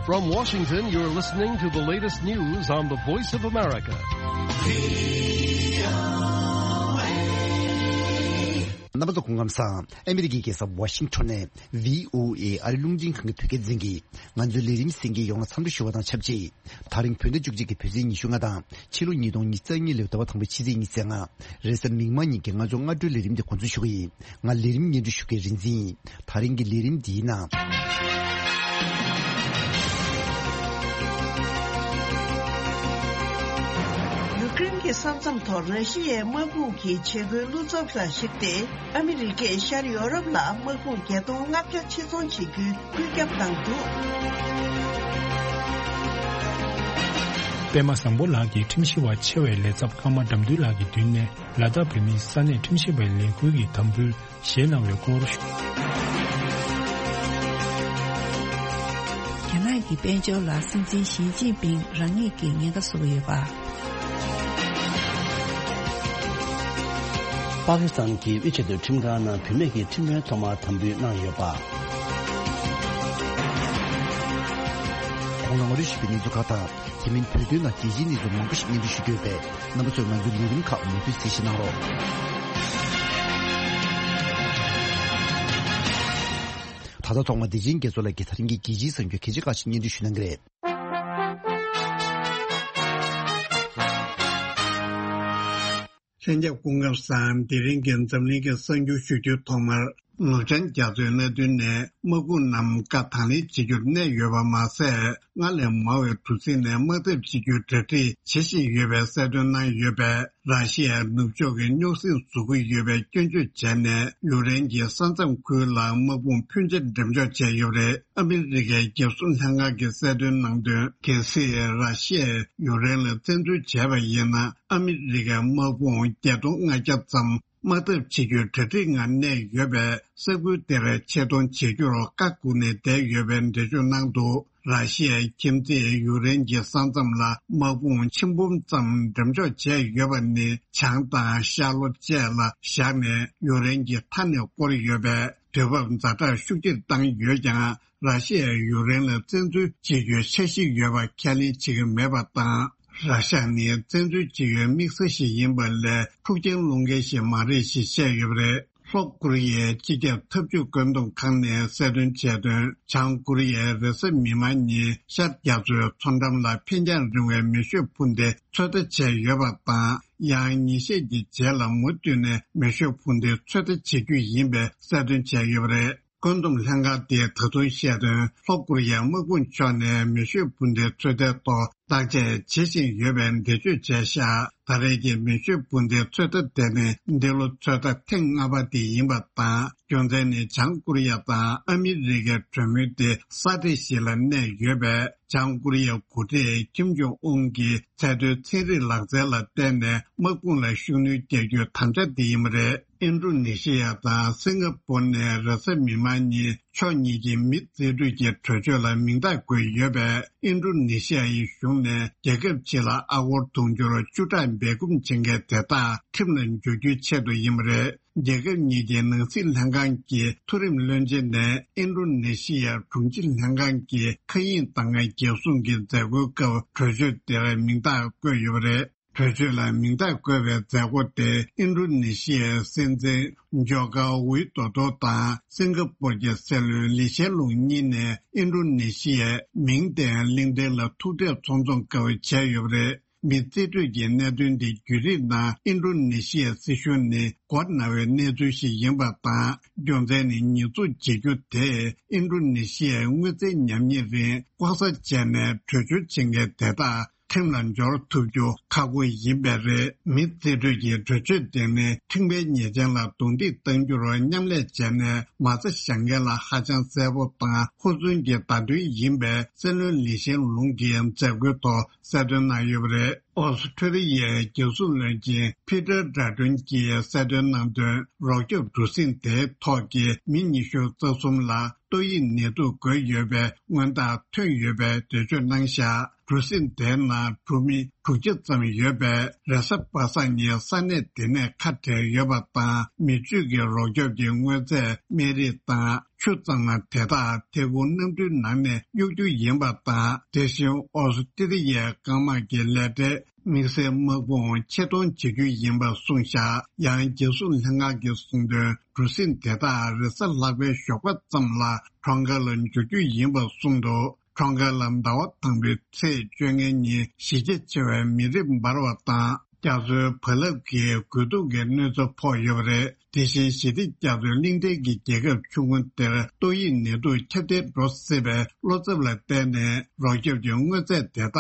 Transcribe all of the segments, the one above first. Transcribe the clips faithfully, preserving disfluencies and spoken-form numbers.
From Washington, you're listening to the latest news on the Voice of America. རྣམ་པ་ཚོ་སྐུ་ཁམས་བཟང་། ཨ་མི་རི་ཀའི་རྒྱལ་ས་ཝ་ཤིང་ཊོན་ནས་བྷི་ཨོ་ཨེ་ཨ་རི་རླུང་འཕྲིན་ཁང་གི་བོད་སྐད་སྡེ་ཚན་གྱིས་ང་ཚོའི་ལས་རིམ་གསན་མཁན་ཡོངས་ལ་འཚམས་འདྲི་ཞུ་བ་དང་ཆབས་ཅིག་ད་རིང་བོད་ཟླ་བཅུ་གཅིག་གི་བོད་ཚེས་ཉི་ཤུ་ལྔ་དང་ཕྱི་ལོ་ཉིས་སྟོང་ཉི་ཤུ་རྩ་གཉིས་ལོའི་ཟླ་བ་དང་པོའི་ཕྱི་ཚེས་ཉི་ཤུ་རྩ་ལྔ། རེས་གཟའ་མིག་དམར་ཉིན་གྱི་ང་ཚོའི་སྔ་དྲོའི་ལས་རིམ་དེ་འགོ་འཛུགས་ཞུ་གི་ཡིན། ང་ལས་རིམ་སྙན་སྒྲོན་ཞུ་མཁན་རིག་འཛིན་ཡིན། ད་རིང་གི་ལས་རིམ་འདིའི་ནང་། ཡུ་ཀེ་རེན་གྱི་ས་མཚམས་ཐོག་ར་ཤི་ཡའི་དམག་དཔུང་གི་བྱེད་སྒོའི་བློ་འཚབ་ལ་གཞིགས་ཏེ། ཨ་མི་རི་ཀས་ཤར་ཡོ་རོབ་ལ་དམག་དཔུང་བརྒྱད་སྟོང་ལྔ་བརྒྱ་ཕྱིར་ཚོང་བྱེད་རྒྱུའི་བཀོད་ཁྱབ་བཏང་འདུག་པད་མ་བཟང་པོ་ལགས་ཀྱིས་ཁྲིམས་ཞིབ་པ་ཆེ་བའི་ལས་ཚབ་ཀརྨ་དགྲ་འདུལ་ལགས་ཀྱི་མདུན་ནས་ལ་དྭགས་བོད་མིའི་ས་གནས་ཁྲིམས་ཞིབ་པའི་ལས་ཁུར་གྱི་དམ་འབུལ་བཞེས་གནང་བའི་སྐོར། རྒྱ་ནག་གི་དཔལ་འབྱོར་ལ་སྲིད་འཛིན་ཞི་ཅིན་ཕིང་རང་ཉིད་ཀྱིས་ཉེན་ཁ་བཟོ་གི་ཡོད་པ། པ་ཀི་སི་ཐན་གྱི་ཝི་ཆེ་ཏུ་ཁྲིམས་ཁང་ནང་བུད་མེད་ཀྱི་ཁྲིམས་དཔོན་ཐོག་མར་དམ་འབུལ་གནང་ཡོད་པ། གོང་ལ་ང་ཚོས་ཞུས་པའི་གནས་ཚུལ་ཁག་དང་། དེ་མིན་བོད་དོན་ནང་རྒྱལ་སྤྱིའི་གནས་ཚུལ་མང་པོ་ཞིག་སྙན་སྒྲོན་ཞུ་རྒྱུ་ཡོད་པས། རྣམ་པ་ཚོས་ང་ཚོའི་ལས་རིམ་ཁག་མུ་མཐུད་གསན་བཞེས་གནང་རོགས། ད་ལྟ་ཐོག་མར་བདེ་ཆེན་རྒྱ་མཚོ་ལགས་ཀྱིས་ད་རིང་གི་རྒྱལ་སྤྱིའི་གསར་འགྱུར་གལ་ཆེ་ཁག་ཅིག་སྙན་སྒྲོན་ཞུ་གནང་གི་རེད། ལྷན་རྒྱས་སྐུ་ཁམས་བཟང་། དེ་རིང་གི་འཛམ་གླིང་གི་གསར་འགྱུར་ཞུ་རྒྱུའི་ཐོག་མར། ནུབ་བྱང་རྒྱ་མཚོའི་མནའ་མཐུན་ནས་དམག་དཔུང་རྣམས་བཀའ་དང་ལེན་བྱེད་རྒྱུར་གནས་ཡོད་པ་མ་ཟད། སྔར་ལས་མང་བའི་གྲུ་གཟིངས་ནས་དམག་འཐབ་བྱེད་རྒྱུའི་གྲ་སྒྲིག་བྱེད་བཞིན་ཡོད་པའི་གསལ་སྟོན་གནང་ཡོད་པས། ར་ཤི་ཡའི་ནུབ་ཕྱོགས་ཀྱི་རྙོག་ཟིང་བཟོ་གི་ཡོད་པའི་སྐྱོན་བརྗོད་བྱས་ནས། ཡུཀ་རེན་གྱི་ས་མཚམས་ཁུལ་ལ་དམག་དཔུང་ཕོན་ཆེ་འགྲེམས་འཇོག་བྱས་ཡོད་པ་རེད། ཨ་མི་རི་ཀའི་རྒྱལ་སྲུང་ལྷན་ཁང་གིས་གསལ་སྟོན་གནང་དོན། གལ་སྲིད་ར་ཤི་ཡས་ཡུཀ་རེན་ལ་བཙན་འཛུལ་བྱས་པ་ཡིན་ན། ཨ་མི་རི་ཀའི་དམག་དཔུང་བརྒྱད་སྟོང་ལྔ་བརྒྱ་ཙམ་དམག་འཐབ་བྱེད་རྒྱུའི་གྲ་སྒྲིག་ངང་གནས་ཡོད་པས། ས་ཁུལ་དེར་ཆེད་གཏོང་བྱེད་རྒྱུར་བཀའ་བསྒོས་ནས་བསྡད་ཡོད་པའི་འགྲེལ་བརྗོད་གནང་འདུག་ར་ཤི་ཡའི་ཁྱིམ་མཚེས་ཡུཀ་རེན་གྱི་ས་མཚམས་ལ་དམག་དཔུང་ཆིག་འབུམ་ཙམ་འགྲེམས་འཇོག་བྱས་ཡོད་པ་ནི། བྱང་དང་ཤར་ལྷོ་བཅས་ལ་བཞག་ནས་ཡུཀ་རེན་གྱི་མཐའ་ནས་བསྐོར་ཡོད་པས། དུས་བབ་ཛ་དྲག་ཤུགས་ཆེར་བཏང་ཡོད་ཀྱང་། ར་ཤི་ཡས་ཡུཀ་རེན་ལ་བཙན་འཛུལ་བྱེད་རྒྱུའི་འཆར་གཞི་ཡོད་པ་ཁས་ལེན་བྱེད་ཀྱི་མེད་པ་དང་། ར་ཤ་ནི་བཙན་འཛུལ་བྱེད་ཡུལ་དམིགས་བསལ་ཞིག་ཡིན་པ་ལས། འཁྲུག་རྐྱེན་སློང་མཁན་ཞིག་མ་རེད་ཞེས་བཤད་ཡོད་པ་རེད། ལྷོ་ཀོ་རི་ཡའི་སྤྱི་ཁྱབ་འཐབ་ཇུས་བཀོད་འདོམས་ཁང་ནས་གསལ་སྟོན་བྱས་དོན། བྱང་ཀོ་རི་ཡས་རེས་གཟའ་མིག་དམར་ཉིན་ཤར་རྒྱ་མཚོའི་མཚོ་འགྲམ་ལ་འཕེན་རྒྱང་རིང་བའི་མེ་ཤུགས་འཕུར་མདེལ་ཚོད་ལྟ་བྱས་ཡོད་པ་དང་། ཡང་ཉིན་ཤས་ཀྱི་རྗེས་ལ་མུ་མཐུད་ནས་མེ་ཤུགས་འཕུར་མདེལ་ཚོད་ལྟ་བྱེད་རྒྱུ་ཡིན་པའི་གསལ་སྟོན་བྱས་ཡོད་པ་རེད། བཀོད་འདོམས་ལྷན་ཁང་དེས་ད་དུང་བཤད་དོན། ལྷོ་ཀོ་རི་ཡའི་དམག་དཔུང་ཕྱོགས་ནས་མེ་ཤུགས་འཕུར་མདེལ་ཚོད་ལྟའི་ཐོག་བརྟག་དཔྱད་བྱེད་བཞིན་ཡོད་པའི་འགྲེལ་བརྗོད་བྱས་ཤག་ད་རེས་ཀྱི་མེ་ཤུགས་འཕུར་མདེལ་ཚོད་ལྟ་དེ་ནི་འདི་ལོ་ཚོད་ལྟ་ཐེངས་ལྔ་པ་དེ་ཡིན་པ་དང་། རྒྱུ་མཚན་ནི་བྱང་ཀོ་རི་ཡ་དང་ཨ་མི་རི་ཀའི་གྲོས་མོལ་དེ་ས་འདྲ་ཞིག་ལ་གནས་ཡོད་པས། བྱང་ཀོ་རི་ཡའི་འགོ་ཁྲིད་ཀིམ་ཇོང་ཨུན་གྱི་ཚད་མཐོའི་ཚན་རིག་ལག་རྩལ་ལ་བརྟེན་ནས་དམག་དཔུང་ལ་ཤུགས་སྣོན་རྒྱག་རྒྱུའི་དམ་བཅའ་དེ་ཡིན་པ་རེད། ཨིན་ཌོ་ནེ་ཤི་ཡ་དང་སིང་ག་པུར་ནས་རེས་གཟའ་མིག་དམར་ཉིན་ཕྱོགས་གཉིས་ཀྱི་མི་རྩིས་སྤྲོད་ཀྱི་གྲོས་ཆོད་ལ་མིང་རྟགས་བཀོད་ཡོད་པས། ཨིན་ཌོ་ནེ་ཤི་ཡའི་གཞུང་ནས་རྒྱལ་ཁབ་ཕྱི་ལ་ཨ་སྒོར་དུང་ཕྱུར་བཅུ་ཕྲག་སྦས་སྐུང་བྱེད་མཁན་དེ་དག་ཁྲིམས་ལ་འཇུག་རྒྱུའི་ཆེད་དུ་ཡིན་པ་རེད། རྒྱལ་ཁབ་གཉིས་ཀྱི་ནང་སྲིད་ལྷན་ཁང་གི་མཐོ་རིམ་བློན་ཆེན་ནས་ཨིན་ཌོ་ནེ་ཤི་ཡའི་དྲུང་ཆེ་ལྷན་ཁང་གི་མཁའ་དབྱིངས་དང་རྒྱལ་སྲུང་གི་མཛད་སྒོའི་སྐབས་གྲོས་ཆོད་དེར་མིང་རྟགས་བཀོད་ཡོད་པ་རེད། གྲོས་ཆོད་ལ་མིང་རྟགས་བཀོད་པའི་མཛད་སྒོ་དེ་ཨིན་ཌོ་ནེ་ཤི་ཡའི་སྲིད་འཛིན་ཇོ་ཀའོ་ཝི་དོ་དོ་དང་སིང་ག་པུར་གྱི་སྲིད་བློན་ལི་ཤན་ལུང་གཉིས་ནས་ཨིན་ཌོ་ནེ་ཤི་ཡའི་མིང་ལྡན་གླེང་སྟེགས་ལ་ཐུག་འཕྲད་ཚོགས་འཛོམས་སྐབས་བྱས་ཡོད་པ་རེད། མི་རྩིས་སྤྲོད་ཀྱི་གནད་དོན་དེ་བརྒྱུད་རིམ་ནང་ཨིན་ཌོ་ནེ་ཤི་ཡའི་སྲིད་གཞུང་ནི་མགོ་ན་བའི་གནས་ཚུལ་ཞིག་ཡིན་པ་དང་། རྒྱུ་མཚན་ནི་ཉེས་འཛུགས་བྱེད་རྒྱུ་དེས་ཨིན་ཌོ་ནེ་ཤི་ཡའི་དངུལ་རྩའི་ཉམས་ཉེས་རིགས་ལྐོག་ཟ་བྱས་ནས་བྲོས་བྱོལ་བྱེད་མཁན་དེ་དག་ཁྲིམས་ལ་འབྱོར་ཐུབ་རྒྱུ་ཁག་པོ་ཡིན་པས་རེད། མི་རྩིས་སྤྲོད་ཀྱི་གྲོས་ཆོད་དེ་ནི་ཁྲིམས་འགལ་ཉེས་ཅན་ལ་རྡུང་རྡེག་གཏང་རྒྱུར་མཉམ་ལས་བྱས་ནས་མ་རྩ་བཞག་མཁན་ལ་ཧ་ཅང་གསལ་པོ་དང་ཧུར་བརྩོན་གྱི་བརྡ་སྟོན་ཡིན་པས་སྲིད་བློན་ལི་ཤན་ལུང་གིས་མཛད་སྒོའི་ཐོག་གསལ་སྟོན་གནང་ཡོད་པ་རེད། ཨོ་སི་ཁྲུ་ལི་ཡའི་རྒྱལ་སྲུང་བློན་ཆེན་ཕི་ཏར་ཌ་ཏུན་གྱིས་གསལ་སྟོན་གནང་དོན། རོགས་སྐྱོབ་གྲུ་གཟིངས་དེའི་ཐོག་གི་མི་ཉི་ཤུ་རྩ་གསུམ་ལ་ཏོག་དབྱིབས་ནད་དུག་འགོས་ཡོད་པའི་མངོན་རྟགས་ཐོན་ཡོད་པའི་འགྲེལ་བརྗོད་གནང་བཞག་གྲུ་གཟིངས་དེའི་ནང་གྲུ་མི་དྲུག་བརྒྱ་ཙམ་ཡོད་པས། རེས་གཟའ་པ་སངས་ཉིན་ས་གནས་དེ་ནས་ཁ་བྲལ་ཡོད་པ་དང་། མི་སྤྱོད་ཀྱི་རོགས་སྐྱོབ་ཀྱི་དངོས་རྫས་སྨན་རིགས་དང་ ཆུ་གཙང་མ་དེ་དག་ཐད་འཁོར་གནམ་གྲུའི་ནང་ནས་གཡུག་རྒྱུ་ཡིན་པ་དང་། དེ་བཞིན་ཨོ་སི་ཀྲི་ལི་ཡའི་སྐམ་དམག་གི་ལས་གྲྭས་དམིགས་བསལ་དམག་དཔུང་ཆེད་གཏོང་བྱེད་རྒྱུ་ཡིན་པ་གསུངས་བཞག་ཡང་རྒྱལ་སྲུང་ལྷན་ཁང་གིས་གསུངས་དོན། གྲུ་གཟིངས་དེ་དག་རེས་གཟའ་ལྷག་པའི་ཞོགས་པ་ཙམ་ལ་ཁྲོང་ཁ་ལ་འབྱོར་རྒྱུ་ཡིན་པ་གསུངས་འདུག་ཁྲོང་ཁ་ལ་ཟླ་བ་དང་པོའི་ཚེས་བཅོ་ལྔའི་ཉིན་གཞི་རྒྱ་ཆེ་བའི་མེ་རི་འབར་བ་དང་། རྒྱ་མཚོའི་བ་ལབ་ཀྱིས་རྒོལ་རྡུང་གི་གནོད་འཚེ་ཕོག་ཡོད་པ་རེད། དེ་བཞིན་ཞི་བདེ་རྒྱ་མཚོའི་གླིང་ཕྲན་གྱི་རྒྱལ་ཁབ་ཆུང་ངུ་དེར་ཏོག་དབྱིབས་ནད་དུག་ཁྱབ་གདལ་འགྲོ་སྲིད་པའི་བློ་འཚབ་ལ་བརྟེན་ནས། རོགས་སྐྱོབ་ཀྱི་དངོས་རྫས་དེ་དག་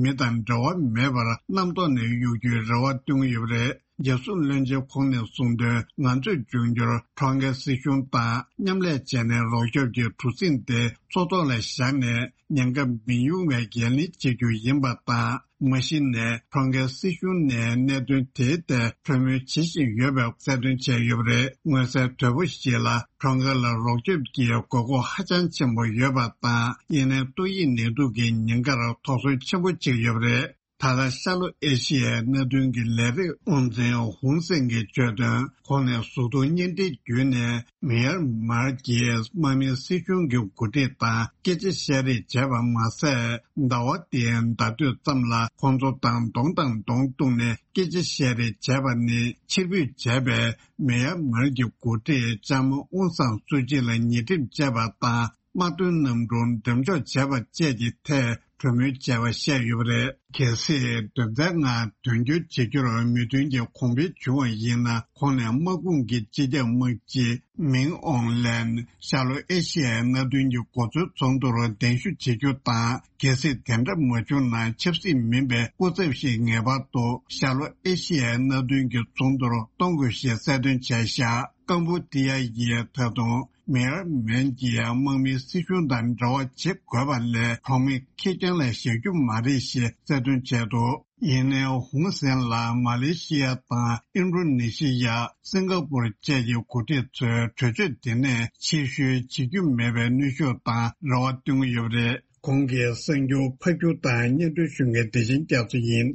མི་དང་འབྲེལ་བ་མེད་པར་གནམ་ཐོག་ནས་གཡུག་རྒྱུའི་རེ་བ་བཏོན་གྱི་ཡོད་པ་རེད། རྒྱལ་སྲུང་བློན་ཆེན་ཁོང་ནས་གསུངས་དོན། ང་ཚོས་འབྱུང་འགྱུར་ཁྲོང་ཁའི་སྲིད་གཞུང་དང་མཉམ་ལས་བྱས་ནས། རོགས་སྐྱོབ་ཀྱི་གྲུ་གཟིངས་དེ་མཚོ་ཐོག་ལ་བཞག་ནས། ཉེན་ཁ་མི་ཡོང་བའི་འགན་ལེན་བྱེད་རྒྱུ་ཡིན་པ་དང་། མ་གཞི་ནས་ཁྲོང་ཁའི་སྲིད་གཞུང་ནས་གནད་དོན་དེའི་ཐད་གྲོས་མོལ་བྱེད་བཞིན་ཡོད་པའི་གསལ་སྟོན་བྱས་ཡོད་པ་རེད། མངོན་གསལ་དོད་པོ་ཞིག་ལ། ཁྲོང་ཁ་ལ་རོགས་སྐྱོབ་ཀྱི་དགོས་མཁོ་ཧ་ཅང་ཆེན་པོ་ཡོད་པ་དང་། ཡིན་ནའི་ཏོག་དབྱིབས་ནད་དུག་གི་ཉེན་ཁར་དོགས་ཟོན་ཆེན་པོ་བྱེད་ཀྱི་ཡོད་པ་རེད། ད་ལྟ་ཤར་ལྷོ་ཨེ་ཤི་ཡའི་མནའ་མཐུན་གྱི་ལས་རིགས་དབང་འཛིན་ཧུང་སེན་གྱིས་བརྗོད་དོན། ཁོང་ནས་གཟུགས་མཐོང་བརྙན་འཕྲིན་བརྒྱུད་ནས་མེ་ཡར་མར་གྱི་དམག་མིའི་སྲིད་གཞུང་གི་འགོ་ཁྲིད་དང་སྐད་ཆ་བཤད་རེས་བྱས་པ་མ་ཟད། ཟླ་བ་འདིའི་ཟླ་སྟོད་ཙམ་ལ་ཁོང་ཚོ་དང་གདོང་དང་གདོང་གཏུགས་ནས་སྐད་ཆ་བཤད་རེས་བྱས་པ་ནི། ཕྱིར་འབུད་བྱས་པའི་མེ་ཡར་མར་གྱི་འགོ་ཁྲིད་ལྕམ་ཨུང་སང་སུ་ཅི་ལ་ཉེས་ཁྲིམས་བཅད་པ་དང་། དམག་དོན་གནམ་གྲུ་འགྲེམས་འཇོག་བྱས་པ་བཅས་ཀྱི་ཐད་གྲོས་མོལ་བྱས་པ་བཤད་ཡོད་པ་རེད། གལ་སྲིད་དོན་ཚན་ལྔ་དོན་འཁྱོལ་བྱེད་རྒྱུར་མོས་མཐུན་གྱི་གོང་འཕེལ་བྱུང་བ་ཡིན་ན། ཁོང་ནས་དམག་དཔུང་གི་སྤྱི་ཁྱབ་དམག་སྤྱི་མིང་ཨོང་ལན་ཤར་ལྷོ་ཨེ་ཤི་ཡའི་མནའ་མཐུན་གྱི་འགོ་གཙོའི་ཚོགས་འདུར་གདན་ཞུ་བྱེད་རྒྱུ་དང་། གལ་སྲིད་དེ་འདྲ་མ་བྱུང་ན། ཆབ་སྲིད་མིན་པའི་སྐུ་ཚབ་ཞིག་ངེས་པར་དུ་ཤར་ལྷོ་ཨེ་ཤི་ཡའི་མནའ་མཐུན་གྱི་ཚོགས་འདུར་གཏོང་དགོས་ཞེས་གསལ་སྟོན་བྱས་བཞག་ཀམ་བུ་ཏི་ཡ་ཡིས་ད་དུང་མེ་ཡར་མན་གྱི་དམག་མིའི་སྲིད་གཞུང་དང་འབྲེལ་བ་བྱེད་དགོས་པ་ལས། གྲོགས་མེད་ཁེར་རྐྱང་ལ་བཞག་རྒྱུ་མ་རེད་ཞེས་གསལ་སྟོན་བྱས་འདུག་ཡིན་ནའི་ཧུང་སན་ལ་མ་ལེ་ཤི་ཡ་དང་ཨིན་ཌོ་ནེ་ཤི་ཡ། སིང་ག་པུར་བཅས་ཀྱི་འགོ་ཁྲིད་ཚོས་གྲོས་ཆོད་དེ་ནས་ཕྱིར་བཤོལ་བྱེད་རྒྱུ་མེད་པའི་གནོན་ཤུགས་དང་རེ་བ་བཏོན་གྱི་ཡོད་པ་རེད། གོང་གི་གསར་འགྱུར་ཕབ་སྒྱུར་དང་སྙན་སྒྲོན་ཞུ་མཁན་བདེ་ཆེན་རྒྱ་མཚོ་ཡིན།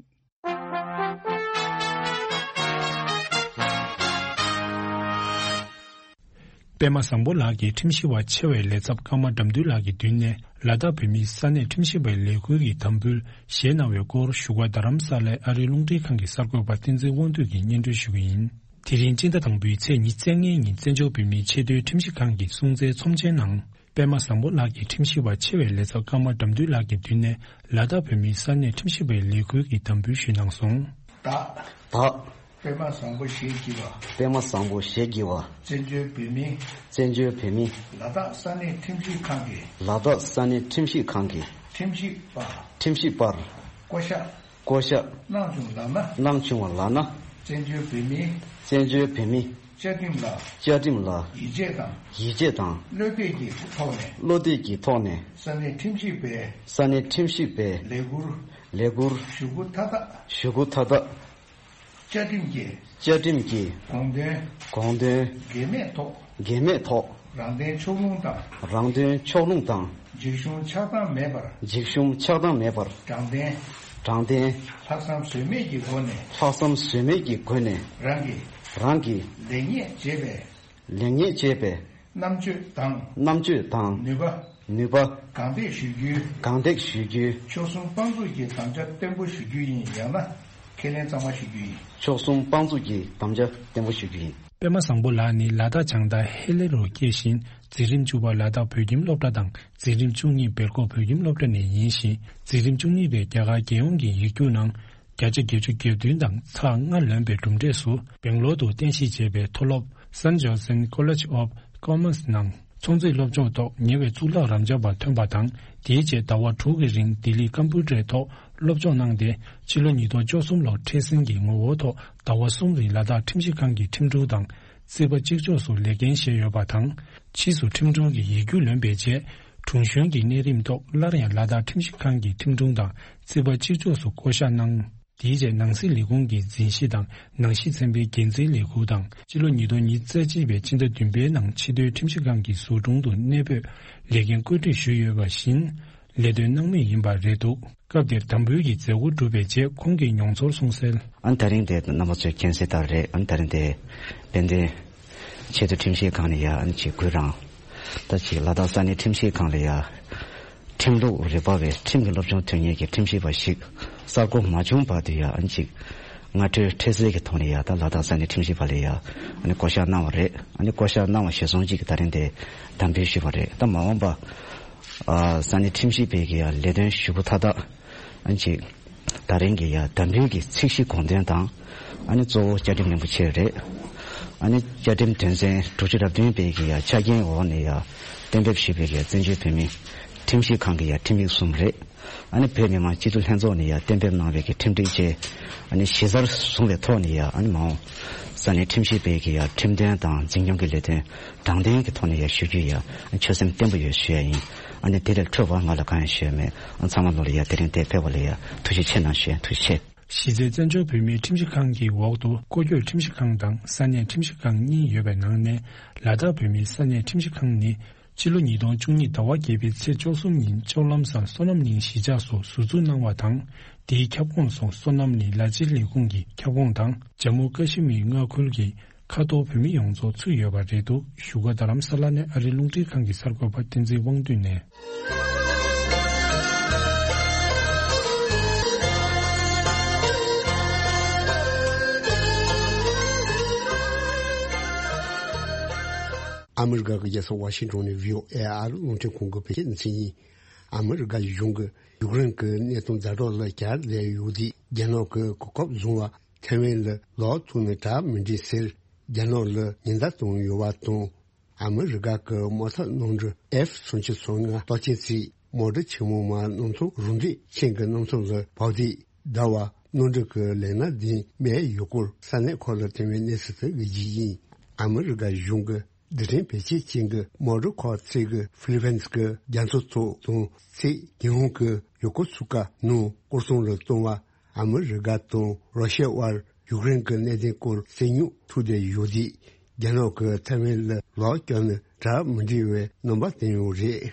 པད་མ་བཟང་པོ་ལགས་ཀྱིས་ཁྲིམས་ཞིབ་པ་ཆེ་བའི་ལས་ཚབ་ཀརྨ་དགྲ་འདུལ་ལགས་ཀྱི་མདུན་ནས་ལ་དྭགས་བོད་མིའི་ས་གནས་ཁྲིམས་ཞིབ་པའི་ལས་ཁུར་གྱི་དམ་འབུལ་བཞེས་གནང་བའི་སྐོར་བཞུགས་སྒར་རྡ་རམ་ས་ལའི་ཨ་རིའི་རླུང་འཕྲིན་ཁང་གི་གསར་འགོད་པ་བསྟན་འཛིན་དབང་འདུས་ཀྱིས་སྙན་སྒྲོན་ཞུ་གི་ཡིན། དེ་རིང་སྤྱི་ཟླ་དང་པོའི་ཚེས་ཉི་ཤུ་རྩ་ལྔའི་ཉིན་བཙན་བྱོལ་བོད་མིའི་ཆེས་མཐོའི་ཁྲིམས་ཞིབ་ཁང་གི་སྲུང་བརྩིའི་ཚོམས་ཆེན་ནང་། པད་མ་བཟང་པོ་ལགས་ཀྱིས་ཁྲིམས་ཞིབ་པ་ཆེ་བའི་ལས་ཚབ་ཀརྨ་དགྲ་འདུལ་ལགས་ཀྱི་མདུན་ནས་ལ་དྭགས་བོད་མིའི་ས་གནས་ཁྲིམས་ཞིབ་པའི་ལས་ཁུར་གྱི་དམ་འབུལ་ཞུས་གནང་སོང་། བདག་བདག་པད་མ་བཟང་པོ་ཞེས་བགྱི་བ། པད་མ་བཟང་པོ་ཞེས་བགྱི་བ། བཙན་བྱོལ་བོད་མི། བཙན་བྱོལ་བོད་མི། ལ་དྭགས་ས་གནས་ཁྲིམས་ཞིབ་ཁང་གི། ལ་དྭགས་ས་གནས་ཁྲིམས་ཞིབ་ཁང་གི། ཁྲིམས་ཞིབ་པ། ཁྲིམས་ཞིབ་པར། བསྐོ་གཞག་བསྐོ་གཞག་གནང་བྱུང་ལགས་ན། གནང་བྱུང་བ་ལགས་ན། བཙན་བྱོལ་བོད་མི། བཙན་བྱོལ་བོད་མི། བཅའ་ཁྲིམས་ལ། བཅའ་ཁྲིམས་ལ། ཡིད་ཆེས་དང་། ཡིད་ཆེས་དང་། བློ་གཏད་ཀྱི་ཐོག་ནས། བློ་གཏད་ཀྱི་ཐོག་ནས། ས་གནས་ཁྲིམས་ཞིབ་པའི། ས་གནས་ཁྲིམས་ཞིབ་པའི། ལས་ཁུར། ལས་ཁུར། ཞུ་སྒོ་མཐའ་དག་ཞུ་སྒོ་མཐའ་དག་བཅའ་ཁྲིམས་ཀྱི། བཅའ་ཁྲིམས་ཀྱི། དགོངས་དོན། དགོངས་དོན། འགལ་མེད་ཐོག་འགལ་མེད་ཐོག་རང་དོན་ཕྱོགས་ལྷུང་དང་། རང་དོན་ཕྱོགས་ལྷུང་དང་། འཇིགས་ཞུམ་ཆགས་སྡང་མེད་པར། འཇིགས་ཞུམ་ཆགས་སྡང་མེད་པར། དྲང་བདེན། དྲང་བདེན། ལྷག་བསམ་ཟོལ་མེད་ཀྱི་སྒོ་ནས། ལྷག་བསམ་ཟོལ་མེད་ཀྱི་སྒོ་ནས། རང་གི། རང་གི། ལེགས་ཉེས་འབྱེད་པའི། ལེགས་ཉེས་འབྱེད་པའི། རྣམ་དཔྱོད་དང་། རྣམ་དཔྱོད་དང་། ནུས་པ། ནུས་པ། གང་ཐེག་ཞུ་རྒྱུའི། གང་ཐེག་ཞུ་རྒྱུའི། མཆོག་གསུམ་དཔང་བཙུགས་ཀྱི་དམ་བཅའ་བརྟན་པོ་ཞུ་རྒྱུ་ཡིན། ཡང་ན་ཁས་ལེན་གཙང་མ་ཞུ་རྒྱུ་ཡིན། མཆོག་གསུམ་དཔང་བཙུགས་ཀྱི་དམ་བཅའ་བརྟན་པོ་ཞུ་རྒྱུ་ཡིན། པད་མ་བཟང་པོ་ལགས་ནི་ལ་དྭགས་བྱང་མཐའ་ཧེ་ལེ་རུ་སྐྱེས་ཤིང་འཛིན་རིམ་བཅུ་པ་ལ་དྭགས་བོད་ཁྱིམ་སློབ་གྲྭ་དང་འཛིན་རིམ་བཅུ་གཉིས་སྦེལ་ཀོབ་བོད་ཁྱིམ་སློབ་གྲྭ་ནས་ཡིན་ཞིང་། འཛིན་རིམ་བཅུ་གཉིས་པའི་རྒྱ་གར་རྒྱལ་ཡོངས་ཀྱི་ཡིག་རྒྱུགས་ནང་བརྒྱ་ཆ་བརྒྱད་ཅུ་གྱ་བདུན་དང་ཚེག་ལྔ་ལོན་པའི་གྲུབ་འབྲས་སུ་སྦེང་ལོར་དུ་རྟེན་གཞི་བྱས་པའི་མཐོ་སློབ་Saint Joseph's College of Commerce ནང་ཚོང་རྫས་སློབ་སྦྱོང་ཐོག་ཉེ་བའི་གཙུག་ལག་རབ་འབྱམས་པ་ཐོན་པ་དང་། དེའི་རྗེས་ཟླ་བ་དྲུག་གི་རིང་ལྡི་ལི་ཀམ་པུ་ཊར་ཐོག་སློབ་སྦྱོང་གནང་སྟེ། ཕྱི་ལོ་ཉིས་སྟོང་བཅུ་གསུམ་ལོར་མཁྲེགས་འཛིན་གྱི་ངོ་བོ་ཐོག་ཟླ་བ་གསུམ་རིང་ལ་དྭགས་ཁྲིམས་ཞིབ་ཁང་གི་ཁྲིམས་དྲུང་དང་རྩིས་པ་གཅིག་ལྕོགས་སུ་ལས་འགན་བཞེས་ཡོད་པ་དང་། ཕྱིས་སུ་ཁྲིམས་དྲུང་གི་ཡིག་རྒྱུགས་ལོན་པའི་རྗེས། དྲུང་གཞོན་གྱི་གནས་རིམ་ཐོག་སླར་ཡང་ལ་དྭགས་ཁྲིམས་ཞིབ་ཁང་གི་ཁྲིམས་དྲུང་དང་རྩིས་པ་གཅིག་ལྕོགས་སུ་བསྐོ་གཞག་གནང་། དེའི་རྗེས་ནང་སྲིད་ལས་ཁུངས་ཀྱི་འཛིན་གཞི་དང་ནང་བཞིན་ཚན་པའི་འགན་འཛིན་ལས་ཁུངས་དང་། ཕྱི་ལོ་ཉིས་སྟོང་ཉི་ཤུ་རྩ་གཅིག་པའི་ཕྱི་ཟླ་བདུན་པའི་ནང་ཆེས་མཐོའི་ཁྲིམས་ཞིབ་ཁང་གི་ཟུར་དྲུང་དུ་གནས་སྤོས་ལས་འགན་བཀོད་སྒྲིག་ཞུས་ཡོད་པ་བཞིན། ལས་དོན་སྣང་མེད་ཡིན་པ་རེད་འདུག་སྐབས་དེར་དམ་འབུལ་གྱི་མཛད་སྒོ་གྲུབ་པའི་རྗེས་ཁོང་གིས་མྱོང་ཚོར་གསུངས་གསལ། ཨ་ནི་ད་རིང་དེ་རྣམ་པ་ཚོས་མཁྱེན་གསལ་ལྟར་རེད། ཨ་ནི་ད་རིང་དེ་དཔལ་ལྡན་ཆེས་མཐོ་ཁྲིམས་ཞིབ་ཁང་ནས་ཡ་ཨ་ནི་ཅིག་གུས་རང་ ད་ཅིག་ལ་དྭགས་ས་གནས་ཁྲིམས་ཞིབ་ཁང་ལ་ཡ། ཁྲིམས་ལུགས་རིག་པ་བའི་ཁྲིམས་ཀྱི་སློབ་སྦྱོང་ཐོན་མཁན་གྱི་ཁྲིམས་ཞིབ་པ་ཞིག་གསར་འགོད་མ་བྱུང་བར་དུ་ཡ་ཨ་ནི་ཅིག་སྔ་འཕྲོས་འཕྲལ་སེལ་གྱི་ཐོག་ནས་ཡ་ད་ལ་དྭགས་ས་གནས་ཁྲིམས་ཞིབ་པ་ལ་ཡ་ཨ་ནི་བསྐོ་བཞག་གནང་བ་རེད། ཨ་ནི་བསྐོ་བཞག་གནང་བ་གཞིར་བཟུང་ཅིག་གི་ད་རིང་དེ་དམ་འབུལ་ཞུས་པ་རེད། ད་མ་འོངས་པ་ཨ་ས་གནས་ཁྲིམས་ཞིབ་པའི་གི་ཡ་ལས་དོན་ཞུ་སྒོ་མཐའ་དག་ཨ་ནི་ཅིག་ད་རིང་གི་ཡ་དམ་འབུལ་གྱི་ཚིག་བཞི་དགོངས་དོན་དང་། ཨ་ནི་གཙོ་བོ་བཅའ་ཁྲིམས་རིན་པོ་ཆེ་རེད། ཨ་ནི་བཅའ་ཁྲིམས་དོན་ཚན་དྲུག་ཅུ་རེ་བདུན་པའི་གི་ཡ་ཆ་རྐྱེན་འོག་ནས་ཡ་གཏན་འབེབས་ཞུས་པའི་གི་བཙན་བྱོལ་བོད་མིའི་ཁྲིམས་ཞིབ་ཁང་གི་ཡ་ཁྲིམས་ཡིག་གསུམ་རེད། ཨ་ནི་བོད་མི་མང་སྤྱི་འཐུས་ལྷན་ཚོགས་ནས་ཡ་གཏན་འབེབས་གནང་བའི་གི་ཁྲིམས་སྒྲིག་བཅས་ཨ་ནི་གཞི་རྩར་བཟུང་བའི་ཐོག་ནས་ཡ་ཨ་ནི་མ་འོངས་ས་གནས་ཁྲིམས་ཞིབ་པའི་གི་ཡ་ཁྲིམས་དོན་དང་འཛིན་སྐྱོང་གི་ལས་དོན་དྲང་བདེན་གྱི་ཐོག་ནས་ཡ་ཞུ་རྒྱུ་ཡ་ཆོད་སེམས་བརྟན་པོ་ཡོད་ཞུ་ཡ་ཡིན། ཨ་ནི་དེ་ལས་འཕྲོས་པ་ང་ལ་གང་ཡང་ཞུ་ཡ་མེད། ཨ་ཚང་མ་ལོ་ལ་ཡ་དེ་རིང་དེ་ཕེབས་པ་ལ་ཡ་ཐུགས་རྗེ་ཆེ་གནང་ཞུ་ཡ། ཐུགས་རྗེ་ཆེ། གཞི་རྩའི་བཙན་བྱོལ་བོད་མིའི་ཁྲིམས་ཞིབ་ཁང་གི་འོག་ཏུ་སྐོར་སྐྱོད་ཁྲིམས་ཞིབ་ཁང་དང་ས་གནས་ཁྲིམས་ཞིབ་ཁང་གཉིས་ཡོད་པའི་ནང་ནས་ལ་དྭགས་བོད་མིའི་ས་གནས་ཁྲིམས་ཞིབ་ཁང་ནི་ཕྱི་ལོ་ཉིས་སྟོང་བཅུ་གཉིས་ཟླ་བ་བརྒྱད་པའི་ཚེས་བཅུ་གསུམ་ཉིན་ལྕོག་ལམ་སར་སོ་ནམ་གླིང་གཞིས་ཆགས་སུ་ཟུར་འཛུགས་གནང་བ་དང་། དེའི་ཁྱབ་ཁོངས་སུ་སོ་ནམ་གླིང་ལ་རྩེ་ལས་ཁུངས་ཀྱི་ཁྱབ་ཁོངས་དང་། ཇམ་མུ་ཀ་ཤི་མིར་མངའ་ཁུལ་གྱི་ཁ་ཐོར་བོད་མི་ཡོངས་རྫོགས་ཚུད་ཡོད་པ་རེད་འདུག་ཞུ་སྒོ་རྡ་རམ་ས་ལ་ནས་ཨ་རིའི་རླུང་འཕྲིན་ཁང་གི་གསར་འགོད་པ་བསྟན་འཛིན་དབང་འདུས་ནས། ཨ་མི་རི་ཀ་གི་རྒྱལ་ས་ཝ་ཤིང་ཏོན་ནས་བྷི་ཨོ་ཨེ་ཨ་རི་རླུང་འཕྲིན་ཁང་གི་བོད་སྐད་སྡེ་ཚན་ཡིན། ཨ་མི་རི་ཀ་གཞུང་གིས་ཡུཀ་རེན་གྱི་གནད་དོན་ཛ་དྲག་ལ་གྱར་བསྡད་ཡོད་དུས་རྒྱ་ནག་གིས་གོ་སྐབས་བཟུང་བ་ཐའེ་ཝན་ལ་ལོག་ཐུག་ན་དྲག་མི་འགྲིག་ཟེར་རྒྱ་ནག་ལ་ཉེན་བརྡ་བཏང་ཡོད་པ་དང་། ཨ་མི་རི་ཀ་གི་དམག་འཐབ་གནམ་གྲུ་ཨེཕ་སུམ་ཅུ་སོ་ལྔ་གཏོར་སྐྱོན་བྱས། དམག་གྲུ་ཆེན་མོ་མར་གནམ་མཚོ་རུ་འདྲེན་ཅན་གྱི་གནམ་མཚོ་ལ་བབས་དུས་ཟླ་བ་གནམ་གྲུ་གི་ལན་སྣ་ལྡན་མེད་ཡོད་སྐོར་ས་གནས་ཁག་ལ་ཐོན་པའི་གནས་ཚུལ་དེ་གི་རྗེས་ཡིན། ཨ་མི་རི་ཀ་གཞུང་གི་རྡུལ་ཕྲན་བེད་སྤྱོད་ཅན་གྱི་དམག་གྲུ་ཁག་ཚིག་གི་ཧྥི་ལི་ཕིན་གྱི་རྒྱ་མཚོ་ཐོག་དང་ཚིག་ཉི་ཧོང་གི་ཡོ་ཀོ་སུ་ཀ་ནང་སྐོར་སྲུང་ལ་གཏོང་བ། ཨ་མི་རི་ཀ་དང་རོ་ཤི་ཡ་དབར་ཡུཀ་རེན་གྱི་གནད་དོན་སྐོར་རྩོད་རྙོག་ཐུག་བསྡད་ཡོད་དུས་རྒྱ་ནག་གིས་ཐའེ་ཝན་ལ་ལོག་བསྐྱོད་ན་དྲག་མི་འགྲིག་པའི་རྣམ་པ་བསྟན་ཡོད་རེད།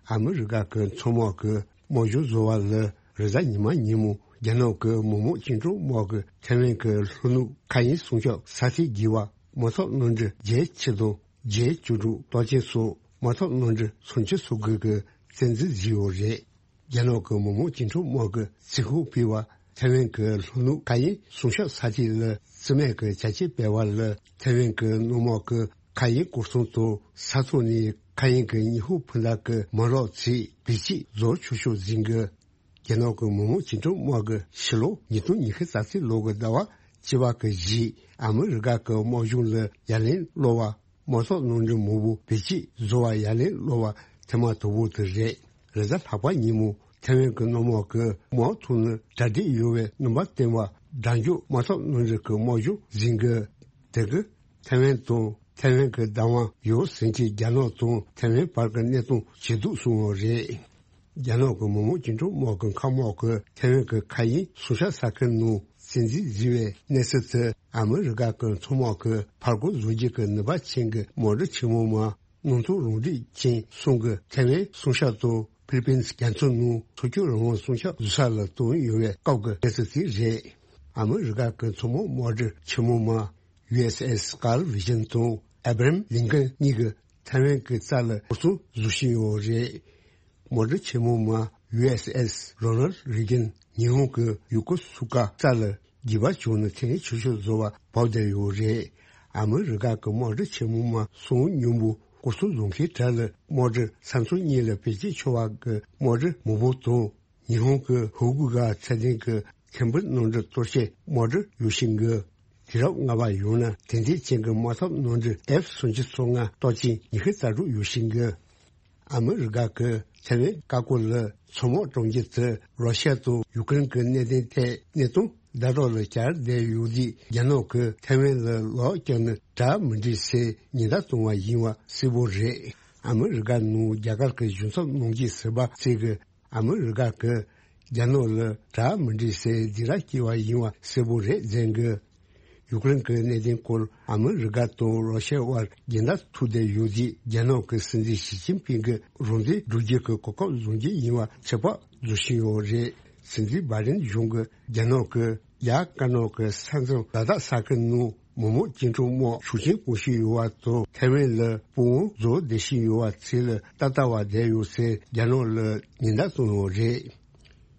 ཨ་མི་རི་ཀ་གི་མཚོ་དམག་གི་དམག་སྦྱོང་བཟོ་བ་ལ་རེས་གཟའ་ཉི་མ་ཉིན་མོ་རྒྱ་ནག་གི་མི་དམངས་བཅིངས་འགྲོལ་དམག་གིས་ཐའེ་ཝན་གྱི་ལྷོ་ནུབ་མཁའ་དབྱིངས་སྲུང་སྐྱོབ་ས་ཐིག་བརྒྱད་པ་དམག་འཐབ་གནམ་གྲུ་བརྒྱད་ཅུ་དང་བརྒྱད་ཅུ་དྲུག་གཏོར་སྐྱོན་སོགས་དམག་འཐབ་གནམ་གྲུ་སུམ་ཅུ་སོ་དགུ་གི་བཙན་འཛུལ་བཟོས་ཡོད་རེད། རྒྱ་ནག་གི་མི་དམངས་བཅིངས་འགྲོལ་དམག་གིས་རྩིས་ཁུངས་ཕུལ་བ་ཐའེ་ཝན་གྱི་ལྷོ་ནུབ་མཁའ་དབྱིངས་སྲུང་སྐྱོབ་ས་ཐིག་ལ་རྩིས་མེད་ཀྱི་བྱ་སྤྱོད་སྤེལ་བ་ལ་ཐའེ་ཝན་གྱི་གནམ་དམག་གི་མཁའ་དབྱིངས་སྐོར་སྲུང་དང་ས་ཐོག་ནས་མཁའ་དབྱིངས་ཀྱི་ཉི་ཧོང་འཕུར་མདའ་གྱི་མ་རག་ཚིག་བེད་སྤྱོད་རྫོགས་ཆོག་ཤོག་ཟིན་གི། རྒྱ་ནག་གི་མི་དམངས་བཅིངས་འགྲོལ་དམག་གིས་ཕྱི་ལོ་ཉིས་སྟོང་ཉི་ཤུ་རྩ་གཅིག་ལོ་གི་ཟླ་བ་བཅུ་པ་གི་གཞིས་ཨ་མི་རི་ཀ་གི་དམག་གཞུང་ལ་ཡ་ལན་སློག་པ། དམག་འཐབ་གནམ་གྲུ་མང་པོ་བེད་སྤྱོད་བཟོ་བར་ཡ་ལན་སློག་པ་ཐེངས་མ་དང་པོ་དེ་རེད། རེས་གཟའ་ལྷག་པ་ཉིན་མོ་ཐའེ་ཝན་གྱི་གནམ་དམག་གིས་དམག་འཐབ་ནི་གྲ་སྒྲིག་ཡོད་པའི་རྣམ་པ་བསྟན་པ་དགྲ་འཇོག་དམག་འཐབ་གནམ་གྲུ་གྱི་དམག་སྦྱོང་ཟིན་གི། དེ་གིས་ཐའེ་ཝན་དང་ཐའེ་ཝན་གྱི་བདག་དབང་ཡོད་ཟིན་གྱི་རྒྱ་ནག་དང་ཐའེ་ཝན་བར་གྱི་གནད་དོན་ཇེ་སྡུག་སོང་བ་རེད། རྒྱ་ནག་གི་མི་དམངས་བཅིངས་འགྲོལ་དམག་གི་མཁའ་དམག་གིས་ཐའེ་ཝན་གྱི་མཁའ་དབྱིངས་སྲུང་སྐྱོབ་ས་ཁུལ་ནང་བཙན་འཛུལ་བཟོས་པའི་གནས་ཚུལ་དེ་ཨ་མི་རི་ཀ་གི་མཚོ་དམག་གིས་ཕར་རྒོལ་བཟོ་རྒྱུ་གི་ནུས་པ་ཅན་གྱི་དམག་གྲུ་ཆེན་མོ་མར་གནམ་མཚོ་རུ་འདྲེན་ཅན་གསུམ་གྱི་ཐའེ་ཝན་སྲུང་སྐྱོབ་དང་ཧྥི་ལི་པིན་རྒྱ་མཚོ་ནང་མཚོ་སྐྱོད་རང་དབང་སྲུང་སྐྱོབ་བཟོ་ས་ལ་བཏང་ཡོད་པའི་སྐབས་ཀྱི་གནས་ཚུལ་དེ་རེད། ཨ་མི་རི་ཀ་གི་མཚོ་དམག་དམག་གྲུ་ཆེན་མོ་མར་ཡུ་ཨེས་ཨེས་ཀརལ་ཝི་ཇན་དང་ཨེ་བྷ་རམ་ལིན་ཀོན་གཉིས་ཀྱིས་ཐའེ་ཝན་གྱི་རྩ་ལ་སྐོར་སྲུང་བཟོ་བཞིན་ཡོད་རེད། དམག་གྲུ་ཆེན་མོ་མར་ཡུ་ཨེས་ཨེས་རོ་ནལ་རེ་གན་ཉི་ཧོང་གི་ཡོ་ཀོ་སུ་ཀ་རྩ་ལ་རྒྱུད་པ་བྱུང་ནས་ཐེངས་ཆུང་ཤོས་བཟོ་བར་བབས་བསྡད་ཡོད་རེད། ཨ་མི་རི་ཀ་གི་དམག་གྲུ་ཆེན་མོ་མར་སོང་སྙོམས་པོ་སྐོར་སྲུང་བཟོ་མཁན་གྲས་ལ་དམག་གྲུ་ས་མཚམས་གཉིས་ལ་བེད་སྤྱོད་ཆོག་པ་གི་དམག་གྲུ་མང་པོ་དང་། ཉི་ཧོང་གི་ཧོ་ཀུ་གྷ་ཚད་ལྡན་གྱི་ཁེམ་བུ་གནམ་གྲུ་གཏོར་སྐྱོད་དམག་གྲུ་ཡོད་བཞིན་གི། དུས་རབས་ལྔ་པ་ཡོང་ན་དེང་དུས་ཅན་གྱི་དམག་འཐབ་གནམ་གྲུ་ཨེཕ་སུམ་ཅུ་སོ་ལྔ་གཏོར་སྐྱོད་ཉི་ཤུ་རྩ་དྲུག་ཡོད་བཞིན་གི། ཨ་མི་རི་ཀ་གི་ཐའེ་ཝན་བཀའ་བཀོད་ལ་མཚོ་དམག་གྲོང་ཁྱེར་དེ་རོ་ཤི་ཡ་དང་ཡུ་ཀེ་རེན་གྱི་གནད་དོན་ཐད་གནད་དོན་ཟླ་གྲོགས་ལ་གྱར་བསྡད་ཡོད་དུས་རྒྱ་ནག་གིས་ཐའེ་ཝན་ལ་ལོག་བསྐྱོད་ན་དྲག་མི་འགྲིག་ཟེར་ཉེན་བརྡ་བཏང་བ་ཡིན་པ་གསལ་པོ་རེད། ཨ་མི་རི་ཀ་ནང་རྒྱ་གར་གྱི་གཞུང་ཚབ་གནང་རྒྱུའི་ཟུར་པ་ཚོས་ཀྱིས་ཨ་མི་རི་ཀ་གིས་རྒྱ་ནག་ལ་དྲག་མི་འགྲིག་ཟེར་སྡིགས་ར་སྐྱེལ་བ་ཡིན་པ་གསལ་པོ་རེད་ཟེར་གི། ཡུཀ་རེན་གྱི་གནད་དོན་སྐོར་ཨ་མི་རི་ཀ་དང་རོ་ཤི་ཡ་དབར་འགལ་ཟླ་ཐུག་བསྡད་ཡོད་དུས་རྒྱ་ནག་གི་སྲིད་འཛིན་ཞི་ཅིན་ཕིང་གིས་རང་བཙན་སྒྲུབ་རྒྱུ་གི་གོ་སྐབས་བཟུང་རྒྱུ་ཡིན་པ་ཚོད་དཔག་བཟོ་བཞིན་ཡོད་རེད། སྲིད་འཛིན་བྷའི་ཌེན་གཞུང་གིས་རྒྱ་ནག་གིས་ཡར་དཀར་ནག་གི་ས་མཚམས་ལ་དྭགས་ས་ཁུལ་ནང་ མོག་མོག་ཅིན་ཀྲུང་དམག་ཤུགས་ཆེན་གཏོང་བཞིན་ཡོད་པ་དང་། ཐའེ་ཝན་ལ་དཔུང་དམག་འཛུགས་བསྡད་བཞིན་ཡོད་པ་ཚོ་ལ་ཏག་ཏག་བསྡད་ཡོད་ཟེར་རྒྱ་ནག་ལ་ཉེན་བརྡ་བཏང་ཡོད་རེད།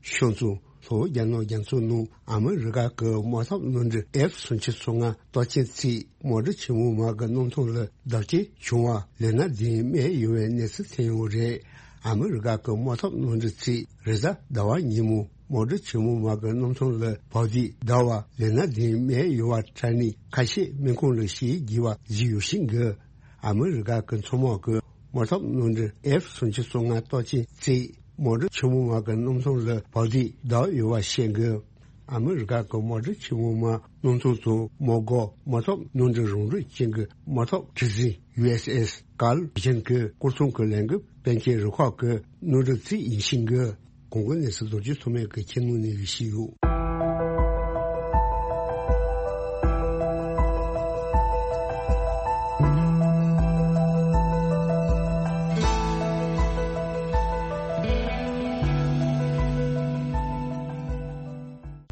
ཤོང་ཙང་། ལྷོ་རྒྱ་ནག་རྒྱ་མཚོ་ནང་ཨ་མི་རི་ཀ་གི་དམག་འཐབ་གནམ་གྲུ་ཨེཕ་སུམ་ཅུ་སོ་ལྔ་སྟོབས་ཆེན་ཚོས་དམག་གྲུ་ཆེན་མོ་དམག་གི་གནམ་ཐང་ལ་བརྡབ་སྐྱེལ་བྱུང་བ་ལས་སྣ་བདུན་རྨས་ཡོད་པའི་གནས་ཚུལ་ཐོན་ཡོད་རེད། ཨ་མི་རི་ཀ་གི་དམག་འཐབ་གནམ་གྲུ་ཚོས་རེས་གཟའ་ཟླ་བ་ཉིན་མོ་དམག་གྲུ་ཆེན་མོ་དམག་གི་གནམ་ཐང་ལ་བར་དུ་བརྡབས་པ་ལས་སྣ་བདུན་རྨས་ཡོད་པ་དྲག་གནོན་ཁ་ཤས་སྨན་ཁང་ལ་བཞེས་རྒྱུ་བ་བཟོས་ཡོད་ཤིང་གི། ཨ་མི་རི་ཀ་གི་མཚོ་དམག་གི་དམག་འཐབ་གནམ་གྲུ་ཨེཕ་སུམ་ཅུ་སོ་ལྔ་སྟོབས་ཆེན་གཅིག་དམག་གྲུ་ཆེན་མོ་དམག་གི་གནམ་ཐང་ལ་བར་དུ་བརྡབས་ཡོད་པ་བཤད་འདུག་ཨ་མི་རི་ཀ་གི་དམག་གྲུ་ཆེན་མོ་དམག་གནམ་ཐང་དང་དམག་སྒར་དམག་འཐབ་གནམ་གྲུ་རང་འགྲུལ་ཅན་གྱི་དམག་འཐབ་གྲུ་གཟིངས་ཡུ་ཨེས་ཨེས་ཀཱརལ་ཝི་ཇན་གྱི་སྐོར་ཚོང་གི་ལས་འགུལ་སྤེལ་མཁན་རུ་ཁག་གི་གནམ་གྲུ་གཅིག་ཡིན་ཤིང་གི། གོང་གི་གནས་ཚུལ་རྡོ་རྗེ་ཐོགས་མེད་ཀྱིས་ཁྱེད་ནང་ནས་ཞུས་ཡོད།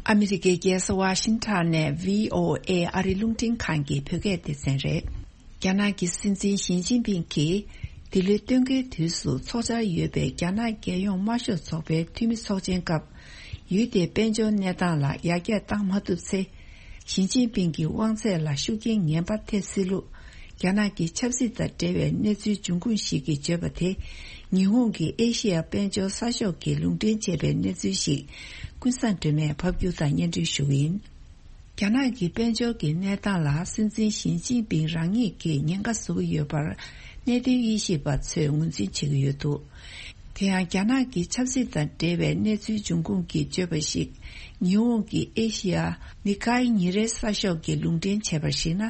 ཨ་མི་རི་ཀའི་རྒྱལ་ས་ཝ་ཤིང་ཊོན་ནས་བྷི་ཨོ་ཨེ་ཨ་རིའི་རླུང་འཕྲིན་ཁང་གི་བོད་སྐད་སྡེ་ཚན་རེད། རྒྱ་ནག་གི་སྲིད་འཛིན་ཞི་ཅིན་ཕིང་གིས་འདི་ལོའི་སྟོན་ཁའི་དུས་སུ་འཚོགས་འཆར་ཡོད་པའི་རྒྱ་ནག་རྒྱལ་ཡོངས་དམར་ཤོག་ཚོགས་པའི་འཐུས་མི་ཚོགས་ཆེན་སྐབས། ཡུལ་དེའི་དཔལ་འབྱོར་གནས་སྟངས་ལ་ཡར་རྒྱས་བཏང་མ་ཐུབ་ཚེ། ཞི་ཅིན་ཕིང་གི་དབང་ཚད་ལ་ཤུགས་རྐྱེན་ངན་པ་ཐེབས་སྲིད་ལུགས། རྒྱ་ནག་གི་ཆབ་སྲིད་དང་འབྲེལ་བའི་གནས་ཚུལ་འབྱུང་ཁུངས་ཤིག་གིས་བརྗོད་པ་དེ། ཉི་ཧོང་གིས་ཨེ་ཤེ་ཡ་དཔལ་འབྱོར་གསར་ཤོག་གིས་ལུང་འདྲེན་བྱས་པའི་གནས་ཚུལ་ཞིག་ཀུན་བཟང་སྒྲོལ་མས་ཕབ་སྒྱུར་དང་སྙན་སྒྲོན་ཞུ་གི་ཡིན། རྒྱ་ནག་གི་དཔལ་འབྱོར་གྱི་གནས་སྟངས་ལ་སྲིད་འཛིན་ཞི་ཅིན་ཕིང་རང་ཉིད་ཀྱིས་ཉེན་ཁ་བཟོ་གི་ཡོད་པར་གནད་དོན་དབྱེ་ཞིབ་པ་ཚོས་ངོས་འཛིན་བྱེད་ཀྱི་ཡོད་འདུག་དེ་ཡང་རྒྱ་ནག་གི་ཆབ་སྲིད་དང་འབྲེལ་བའི་གནས་ཚུལ་འབྱུང་ཁུངས་ཀྱིས་བརྗོད་པ་ཞིག་ཉི་ཧོང་གི་ཨེ་ཤི་ཡ་ནི་ཀའི་ཉིན་རེའི་གསར་ཤོག་གིས་ལུང་འདྲེན་བྱས་པར་གཞིགས་ན།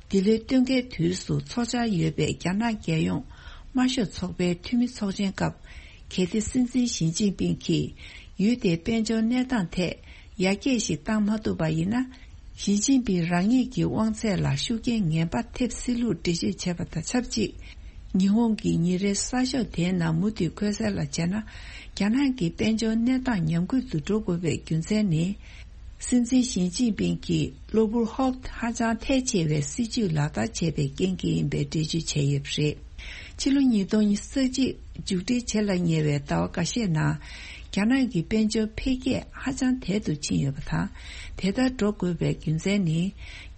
འདི་ལོའི་སྟོན་ཁའི་དུས་སུ་འཚོགས་འཆར་ཡོད་པའི་རྒྱ་ནག་རྒྱལ་ཡོངས་དམར་ཤོག་ཚོགས་པའི་འཐུས་མི་ཚོགས་ཆེན་སྐབས། གལ་ཏེ་སྲིད་འཛིན་ཞི་ཅིན་ཕིང་གིས་ཡུལ་དེའི་དཔལ་འབྱོར་གནས་སྟངས་ཐད་ཡར་རྒྱས་ཤིག་བཏང་མ་ཐུབ་པ་ཡིན་ན། ཞི་ཅིན་ཕིང་རང་ཉིད་ཀྱི་དབང་ཚད་ལ་ཤུགས་རྐྱེན་ངན་པ་ཐེབས་སྲིད་ལུགས་འགྲེལ་བརྗོད་བྱས་པ་དང་ཆབས་ཅིག་ཉི་ཧོང་གི་ཉིན་རེའི་གསར་ཤོག་དེའི་ནང་མུ་མཐུད་འཁོད་གསལ་ལ་བྱས་ན། རྒྱ་ནག་གི་དཔལ་འབྱོར་གནས་སྟངས་ཉམས་རྒུད་དུ་འགྲོ་དགོས་པའི་རྒྱུ་མཚན་ནི། སྲིད་འཛིན་ཞི་ཅིན་ཕིང་གིས་གློ་བུར་ཧོབ་ཧ་ཅང་ཐལ་ཆེ་བའི་སྲིད་ཇུས་ལག་བསྟར་བྱས་པའི་རྐྱེན་གྱིས་ཡིན་པའི་འགྲེལ་བརྗོད་བྱས་ཡོད་པ་རེད། ཕྱི་ལོ་ཉིས་སྟོང་ཉི་ཤུ་རྩ་གཅིག་མཇུག་སྒྲིལ་བྱེད་ལ་ཉེ་བའི་ཟླ་བ་འགའ་ཤས་ནང་། རྒྱ་ནག་གི་དཔལ་འབྱོར་འཕེལ་རྒྱས་ཧ་ཅང་དལ་དུ་ཕྱིན་ཡོད་པ་དང་། དེ་ལྟར་འགྲོ་དགོས་པའི་རྒྱུ་མཚན་ནི།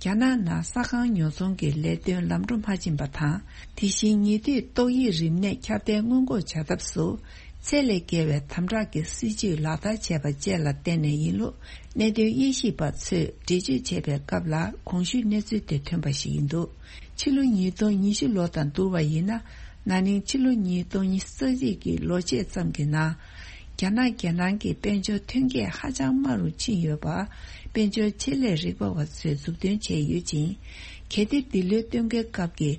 རྒྱ་ནག་ནང་ས་ཁང་ཉོ་ཚོང་གི་ལས་དོན་ལམ་འགྲོ་མ་ཕྱིན་པ་དང་། དེ་བཞིན་ཉེ་དུས་ཏོག་དབྱིབས་རིམས་ནད་ཁྱབ་གདལ་སྔོན་འགོག་བྱ་ཐབས་སུ། ཚད་ལས་བརྒལ་བའི་དམ་དྲག་གི་སྲིད་ཇུས་ལག་བསྟར་བྱས་པ་བཅས་ལ་བརྟེན་ནས་ཡིན་ལུགས། གནད་དོན་དབྱེ་ཞིབ་པ་ཚོས་འགྲེལ་བརྗོད་བྱས་པའི་སྐབས་ལ་གོང་ཞུས་གནས་ཚུལ་དེ་ཐོན་པ་ཞིག་ཡིན་འདུག་ཕྱི་ལོ་ཉིས་སྟོང་ཉི་ཤུ་ལོ་དང་བསྡུར་བ་ཡིན་ན། ན་ནིང་ཕྱི་ལོ་ཉིས་སྟོང་ཉི་ཤུ་རྩ་གཅིག་གི་ལོ་ཕྱེད་ཙམ་གྱི་ནང་། རྒྱ་ནག་རྒྱལ་ནང་གི་དཔལ་འབྱོར་ཐོན་སྐྱེད་ཧ་ཅང་དམའ་རུ་ཕྱིན་ཡོད་པ། དཔལ་འབྱོར་ཆེད་ལས་རིག་པ་བ་ཚོས་མཛུབ་སྟོན་བྱས་ཡོད་ཅིང་། གལ་ཏེ་འདི་ལོའི་སྟོན་ཁའི་སྐབས་ཀྱི་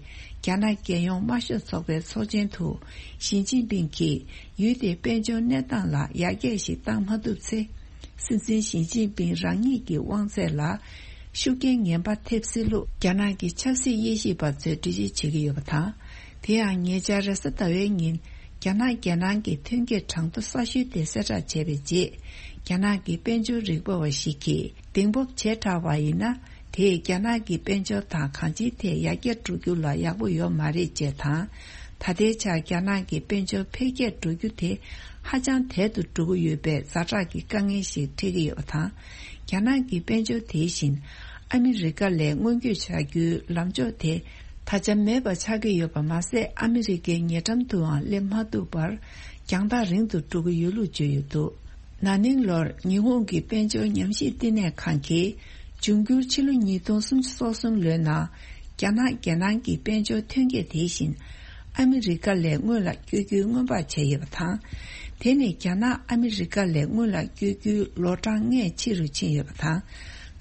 རྒྱ་ནག་རྒྱལ་ཡོངས་དམར་ཤོག་ཚོགས་པའི་ཚོགས་ཆེན་དུ་ཞི་ཅིན་ཕིང་གིས་ཡུལ་དེའི་དཔལ་འབྱོར་གནས་སྟངས་ལ་ཡར་རྒྱས་ཤིག་བཏང་མ་ཐུབ་ཚེ། སྲིད་འཛིན་ཞི་ཅིན་ཕིང་རང་ཉིད་ཀྱི་དབང་ཚད་ལ་ཤུགས་རྐྱེན་ངན་པ་ཐེབས་སྲིད་ལུགས་རྒྱ་ནག་གི་ཆབ་སྲིད་དབྱེ་ཞིབ་པ་ཚོས་འགྲེལ་བརྗོད་བྱེད་ཀྱི་ཡོད་པ་དང་། དེ་ཡང་ཉེ་ཆར་རེས་གཟའ་ཟླ་བའི་ཉིན། རྒྱ་ནག་རྒྱལ་ནང་གི་ཐོན་སྐྱེད་གྲངས་ཐོ་གསར་ཤོས་དེ་གསལ་བསྒྲགས་བྱས་པའི་རྗེས། རྒྱ་ནག་གི་དཔལ་འབྱོར་རིག་པ་བ་ཞིག་གིས་གདེང་སྤོབས་བྱེ་བྲག་པ་ཡིན་ན། དེས་རྒྱ་ནག་གི་དཔལ་འབྱོར་དང་གང་ཅིའི་ཐད་ཡར་རྒྱས་འགྲོ་རྒྱུ་ལ་ཡག་པོ་ཡོད་མ་རེད་ཅེས་དང་། ད་ལྟའི་ཆར་རྒྱ་ནག་གི་དཔལ་འབྱོར་འཕེལ་རྒྱས་འགྲོ་རྒྱུ་དེ་ཧ་ཅང་དལ་དུ་འགྲོ་གི་ཡོད་པའི་ཛ་དྲག་གི་དཀའ་ངལ་ཞིག་འཕྲད་ཀྱི་ཡོད་པ་དང་། རྒྱ་ནག་གི་དཔལ་འབྱོར་དེ་བཞིན་ཨ་མི་རི་ཀ་ལས་སྔོན་སྐྱོད་བྱ་རྒྱུའི་ལམ་ཕྱོགས་དེ་ད་ཆ་མེད་པ་ཆགས་ཀྱི་ཡོད་པ་མ་ཟད། ཨ་མི་རི་ཀའི་ཉེ་འགྲམ་དུའང་སླེབས་མ་ཐུབ་པར་རྒྱང་ཐག་རིང་དུ་འགྲོ་གི་ཡོད་ལུགས་བརྗོད་ཡོད་འདུག་ན་ནིང་ལོར་ཉི་ཧོང་གི་དཔལ་འབྱོར་ཉམས་ཞིབ་བསྟི་གནས་ཁང་གིས། འབྱུང་འགྱུར་ཕྱི་ལོ་ཉིས་སྟོང་སུམ་ཅུ་སོ་གསུམ་ལོའི་ནང་། རྒྱ་ནག་རྒྱལ་ནང་གི་དཔལ་འབྱོར་ཐོན་སྐྱེད་དེ་བཞིན། ཨ་མི་རི་ཀ་ལས་སྔོན་ལ་བསྐྱོད་རྒྱུའི་སྔོན་དཔག་བྱས་ཡོད་པ་དང་། དེ་ནི་རྒྱ་ནག་ཨ་མི་རི་ཀ་ལས་སྔོན་ལ་བསྐྱོད་རྒྱུའི་ལོ་གྲངས་ལྔས་ཕྱི་རུ་ཕྱིན་ཡོད་པ་དང་།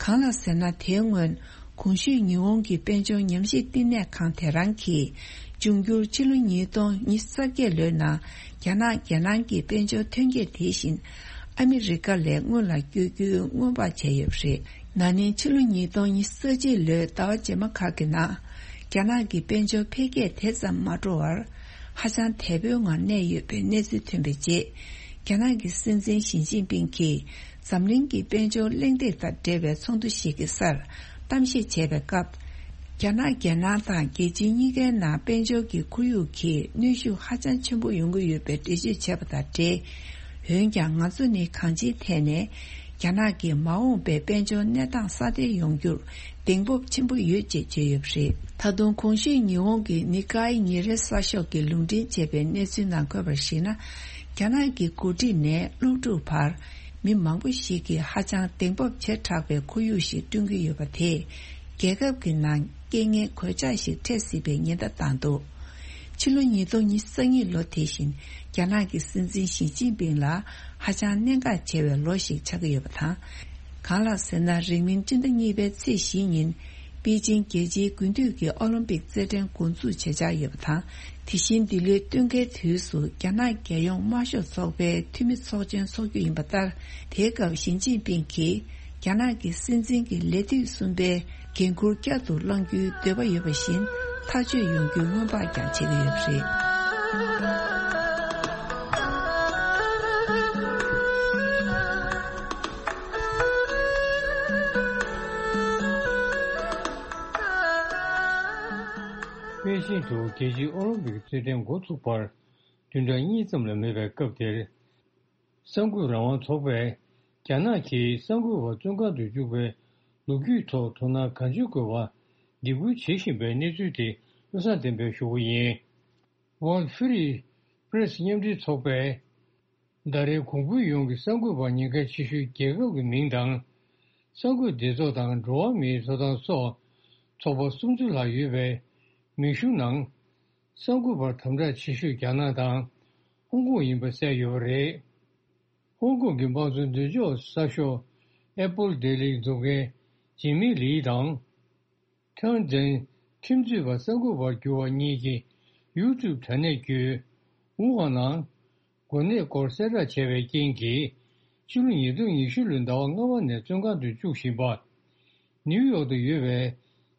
གང་ལ་ཟེར་ན། དེའི་སྔོན། གོང་ཞུས་ཉི་ཧོང་གི་དཔལ་འབྱོར་ཉམས་ཞིབ་བསྟི་གནས་ཁང་དེ་རང་གིས། འབྱུང་འགྱུར་ཕྱི་ལོ་ཉིས་སྟོང་ཉི་ཤུ་རྩ་བརྒྱད་ལོའི་ནང་། རྒྱ་ནག་རྒྱལ་ནང་གི་དཔལ་འབྱོར་ཐོན་སྐྱེད་དེ་བཞིན། ཨ་མི་རི་ཀ་ལས་སྔོན་ལ་བསྐྱོད་རྒྱུའི་སྔོན་དཔག་བྱས་ཡོད་པ་རེད། ན་ནིང་ཕྱི་ལོ་ཉིས་སྟོང་ཉི་ཤུ་རྩ་གཅིག་ལོའི་ཟླ་བ་རྗེས་མ་ཁག་གི་ནང་། རྒྱ་ནག་གི་དཔལ་འབྱོར་འཕེལ་རྒྱས་དེ་ཙམ་མ་འགྲོ་བར། ཧ་ཅང་དལ་པོའི་ངང་གནས་ཡོད་པའི་གནས་ཚུལ་ཐོན་པའི་རྗེས། རྒྱ་ནག་གི་སྲིད་འཛིན་ཞི་ཅིན་ཕིང་གིས། འཛམ་གླིང་གི་དཔལ་འབྱོར་གླེང་སྟེགས་དང་འབྲེལ་བའི་ཚོགས་འདུ་ཞིག་གི་སར། གཏམ་བཤད་བྱས་པའི་སྐབས། རྒྱ་ནག་རྒྱལ་ནང་དང་རྒྱལ་སྤྱི་གཉིས་ཀའི་ནང་དཔལ་འབྱོར་གྱི་ཁོར་ཡུག་གིས་གནོན་ཤུགས་ཧ་ཅང་ཆེན་པོ་ཡོང་གི་ཡོད་པའི་འགྲེལ་བརྗོད་བྱས་པ་དང་འབྲེལ། འོན་ཀྱང་ང་ཚོ་ནི་གང་ཅིའི་ཐད་ནས་རྒྱ་ནག་གི་མ་འོངས་པའི་དཔལ་འབྱོར་གནས་སྟངས་སྲ་བརྟན་ཡོང་རྒྱུར་གདེང་སྤོབས་ཆེན་པོ་ཡོད་ཅེས་བརྗོད་ཡོད་པ་རེད། ད་དུང་གོང་ཞུས་ཉི་ཧོང་གི་ནི་ཀའི་ཉིན་རེའི་གསར་ཤོག་གིས་ལུང་འདྲེན་བྱས་པའི་གནས་ཚུལ་ནང་འཁོད་པར་གཞིགས་ན། རྒྱ་ནག་གི་འགོ་ཁྲིད་ནས་སློབ་ཕྲུག་བར། མི་མང་པོ་ཞིག་གིས་ཧ་ཅང་གདེང་སྤོབས་ཆེ་དྲགས་པའི་ཁོར་ཡུག་ཞིག་བསྐྲུན་གྱི་ཡོད་པ་དེས། རྒྱལ་ཁབ་ཀྱི་ནང་རྐྱེན་ངན་གོད་ཆག་ཞིག་འཕྲད་སྲིད་པའི་ཉེན་བརྡ་བཏང་འདུག་ཕྱི་ལོ་ཉིས་སྟོང་ཉི་ཤུ་རྩ་གཉིས་ལོ་དེ་བཞིན་རྒྱ་ནག་གི་སྲིད་འཛིན་ཞི་ཅིན་ཕིང་ལ་ཧ་ཅང་གནད་འགག་ཆེ་བའི་ལོ་ཞིག་ཆགས་ཀྱི་ཡོད་པ་དང་། གང་ལགས་ཟེར་ན། རིང་མིན་སྤྱི་ཟླ་གཉིས་པའི་ཚེས་བཞི་ཉིན། པེ་ཅིང་རྒྱལ་སྤྱིའི་དགུན་དུས་ཀྱི་ཨོ་ལིམ་པིག་རྩེད་འགྲན་འགོ་འཛུགས་བྱེད་འཆར་ཡོད་པ་དང་། དེ་བཞིན་འདི་ལོའི་སྟོན་ཁའི་དུས་སུ་རྒྱ་ནག་རྒྱལ་ཡོངས་དམར་ཤོག་ཚོགས་པའི་འཐུས་མི་ཚོགས་ཆེན་འཚོགས་རྒྱུ་ཡིན་པ་ལྟར། དེའི་སྐབས་ཞི་ཅིན་ཕིང་གིས་རྒྱ་ནག་གི་སྲིད་འཛིན་གྱི་ལས་དུས་གསུམ་པའི་འགན་འཁུར་བསྐྱར་དུ་བླང་རྒྱུའི་འདོད་པ་ཡོད་པ་བཞིན་ཐག་གཅོད་ཡོང་རྒྱུའི་སྔོན་དཔག་ཀྱང་བྱེད་ཀྱི་ཡོད་པ་རེད། པེ་ཅིང་དུ་རྒྱལ་སྤྱིའི་ཨོ་ལིམ་པིག་རྩེད་འགྲན་འགོ་ཚུགས་པར་བདུན་ཕྲག་གཉིས་ཙམ་ལས་མེད་པའི་སྐབས་དེར། གསར་འགོད་རང་དབང་ཚོགས་པས་རྒྱ་ནག་གིས་གསར་འགོད་པ་བཙོན་ཁང་དུ་བཅུག་པའི་ལོ་རྒྱུས་ཐོག་དོ་སྣང་གང་ཆེ་དགོས་པ་འདེད་སྐུལ་བྱེད་བཞིན་པའི་གནས་ཚུལ་དེ་བློ་བཟང་བསྟན་འཕེལ་ཞུ་རྒྱུ་ཡིན། World Free Press མཉམ་འབྲེལ་ཚོགས་པས། ཟླ་རེའི་གོང་བུ་ཡོངས་ཀྱི་གསར་འགོད་པ་ཉེན་ཁ་ཆེ་ཤོས་རྒྱལ་ཁབ་ཀྱི་མིང་དང་། གསར་འགོད་སྡེ་ཚོགས་དང་འགྲོ་བ་མིའི་ཐོབ་ཐང་སོགས་ཚོགས་པ་སུམ་ཅུ་ལྷག་ཡོད་པའི་མིང་གཞུང་ནང་། གསར་འགོད་པར་དམ་དྲག་ཆེ་ཤོས་རྒྱ་ནག་དང་ཧོང་ཀོང་ཡིན་པ་གསལ་ཡོད་པ་རེད། ཧོང་ཀོང་གི་དམངས་གཙོ་མདུན་ལྕོག་གསར་ཤོག་Apple Daily འཛུགས་མཁན་ཇི་མི་ལི་དང་། ཁྲང་ཙན་ཁྲིམས་རྩོད་པ་གསར་འགོད་པར་གྱུར་བ་གཉིས་ཀྱི་YouTube དྲ་གནས་བརྒྱུད། ཝུ་ཧན་ནང་། འགོ་ནད་སྐོར་གསལ་བསྒྲགས་བྱས་པའི་རྐྱེན་གྱིས། ཕྱི་ལོ་ཉིས་སྟོང་ཉི་ཤུ་ལོའི་ཟླ་བ་ལྔ་པ་ནས་བཙོན་ཁང་དུ་བཅུག་བཞིན་པ། ནིའུ་ཡོག་ཏུ་ཡོད་པའི་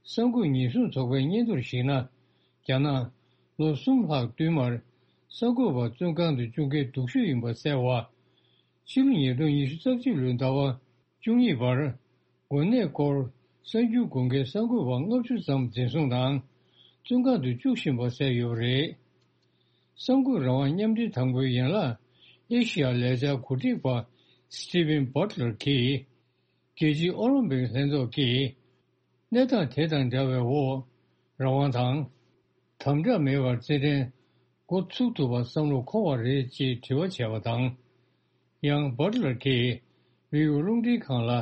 གསར་འགོད་ཉེན་སྲུང་ཚོགས་པའི་སྙན་ཐོར་ཞིག་ན། རྒྱ་ནག་ལོ་གསུམ་ལྷག་བསྟུད་མར་གསར་འགོད་པ་བཙོན་ཁང་དུ་བཅུག་མཁན་སྡུག་ཤོས་ཡིན་པ་གསལ་བ། ཕྱི་ལོ་ཉིས་སྟོང་ཉི་ཤུ་རྩ་གཅིག་ལོའི་ཟླ་བ་བཅུ་གཉིས་བར། འགོ་ནད་སྐོར་གསར་འགྱུར་འགོད་མཁན་གསར་འགོད་པ་ལྔ་བཅུ་ཙམ་འཛིན་བཟུང་དང་བཙོན་ཁང་དུ་བཅུག་བཞིན་པ་གསལ་ཡོད་པ་རེད། གསར་འགོད་རང་དབང་མཉམ་འབྲེལ་དང་པོའི་ཡན་ལག་ཨེ་ཤི་ཡ་ལས་འཆར་གོ་སྒྲིག་པ་Steven Butler གྱིས། རྒྱལ་སྤྱིའི་ཨོ་ལིམ་པིག་ལྷན་ཚོགས་ཀྱིས། གནས་སྟངས་དེ་དང་འདྲ་བའི་འོག་རང་དབང་དང་། དམ་དྲག་མེད་པར་རྩེད་འགྲན་འགོ་ཚུགས་ཐུབ་པར་བསམ་བློ་འཁོར་བ་རེད་ཅེས་དྲི་བ་བྱས་པ་དང་། ཡང་། བྷ་ཊི་ལར་གྱིས་བྷི་ཨོ་ཨེ་རླུང་འཕྲིན་ཁང་ལ།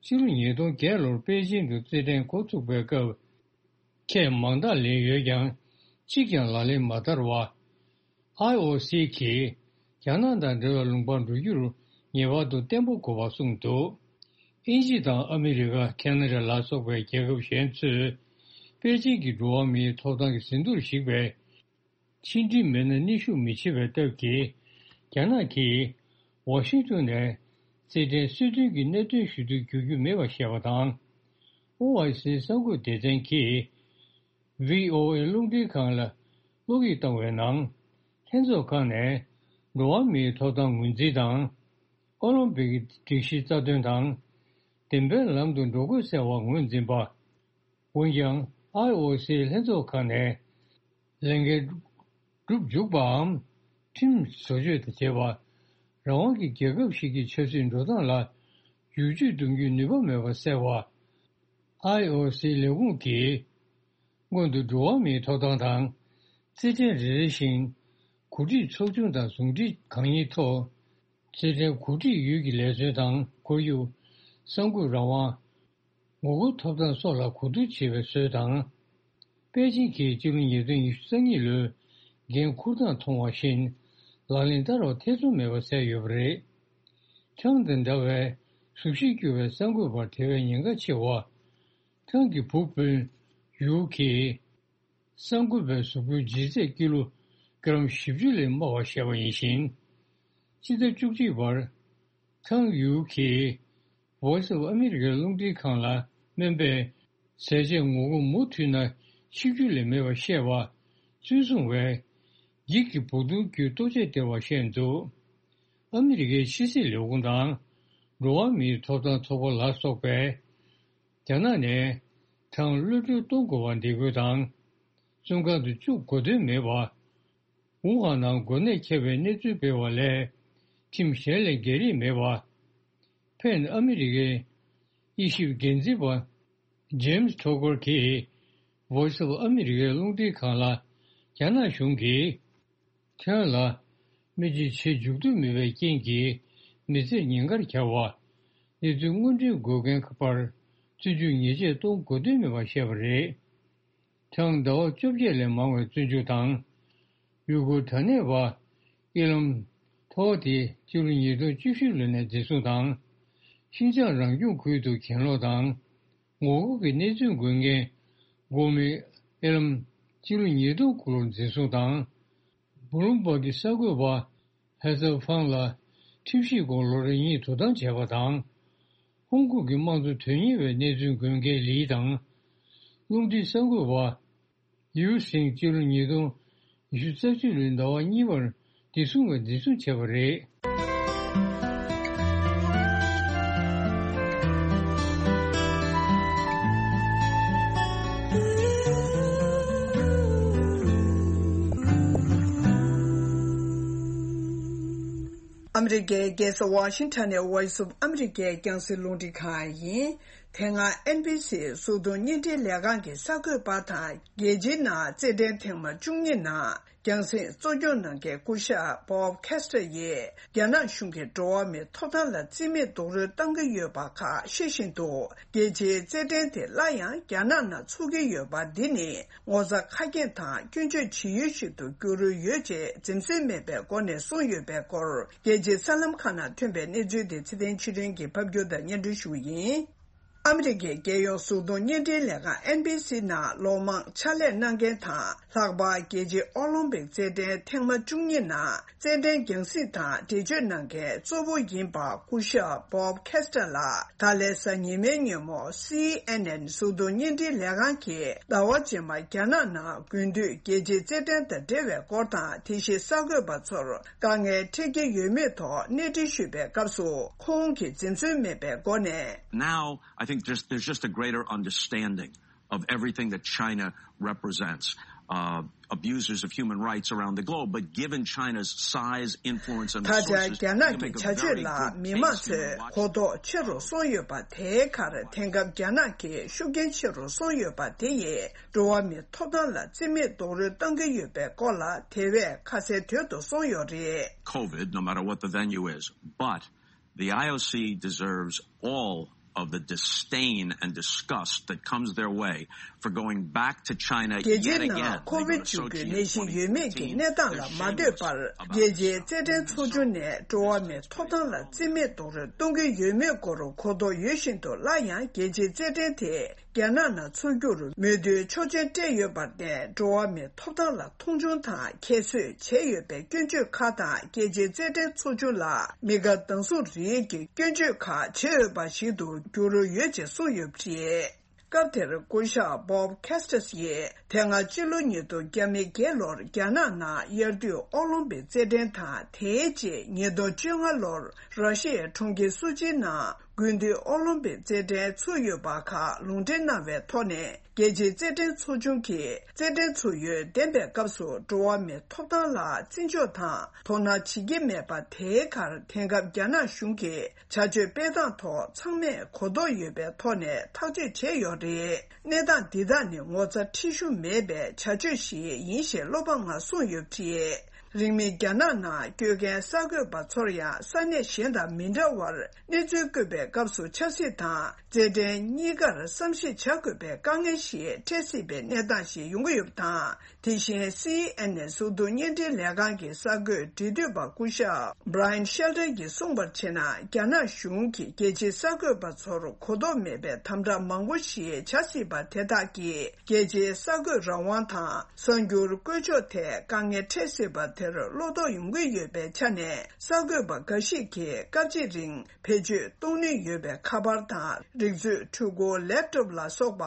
ཕྱི་ལོ་ཉིས་སྟོང་བརྒྱད་ལོར་པེ་ཅིང་དུ་རྩེད་འགྲན་འགོ་ཚུགས་པའི་སྐབས། ཁས་མང་དག་ལེན་ཡོད་ཀྱང་། གཅིག་ཀྱང་ལག་ལེན་མ་བསྟར་བ། ཨའི་ཨོ་སི་གིས་རྒྱ་ནག་དང་འབྲེལ་བའི་ལུང་པར་འགྲོ་རྒྱུར་ངེས་པར་དུ་བརྟན་པོ་དགོས་པ་གསུངས་འདུག་དབྱིན་ཇི་དང་ཨ་མི་རི་ཀ། ཁེ་ན་ཌ་ལ་སོགས་པའི་རྒྱལ་ཁབ་གཞན་ཚོས་པེ་ཅིང་གི་འགྲོ་བ་མིའི་ཐོབ་ཐང་གི་ཟིན་ཐོར་ཞིག་པའི་ཕྱི་འབྲེལ་མི་སྣ་གནོན་ཤུགས་མི་བྱེད་པའི་སྟབས་ཀྱིས། རྒྱ་ནག་གིས་ཝ་ཤིང་ཏོན་ནས་རྩེད་འགྲན་སྲོལ་རྒྱུན་གྱི་གནད་དོན་ཞུ་གཏུག་བསྒྱུར་རྒྱུ་མེད་པར་བཤད་པ་དང་། ཨོ་ཨའི་སི་གསར་འགོད་སྡེ་ཚན་གྱིས། བྷི་ཨོ་ཨེ་རླུང་འཕྲིན་ཁང་ལ་བློ་འགྱོད་བཏང་བའི་ནང་། ལྷན་ཚོགས་ཁང་ནས་འགྲོ་བ་མིའི་ཐོབ་ཐང་ངོས་འཛིན་དང་། ཨོ་ལིམ་པིག་གི་སྒྲིག་གཞིའི་རྩ་དོན་དང་། བདེན་པའི་ལམ་དུ་འགྲོ་དགོས་ཟེར་བ་ངོས་འཛིན་པ། འོན་ཀྱང་། ཨའི་ཨོ་སིའི་ལྷན་ཚོགས་ཁང་ནས་ལས་འགན་སྒྲུབ་འཇུག་པའམ། ཁྲིམས་བཟོ་བཅོས་དང་བཅས་པ། རང་དབང་གི་རྒྱལ་ཁབ་ཞིག་གི་ཆབ་སྲིད་འགྲོ་སྟངས་ལ་བསྒྱུར་བཅོས་གཏོང་རྒྱུའི་ནུས་པ་མེད་པ་གསལ་བ། ཨའི་ཨོ་སིའི་ལས་ཁུངས་ཀྱིས། སྔོན་དུ་འགྲོ་བ་མིའི་ཐོབ་ཐང་དང་། རྩེད་འགྲན་རེ་རེ་བཞིན། གོ་སྒྲིག་ཚོགས་ཆུང་དང་ཟུང་འབྲེལ་གང་ཡིན་ཐོག་རྩེད་འགྲན་གོ་སྒྲིག་ཡུལ་གྱི་ལས་བཟོ་དང་ཁོར་ཡུག་གསར་འགོད་རང་དབང་། ངོ་རྒོལ་ཐོབ་ཐང་སོགས་ལ་གོ་བསྡུར་བྱེད་པའི་སྲོལ་དང་། པེ་ཅིང་གིས་སྤྱི་ལོ་ཉིས་སྟོང་ཉི་ཤུ་རྩ་གཉིས་ལོའི་འགན་འཁུར་སྟངས་མཐོང་བ་བཞིན། ལག་ལེན་བསྟར་བར་ཐེ་ཚོམ་མེད་པ་གསལ་ཡོད་པ་རེད། ཁྲང་དང་འདྲ་བའི་གཟུགས་གཞིར་གྱུར་པའི་གསར་འགོད་པར་དེ་བས་ཉེན་ཁ་ཆེ་བ། ཁྲང་གི་བུ་སྤུན་ཡུའུ་གིས། གསར་འགོད་པའི་གཟུགས་པོའི་ལྗིད་ཚད་ཀི་ལོ་གི་རམ་བཞི་བཅུ་ལས་དམའ་བ་བཤད་པ་ཡིན་ཞིང་། སྤྱི་ཟླ་བཅུ་གཅིག་བར། ཁྲང་ཡུའུ་གིས། Voice of America རླུང་འཕྲིན་ཁང་ལ་སྨན་པས། ཟས་བཅད་ངོ་རྒོལ་མུ་མཐུད་ན་ཆིག་བརྒྱུད་ལས་མེད་པར་བཤད་པ་ཚུན་བཟུང་བས། འགྱིག་གི་སྦུག་དོང་བརྒྱུད་ལྟོ་ཆས་སྟེར་བར་བཤད་འདུག་ཨ་མི་རི་ཀའི་ཕྱི་སྲིད་ལས་ཁུངས་དང་། འགྲོ་བ་མིའི་ཐོབ་ཐང་ཚོགས་པ་ལ་སོགས་པས། རྒྱ་ནག་ནས་ཐང་གློད་གྲོལ་གཏོང་དགོས་པ་འདེད་སྐུལ་དང་། བཙོན་ཁང་དུ་བཅུག་དགོས་དོན་མེད་པ། ཝུ་ཧན་ནང་འགོ་ནད་ཁྱབ་པའི་གནས་ཚུལ་སྤེལ་བ་ལས་ཁྲིམས་གཞན་ལས་འགལ་རིགས་མེད་པ། ཕེན་ཨ་མི་རི་ཀའི་དབྱེ་ཞིབ་འགན་འཛིན་པ་ཇེམ་སི་ཐོ་ཀར་གྱིས་Voice of America་རླུང་འཕྲིན་ཁང་ལ། རྒྱ་ནག་གཞུང་གིས་ཐེ་ཝན་ལ་མི་རྗེས་བྱེད་འཇུག་འདོད་མེད་པའི་རྐྱེན་གྱིས་མི་ཚེར་ཉེན་ཁར་གྱར་བ། གནས་ཚུལ་དངོས་འབྲེལ་འགོད་མཁན་བར་བཙོན་འཇུག་ཉེས་ཆད་གཏོང་དགོས་དོན་མེད་པ་བཤད་པ་རེད། ཐེངས་ཟླ་བ་བཅོ་བརྒྱད་ལས་མང་བའི་བཙོན་འཇུག་དང་། ཡུ་གུར་དར་ནས་པ་ཨི་ལམ་ཐོ་དེ་སྤྱི་ལོ་ཉིས་སྟོང་བཅུ་བཞི་ལོ་ནས་འཛིན་བཟུང་དང་། ཤིན་ཅང་རང་སྐྱོང་ཁུལ་དུ་གྱེན་ལོག་དང་། ངོ་རྒོལ་གྱི་གནས་ཚུལ་འགོད་མཁན་གོ་མི་ཨི་ལམ་སྤྱི་ལོ་ཉིས་སྟོང་དགུ་ལོར་འཛིན་བཟུང་དང་། བུ་ལུམ་པར་གྱི་གསར་འགོད་པ་ཧེ་ཚལ་ཧྥང་ལ་ཁྲིམས་ཞིབ་སྐོར་ལོ་རེ་གཉིས་དོ་དམ་བྱས་པ་དང་། ཧོང་ཀོང་གི་དམངས་གཙོ་དོན་གཉེར་བའི་གནས་ཚུལ་འགོད་མཁན་ལི་དང་། རླུང་འཕྲིན་གསར་འགོད་པ་ཡུའུ་སིང་སྤྱི་ལོ་ཉིས་སྟོང་ཉི་ཤུ་རྩ་གཅིག་ལོའི་ཟླ་བ་གཉིས་པར་བདེ་སྲུང་བས་འཛིན་བཟུང་བྱས་པ་རེད། ཨ་མི་རི་ཀའི་རྒྱལ་ས་ཝ་ཤིང་ཊོན་ནས་Voice of America་རྒྱང་སྲིང་རླུང་འཕྲིན་ཁང་ཡིན། དེ་སྔ་ཨེན་བྷི་སི་གཟུགས་མཐོང་བརྙན་འཕྲིན་ལས་ཁང་གི་གསར་འགོད་པ་དང་རྒྱལ་སྤྱིའི་ནང་རྩེད་འགྲན་ཐེངས་མ་བཅུ་གཉིས་ནང་རྒྱང་སྲིང་གཙོ་སྐྱོང་གནང་མཁན་སྐུ་ཞབས་Bob Castor་ཡིས་རྒྱ་ནག་གཞུང་གིས་འགྲོ་བ་མིའི་ཐོབ་ཐང་ལ་བརྩི་མེད་རྡོག་རོལ་གཏོང་གི་ཡོད་པ་ཁག་ཤེས་བཞིན་དུ། རྒྱལ་སྤྱིའི་རྩེད་འགྲན་དེ་སླར་ཡང་རྒྱ་ནག་ནང་འཚོགས་ཀྱི་ཡོད་པ་འདི་ནི་ངོ་ཚ་ཁ་སྐྱེངས་དང་སྐྱོན་བརྗོད་བྱེད་ཡུལ་ཞིག་ཏུ་འགྱུར་འོས་ཡོད་ཅེས་འཛེམ་ཟོན་མེད་པའི་སྒོ་ནས་གསུངས་ཡོད་པའི་སྐོར། རྒྱལ་སྤྱིའི་གསར་ལམ་ཁག་ནང་ཐོན་པའི་གནས་ཚུལ་དེ་ཚེ་བརྟན་ཆོས་སྒྲོན་གྱིས་ཕབ་སྒྱུར་དང་སྙན་སྒྲོན་ཞུ་བ་ཡིན། ཨ་མི་རི་ཀའི་རྒྱལ་ཡོངས་གཟུགས་མཐོང་བརྙན་འཕྲིན་ལས་ཁང་ཨེན་བྷི་སི་ནང་ལོ་མང་ཕྱག་ལས་གནང་མཁན་དང་། ལྷག་པར་རྒྱལ་སྤྱིའི་ཨོ་ལིམ་པིག་རྩེད་འགྲན་ཐེངས་མ་བཅུ་གཉིས་ནང་རྩེད་འགྲན་རྒྱང་སྲིང་དང་འགྲེལ་བརྗོད་གནང་མཁན་གཙོ་བོ་ཡིན་པ་སྐུ་ཞབས་Bob Castor་ལགས་ད་ལན་གཟའ་ཉི་མའི་ཉིན་མོ་སི་ཨེན་ཨེན་གཟུགས་མཐོང་བརྙན་འཕྲིན་ལས་ཁང་གིས་ཟླ་བ་རྗེས་མར་རྒྱ་ནག་ནང་དགུན་དུས་རྒྱལ་སྤྱིའི་རྩེད་འགྲན་དང་འབྲེལ་བའི་སྐོར་དང་། དེ་བཞིན་གསར་འགོད་པ་ཚོར་དཀའ་ངལ་འཕྲད་ཀྱི་ཡོད་མེད་ཐོག་གནས་འདྲི་ཞུས་པའི་སྐབས་སུ། ཁོང་གིས་འཛེམ་ཟོན་མེད་པའི་སྒོ་ནས། Now, I think just, there's just a greater understanding of everything that China represents. Uh, abusers of human rights around the globe, but given China's size, influence, and ད་ཆ་resources, རྒྱ་ནག་you can གི་make a བྱ་སྤྱོད་very ལ་good མི་མང་case, you know, ཚོས་watch གོ་རྟོགས་ཆེ་རུ་སོང་ཡོད་པ་དེའི་ཁར། དེང་སྐབས་རྒྱ་ནག་གི་ཤུགས་རྐྱེན་ཆེ་རུ་སོང་ཡོད་པ་དེ་ཡིས་འགྲོ་བ་མིའི་ཐོབ་ཐང་ལ་བརྩི་མེད་རྡོག་རོལ་གཏོང་གི་ཡོད་པའི་སྐོར་ལ་དེ་བས་ཁ་གསལ་དོད་དུ་སོང་ཡོད་རེད། COVID, no matter what the venue is, but the I O C deserves all of the disdain and disgust that comes their way for going back to China རྒྱལ་སྤྱིའི་ནང་ཁོ་བིད་བཅུ་དགུ་ནད་གཞི་ཡོད་མེད་ཀྱི་གནས་སྟངས་ལ་མ་ལྟོས་པར། རྒྱལ་སྤྱིའི་རྩེད་འགྲན་ཚོགས་ཆུང་ནས་འགྲོ་བ་མིའི་ཐོབ་ཐང་ལ་བརྩི་མེད་རྡོག་རོལ་གཏོང་གི་ཡོད་མེད་སྐོར་གོ་རྟོགས་ཡོད་བཞིན་དུ། སླར་ཡང་རྒྱལ་སྤྱིའི་རྩེད་འགྲན་དེ་རྒྱ་ནག་ནང་འཚོགས་རྒྱུར་མོས་མཐུན་ཆོག་མཆན་སྤྲད་ཡོད་པར་བརྟེན། འགྲོ་བ་མིའི་ཐོབ་ཐང་ལ་མཐོང་ཆུང་དང་ཁྱད་གསོད་བྱས་ཡོད་པའི་སྐྱོན་བརྗོད་ཁག་དང་། རྒྱལ་སྤྱིའི་རྩེད་འགྲན་ཚོགས་ཆུང་ལ་མི་དགའ་སྡང་ཟུག་རིགས་ཀྱི་སྐྱོན་བརྗོད་ཁག་བྱས་ཡོད་པ་ཞིག་ཏུ་འགྱུར་ཡོད་ཅེས་གསུངས་ཡོད་པ་རེད། སྐབས་དེར་སྐུ་ཞབས་Bob Castor་ཡིས་དེ་སྔ་ཕྱི་ལོ་ཉིས་སྟོང་བརྒྱ་མེད་བརྒྱད་ལོར་རྒྱ་ནག་ནང་དབྱར་དུས་ཨོ་ལིམ་པིག་རྩེད་འགྲན་དང་། དེའི་རྗེས་ཉིས་སྟོང་བཅོ་ལྔ་ལོར་ར་ཤི་ཡའི་གྲོང་ཁྱེར་སུ་ཅིའི་ནང་དགུན་དུས་ཨོ་ལིམ་པིག་རྩེད་འགྲན་ཚུགས་ཡོད་པ་ཁག་ལུང་འདྲེན་གནང་བའི་ཐོག་ནས། རྒྱལ་སྤྱིའི་རྩེད་འགྲན་ཚོགས་ཆུང་གིས་རྩེད་འགྲན་ཚུགས་ཡུན་བདེན་པའི་སྐབས་སུ་འགྲོ་བ་མིའི་ཐོབ་ཐང་ལ་བརྩི་འཇོག་དང་དོ་སྣང་བྱེད་ཀྱི་མེད་པ། དེའི་ཁར་དེང་སྐབས་རྒྱ་ནག་གཞུང་གིས་བྱ་སྤྱོད་སྤེལ་སྟངས་ཐོག་ཚང་མས་གོ་རྟོགས་ཡོད་པའི་ཐོག་ནས་ཐག་གཅོད་བྱས་ཡོད་རེད། གནས་སྟངས་འདི་དག་ནི་ངོ་ཚ་ཁྲེལ་གཞུང་མེད་པའི་བྱ་སྤྱོད་ཞིག་ཡིན་ཞེས་བློ་ཕམ་ངང་གསུངས་ཡོད་པ་རེད། རིང་མིན་རྒྱ་ནག་ནང་བསྐྱོད་མཁན་གསར་འགོད་པ་ཚོར་ཡང་ས་གནས་གཞན་དང་མི་འདྲ་བར། གནས་ཚུལ་བཀོད་པའི་སྐབས་སུ་ཆབ་སྲིད་དང་རྩེད་འགྲན་གཉིས་ཀར་བསམ་གཞིག་བྱ་དགོས་པའི་དཀའ་ངལ་ཞིག་འཕྲད་སྲིད་པའི་གནས་སྟངས་ཤིག་ཡོང་གི་ཡོད་པ་དང་། དེ་བཞིན་སི་ཨེན་ཨེན་གཟུགས་མཐོང་བརྙན་འཕྲིན་ལས་ཁང་གི་གསར་འགོད་འབྲེལ་མཐུད་པ་སྐུ་ཞབས་Brian Shelton་གྱིས་གསུངས་པར་བྱས་ན། རྒྱ་ནག་གཞུང་གིས་རྒྱལ་སྤྱིའི་གསར་འགོད་པ་ཚོར་གོ་རྟོགས་མེད་པའི་དམ་དྲག་མང་པོ་ཞིག་བྱ་སྲིད་པ་དེ་དག་གིས་རྒྱལ་སྤྱིའི་གསར་འགོད་རང་དབང་དང་གསར་འགྱུར་བཀོད་ཕྱོགས་ཐད་དཀའ་ངལ་འཕྲད་སྲིད་པ། དེར་བློ་དོགས་ཡོང་གི་ཡོད་པའི་ཆ་ནས། གསར་འགོད་པ་འགའ་ཞིག་གིས་སྐབས་གཅིག་རིང་བེད་སྤྱོད་གཏོང་ནུས་ཡོད་པའི་ཁ་པར་དང་། རིག་མཛོད་འཕྲུལ་འཁོར་ལེབ་ཊོབ་ལ་སོགས་པ་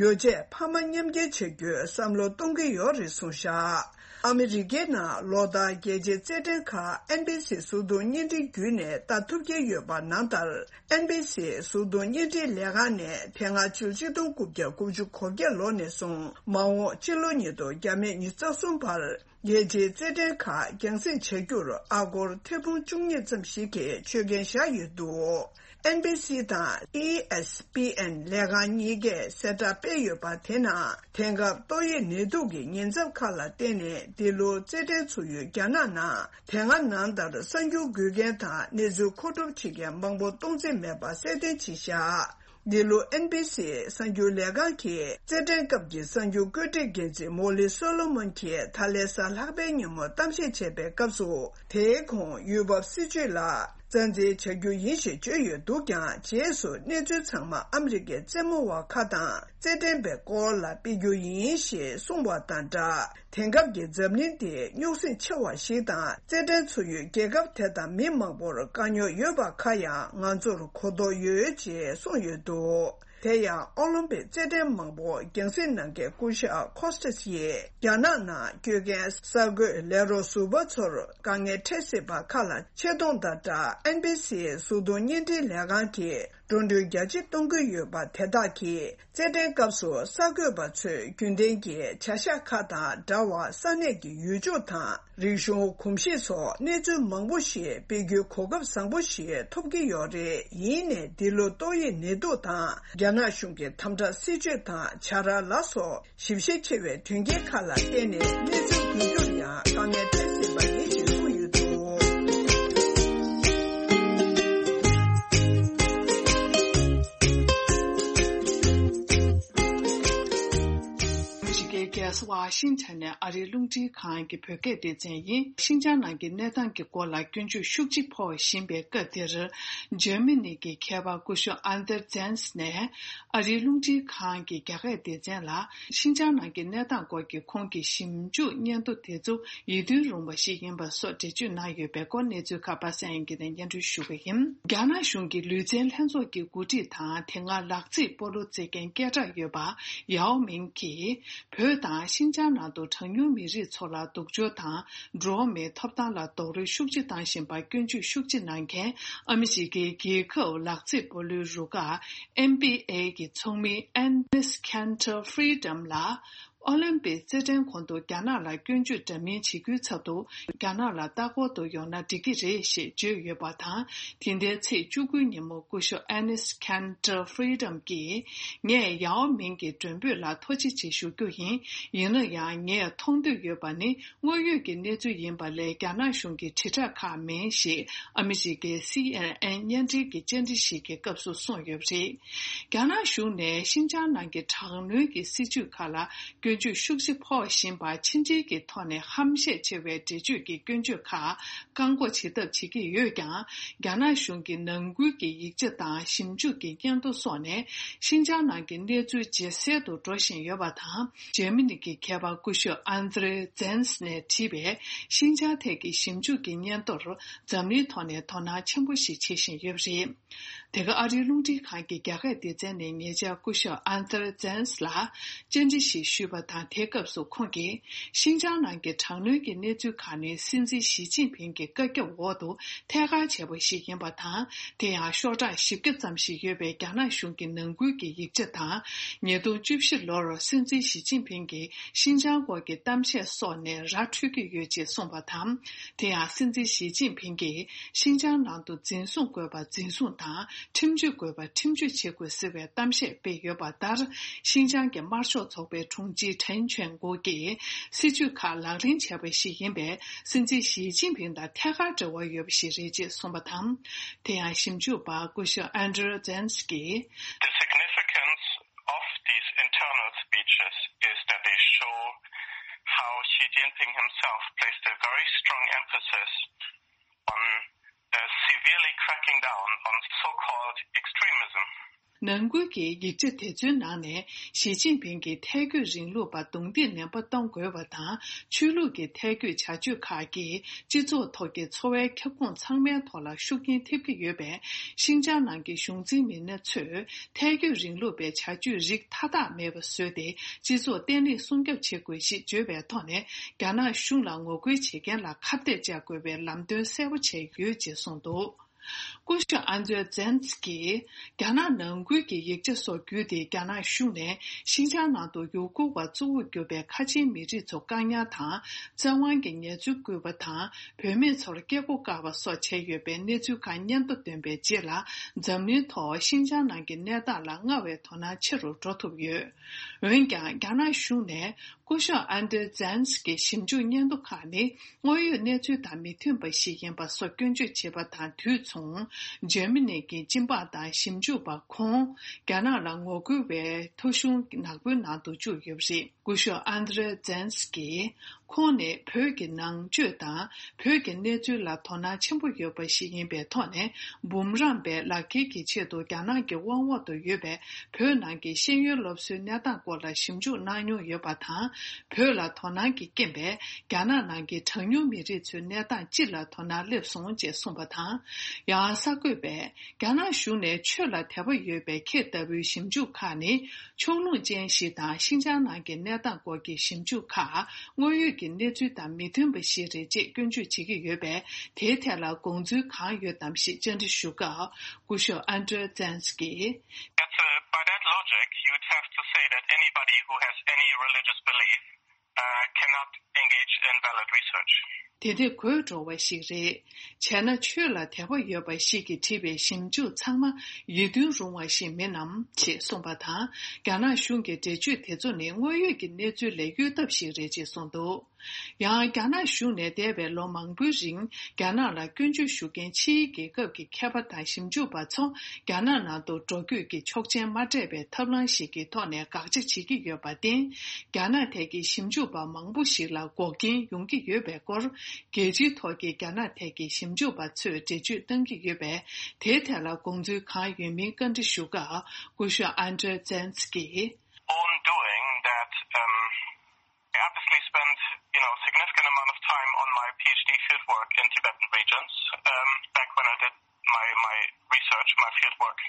ཡོ་བྱད་འཕར་མ་མཉམ་འཁྱེར་བྱ་རྒྱུའི་བསམ་བློ་གཏོང་གི་ཡོད་རེད་གསུངས་བཞག་ཨ་མི་རི་ཀའི་ནང་ལོ་ལྟར་རྒྱལ་སྤྱིའི་རྩེད་འགྲན་ཁག་ཨེན་བི་སི་གཟུགས་མཐོང་བརྙན་འཕྲིན་བརྒྱུད་ནས་ལྟ་ཐུབ་ཀྱི་ཡོད་པ་ནང་ལྟར། ཨེན་བི་སི་གཟུགས་མཐོང་བརྙན་འཕྲིན་ལས་ཁང་ནས་དེ་སྔ་ཕྱི་ལོ་ཆིག་སྟོང་དགུ་བརྒྱ་དགུ་བཅུ་གོ་བརྒྱད་ལོ་ནས་བཟུང་། མ་འོངས་ཕྱི་ལོ་ཉིས་སྟོང་བརྒྱ་མེད་ཉི་ཤུ་རྩ་གསུམ་བར། རྒྱལ་སྤྱིའི་རྩེད་འགྲན་ཁག་རྒྱང་སྲིང་བྱ་རྒྱུར་ཨ་སྒོར་ཐེར་འབུམ་བཅུ་གཉིས་ཙམ་ཞིག་གི་ཆོད་གན་བཞག་ཡོད་འདུག་ཨེན་བི་སི་དང་ཨི་ཨེས་པི་ཨེན་ལས་ཁང་གཉིས་ཀས་གསལ་བསྒྲགས་སྤེལ་ཡོད་པ་དེ་ནང་། དེང་སྐབས་ཏོག་དབྱིབས་ནད་དུག་གི་ཉེན་ཚབས་ཁག་ལ་བརྟེན་ནས། འདི་ལོ་རྩེད་འགྲན་ཚུགས་ཡུལ་རྒྱ་ནག་ནང་། དེ་སྔ་ནང་ལྟར་གསར་འགྱུར་འགོད་མཁན་དང་གནས་ཚུལ་མཁོ་སྒྲུབ་བྱེད་མཁན་མང་པོ་གཏོང་རྩིས་མེད་པ་གསལ་སྟོན་བྱས་བཞག་འདི་ལོ་ཨེན་བི་སི་གསར་འགྱུར་ལས་ཁང་གི་རྩེད་འགྲན་སྐབས་ཀྱི་གསར་འགྱུར་བཀོད་སྒྲིག་འགན་འཛིན་མོ་ལི་སོ་ལོ་མོན་གྱིས་ད་ལན་གཟའ་ལྷག་པའི་ཉིན་མོ་གཏམ་བཤད་བྱས་པའི་སྐབས་སུ། དེའི་གོང་ཡུལ་བབ་སྲིད་ཇུས་ལ་རྩ་འཛིན་བྱ་རྒྱུ་ཡིན་ཞེས་བརྗོད་ཡོད་འདུག་ཀྱང་། རྗེས་སུ་གནས་ཚུལ་ཚང་མ་ཨ་མི་རི་ཀའི་རྩེད་མོ་བ་ཁག་དང་རྩེད་འགྲན་པའི་སྐོར་ལ་སྤེལ་རྒྱུ་ཡིན་ཞེས་གསུངས་པ་དང་སྦྲགས། དེང་སྐབས་ཀྱི་འཛམ་གླིང་འདི་རྙོག་ཟིང་ཆེ་བ་ཞིག་དང་། རྩེད་འགྲན་ཚུགས་ཡུལ་རྒྱལ་ཁབ་དེ་དང་མི་མང་པོར་དཀའ་རྙོག་ཡོད་པ་ཁག་ཡང་ང་ཚོར་གོ་རྟོགས་ཡོད་ཅེས་གསུངས་ཡོད་འདུག་དེ་ཡང་ཨོ་ལིམ་པིག་རྩེད་འགྲན་མང་པོ་རྒྱང་སྲིང་གནང་མཁན་སྐུ་ཞབས་ཁོ་སི་ཏེས་ཡིས། རྒྱ་ནག་ནང་བསྐྱོད་མཁན་གསར་འགོད་ལས་རོགས་ཟུར་པ་ཚོར་དཀའ་ངལ་འཕྲད་སྲིད་པ་ཁག་ལ་ཆེ་མཐོང་དང་སྦྲགས། ཨེན་བི་སི་གཟུགས་མཐོང་བརྙན་འཕྲིན་ལས་ཁང་གིས་འགྲོ་གྲོན་རྒྱ་ཆེ་གཏོང་གི་ཡོད་པ་དེ་དག་གིས། རྩེད་འགྲན་སྐབས་སུ་གསར་འགོད་པ་ཚོས་རྒྱུན་ལྡན་གྱི་བྱ་གཞག་ཁག་དང་འདྲ་བར་ས་གནས་ཀྱི་ཡུལ་ལྗོངས་དང་། རིག་གཞུང་། གོམས་གཤིས་སོགས་གནས་ཚུལ་མང་པོ་ཞིག་སྤེལ་རྒྱུའི་གོ་སྐབས་བཟང་པོ་ཞིག་ཐོབ་ཀྱི་ཡོད་རེད། ཡིན་ནའི་འདི་ལོ་ཏོག་དབྱིབས་ནད་དུག་དང་། རྒྱ་ནག་གཞུང་གི་དམ་དྲག་སྲིད་བྱུས་དང་། བྱ་ར་ལ་སོགས་ཞིབ་བཤེར་ཆེ་བའི་དོན་རྐྱེན་ཁག་ལ་བརྟེན་ནས། གནས་ཚུལ་འགོད་རྒྱུར་ཡང་དཀའ་ངལ་འཕྲད་སྲིད་པ་ཡིན་ཞེས་གསུངས་ཡོད་འདུག་ཨ་མི་རི་ཀའི་རྒྱལ་ས་ཝ་ཤིང་ཊོན་ནས་ཨ་རིའི་རླུང་འཕྲིན་ཁང་གི་བོད་སྐད་སྡེ་ཚན་ཡིན། ཤིན་ཅང་ནང་གི་གནས་སྟངས་ཀྱི་སྐོར་ལ་སྐྱོན་བརྗོད་ཤུགས་ཆེ་ཕོག་བཞིན་པའི་སྐབས་འདིར། འཇར་མ་ནི་གི་མཁས་པ་སྐུ་ཞབས་ཨན་དེར་ཛན་སི་ནས་ཨ་རིའི་རླུང་འཕྲིན་ཁང་གི་རྒྱ་སྐད་སྡེ་ཚན་ལ། ཤིན་ཅང་ནང་གི་གནས་སྟངས་སྐོར་གྱི་ཁོང་གི་ཞིབ་འཇུག་སྙན་ཐོ་དེ་ཚོ་ཡིད་རྟོན་རུང་བ་ཞིག་ཡིན་པ་སོགས་འགྲེལ་བརྗོད་གནང་ཡོད་པའི་སྐོར། གནས་ཚུལ་ཁག་པ་སངས་དབྱངས་སྐྱིད་ནས་སྙན་སྒྲོན་ཞུ་གི་ཡིན། རྒྱ་ནག་གཞུང་གི་ལུས་རྩལ་ལྷན་ཚོགས་ཀྱི་འགོ་ཁྲིད་དང་། དེ་སྔ་ལག་རྩེད་སྤོ་ལོ་རྩེད་མཁན་སྐད་གྲགས་ཡོད་པ་ཡའོ་མིང་གིས། བོད་དང་ཤིན་ཅང་ནང་དུ་གྲངས་ཉུང་མི་རིགས་ཚོ་ལ་སྡུག་སྦྱོར་དང་། འགྲོ་བ་མིའི་ཐོབ་ཐང་ལ་རྡོག་རོལ་ཤུགས་ཆེ་བཏང་བཞིན་པར་སྐྱོན་བརྗོད་ཤུགས་ཆེ་གནང་མཁན། ཨ་མི་རི་ཀའི་རྒྱལ་ཁབ་ལག་རྩེད་སྤོ་ལོའི་རུ་ཁག་ཨེན་བྷི་ཨེ་གི་ཚོགས་མི་ཨེ་ནིས་ཁན་ཏར་ཧྥི་རི་ཌམ་ལ། ཨོ་ལིམ་པིག་རྩེད་འགྲན་གོང་དུ་རྒྱ་ནག་ལ་སྐྱོན་བརྗོད་འདྲ་མིན་བྱེད་རྒྱུའི་ཚབ་ཏུ། རྒྱ་ནག་ལ་ལྟ་སྐོར་དུ་ཡོང་ན་འགྲིག་གི་རེད་ཞེས་བརྗོད་ཡོད་པ་དང་། དེ་ཟླའི་ཚེས་བཅུ་དགུའི་ཉིན་མོ་སྐུ་ཞབས་ཨེ་ནིས་ཁན་ཏར་ཧྥི་རི་ཌམ་གྱིས། ངས་ཡའོ་མིང་གི་མགྲོན་འབོད་ལ་ཐུགས་རྗེ་ཆེ་ཞུ་རྒྱུ་ཡིན། ཡིན་ན་ཡང་། ངས་མཐོང་འདོད་ཡོད་པ་ནི། དངོས་ཡོད་ཀྱི་གནས་ཚུལ་ཡིན་པ་ལས། རྒྱ་ནག་གཞུང་གི་དྲིལ་བསྒྲགས་ཁག་མིན་ཞེས། ཨ་མི་རི་ཀའི་སི་ཨེན་ཨེན་བརྙན་འཕྲིན་གྱི་བཅར་འདྲི་ཞིག་གི་སྐབས་སུ་གསུངས་ཡོད་པ་རེད། རྒྱ་ནག་གཞུང་ནས་ཤིན་ཅང་ནང་གི་དྲག་གནོན་གྱི་སྲིད་བྱུས་ཁག་ལ་སྐྱོན་བརྗོད་ཤུགས་ཆེ་ཕོག་བཞིན་པ། ཕྱི་འབྲེལ་གྱི་ཐོག་ནས་ཧམ་བཤད་ཆེ་བའི་འགྲེལ་བརྗོད་ཀྱི་སྐྱོན་བརྗོད་ཁག་བཀག་འགོག་བྱེད་ཐབས་བྱེད་ཀྱི་ཡོད་ཀྱང་། རྒྱ་ནག་གཞུང་གི་ནང་ཁུལ་གྱི་ཡིག་ཆ་དང་ཞིབ་འཇུག་གི་སྙན་ཐོ་སོགས་ནས། ཤིན་ཅང་ནང་གི་གནས་ཚུལ་ཇེ་གསལ་དུ་འགྲོ་བཞིན་ཡོད་པ་དང་། འཇར་མ་ནི་གི་མཁས་པ་སྐུ་ཞབས་ཨན་དྲེ་ཛན་སི་ནས་བྲིས་པའི་ཤིན་ཅང་ཐད་ཀྱི་ཞིབ་འཇུག་གི་སྙན་ཐོར། འཛམ་གླིང་ཐོག་ནས་དོ་སྣང་ཆེན་པོ་ཞིག་བྱེད་བཞིན་ཡོད་པ་རེད། དེ་ག་ཨ་རིའི་རླུང་འཕྲིན་ཁང་གི་རྒྱ་སྐད་སྡེ་ཚན་ནས་ཉེ་ཆར་སྐུ་ཞབས་ཨན་ཐར་ཛན་སི་ལ་བཅར་འདྲི་ཞིག་ཞུས་པ་དང་། དེའི་སྐབས་སུ་ཁོང་གིས། ཤིན་ཅང་ནང་གི་དྲག་གནོན་གྱི་གནས་ཚུལ་ཁག་ནི། སྲིད་འཛིན་ཞི་ཅིན་ཕིང་གི་བཀའ་ཁྱབ་འོག་ཏུ་ཐད་ཀར་བྱས་པ་ཞིག་ཡིན་པ་དང་། དེ་ཡང་ཤོག་གྲངས་བཞི་བརྒྱ་ཙམ་ཞིག་ཡོད་པའི་རྒྱ་ནག་གཞུང་གི་ནང་ཁུལ་གྱི་ཡིག་ཆ་དང་། ཉིས་སྟོང་བཅུ་བཞི་ལོར་སྲིད་འཛིན་ཞི་ཅིན་ཕིང་གིས་ཤིན་ཅང་སྐོར་གྱི་གཏམ་བཤད་སོགས་ནས་ར་འཕྲོད་ཀྱི་ཡོད་ཅེས་གསུངས་པ་དང་། དེ་ཡང་སྲིད་འཛིན་ཞི་ཅིན་ཕིང་གིས། ཤིན་ཅང་ནང་དུ་འཛིན་བཟུང་དགོས་པ་འཛིན་བཟུང་དང་། ཁྲིམས་གཅོད་དགོས་པ་ཁྲིམས་གཅོད་བྱེད་དགོས་ཟེར་བའི་གཏམ་བཤད་སྤེལ་ཡོད་པ་ལྟར། ཤིན་ཅང་གི་དམར་ཤོག་ཚོགས་པའི་དྲུང་ཆེ་ཁྲེན་ཆོན་གོ་གིས། སྲིད་ཇུས་ཁག་ལག་ལེན་བྱས་པ་ཞིག་ཡིན་པས། སྲིད་འཛིན་ཞི་ཅིན་ཕིང་དང་ཐད་ཀར་འབྲེལ་བ་ཡོད་པ་ཞིག་རེད་ཅེས་གསུངས་པ་དང་། དེ་ཡང་ཞིབ་འཇུག་པ་སྐུ་ཞབས་ཨན་དྲེ་ཛན་སི་ཀིས། The significance of these internal speeches is that they show how Xi Jinping himself placed a very strong emphasis on uh, severely cracking down on so-called extremism. ནང་ཁུལ་གྱི་ཡིག་ཆ་དེ་ཚོའི་ནང་ནས་ཞི་ཅིན་ཕིང་གིས་ཐལ་སྐྱོད་རིང་ལུགས་པར་རྡུང་རྡེག་ནན་པོ་གཏོང་དགོས་པ་དང་། ཆོས་ལུགས་ཀྱི་ཐལ་སྐྱོད་བྱ་སྤྱོད་ཁག་གིས་སྤྱི་ཚོགས་ཐོག་གི་འཚོ་བའི་ཁྱབ་ཁོངས་ཚང་མའི་ཐོག་ལ་ཤུགས་རྐྱེན་ཐེབས་ཀྱི་ཡོད་པས། ཤིན་ཅང་ནང་གི་གཞུང་འཛིན་མི་སྣ་ཚོས་ཐལ་སྐྱོད་རིང་ལུགས་པའི་བྱ་སྤྱོད་རིགས་མཐའ་དག་མེད་པ་བཟོས་ཏེ། སྤྱི་ཚོགས་བརྟན་ལྷིང་སྲུང་སྐྱོབ་བྱེད་དགོས་ཞེས་བརྗོད་པའི་ཐོག་ནས། རྒྱ་ནག་གཞུང་ལ་ངོ་རྒོལ་བྱེད་མཁན་ལ་ཁ་གཏད་བཅག་དགོས་པའི་ལམ་སྟོན་གསལ་པོ་བྱས་ཡོད་ཅེས་གསུངས་འདུག་སྐུ་ཞབས་ཨན་ཏྲེ་ཛན་སི་ཀིས། རྒྱ་ནག་ནང་ཁུལ་གྱི་ཡིག་ཆ་སོགས་བརྒྱུད་དེ། རྒྱ་ནག་གཞུང་ནས་ཤིན་ཅང་ནང་དུ་ཡུ་གུར་བ་གཙོ་བོར་གྱུར་པའི་ཁ་ཆེའི་མི་རིགས་ཚོ་བཀག་ཉར་དང་། བཙན་དབང་གི་ངལ་རྩོལ་བསྐུལ་བ་དང་། བུད་མེད་ཚོར་སྐྱེ་སྒོ་བཀག་པ་སོགས་བྱས་ཡོད་པའི་གནས་ཚུལ་ཁག་སྙན་ཐོ་བཏོན་པའི་རྗེས་ལ། འཛམ་གླིང་ཐོག་ཤིན་ཅང་ནང་གི་གནས་སྟངས་ལ་སྔར་བས་དོ་སྣང་ཆེ་རུ་འགྲོ་ཐུབ་ཡོད། འོན་ཀྱང་། རྒྱ་ནག་གཞུང་ནས་སྐུ་ཞབས་ཨན་ཏྲེ་ཛན་སི་ཀི་ཞིབ་འཇུག་སྙན་ཐོ་ཁག་ནི་དངོས་ཡོད་གནས་ཚུལ་དང་མི་མཐུན་པ་ཞིག་ཡིན་པ་སོགས་སྐྱོན་བརྗོད་བྱས་པ་དང་དུས་མཚུངས། འཇར་མ་ནི་གི་སྤྱི་འབངས་དང་ཞིབ་འཇུག་པ་ཁོང་རྒྱ་ནག་ལ་ངོ་རྒོལ་བའི་ཐོ་གཞུང་ནག་པོའི་ནང་དུ་བཅུག་ཡོད་པ་རེད། སྐུ་ཞབས་ཨན་ཏྲེ་ཛན་སི་ཀི་ཁོང་ནི་བོད་ཀྱི་ནང་ཆོས་དང་བོད་ཀྱི་གནས་ཚུལ་ལ་དོ་སྣང་ཆེན་པོ་ཡོད་པ་ཞིག་ཡིན་པའི་ཐོག་ནས། འབུམ་རམས་པའི་ལག་ཁྱེར་གྱི་ཆེད་དུ་རྒྱ་ནག་གི་དབང་འོག་ཏུ་ཡོད་པའི་བོད་ནང་གི་ཤེས་ཡོན་སློབ་གསོའི་གནས་སྟངས་སྐོར་ལ་ཞིབ་འཇུག་གནང་མྱོང་ཡོད་པ་དང་། བོད་ལ་དོ་སྣང་གི་རྐྱེན་པས། རྒྱ་ནག་ནང་གི་གྲངས་ཉུང་མི་རིགས་ཚོའི་གནས་སྟངས་སྤྱི་ལ་དོ་སྣང་སླེབས་སོང་ཅེས་གསུངས་པ་དང་། ཡང་གསར་འགོད་པས། རྒྱ་ནག་གཞུང་ནས་ཆོས་ལ་དད་པ་ཡོད་པའི་ཁྱེད་ལྟ་བུའི་ཞིབ་འཇུག་ཁག་ནི་ཕྱོགས་ལྷུང་ཅན་ཞིག་དང་། ཤིན་ཅང་ནང་གི་གནས་སྟངས་སྐོར་གྱི་ཞིབ་འཇུག་ཁག་དངོས་ཡོད་ཀྱི་གནས་ཚུལ་དང་མི་མཐུན་པ་ཞིག་རེད་ཅེས་སྐྱོན་བརྗོད་བྱེད་ཀྱི་ཡོད་པས། དེའི་ཐད་ལ་དགོངས་ཚུལ་གང་ཡོད་དམ་ཞེས་བཅར་འདྲི་ཞུ་སྐབས། སྐུ་ཞབས་ཨན་ཏྲེ་ཛན་སི་ཀིས། That's, uh, by that logic, you'd have to say that anybody who has any religious belief, uh, cannot engage in valid research. དེ་དེ་གོ་འགྲོ་བ་ཞིག་རེད། བྱས་ན་ཆོས་ལ་དད་པ་ཡོད་པ་ཞིག་གིས་བྲིས་པའི་ཞིབ་འཇུག་ཚང་མ་ཡིད་རྟོན་རུང་བ་ཞིག་མིན་ནམ་ཞེས་གསུངས་པ་དང་། རྒྱ་ནག་གཞུང་གི་འགྲེལ་བརྗོད་དེ་ཚོ་ནི་དངོས་ཡོད་ཀྱི་གནས་ཚུལ་ལས་གཡོལ་ཐབས་ཤིག་རེད་ཅེས་གསུངས་འདུག་ཡང་རྒྱ་ནག་གཞུང་ནས་འདས་པའི་ལོ་མང་པོའི་རིང་རྒྱ་ནག་ལ་སྐྱོན་བརྗོད་ཞུ་མཁན་ཕྱིའི་རྒྱལ་ཁབ་ཀྱི་མཁས་པ་དང་ཞིབ་འཇུག་པ་ཚོ་རྒྱ་ནག་ནང་དུ་འགྲོ་སྐྱོད་ཀྱི་ཆོག་མཆན་མ་སྤྲད་པའི་ཐབས་ལམ་ཞིག་གི་ཐོག་ནས་དགག་བྱ་བྱེད་ཀྱི་ཡོད་པར་བརྟེན། རྒྱ་ནག་ཐད་ཀྱི་ཞིབ་འཇུག་པ་མང་པོ་ཞིག་ལ་འགོག་རྐྱེན་ཡོང་གི་ཡོད་པའི་སྐོར། རྒྱལ་སྤྱིའི་ཐོག་གི་རྒྱ་ནག་ཐད་ཀྱི་ཞིབ་འཇུག་པ་ཚོས་འགྲེལ་བརྗོད་གནང་གི་ཡོད་པས། དེའི་ཐད་ལ་དགོངས་ཚུལ་གང་ཡོད་མིན་བཀའ་འདྲི་ཞུ་སྐབས། སྐུ་ཞབས་ཨན་ཏྲེ་ཛན་སི་ཀིས། Own doing that, um, I obviously spent, you know, significant amount of time on my PhD fieldwork in Tibetan regions, um, back when I did my, my research, my fieldwork.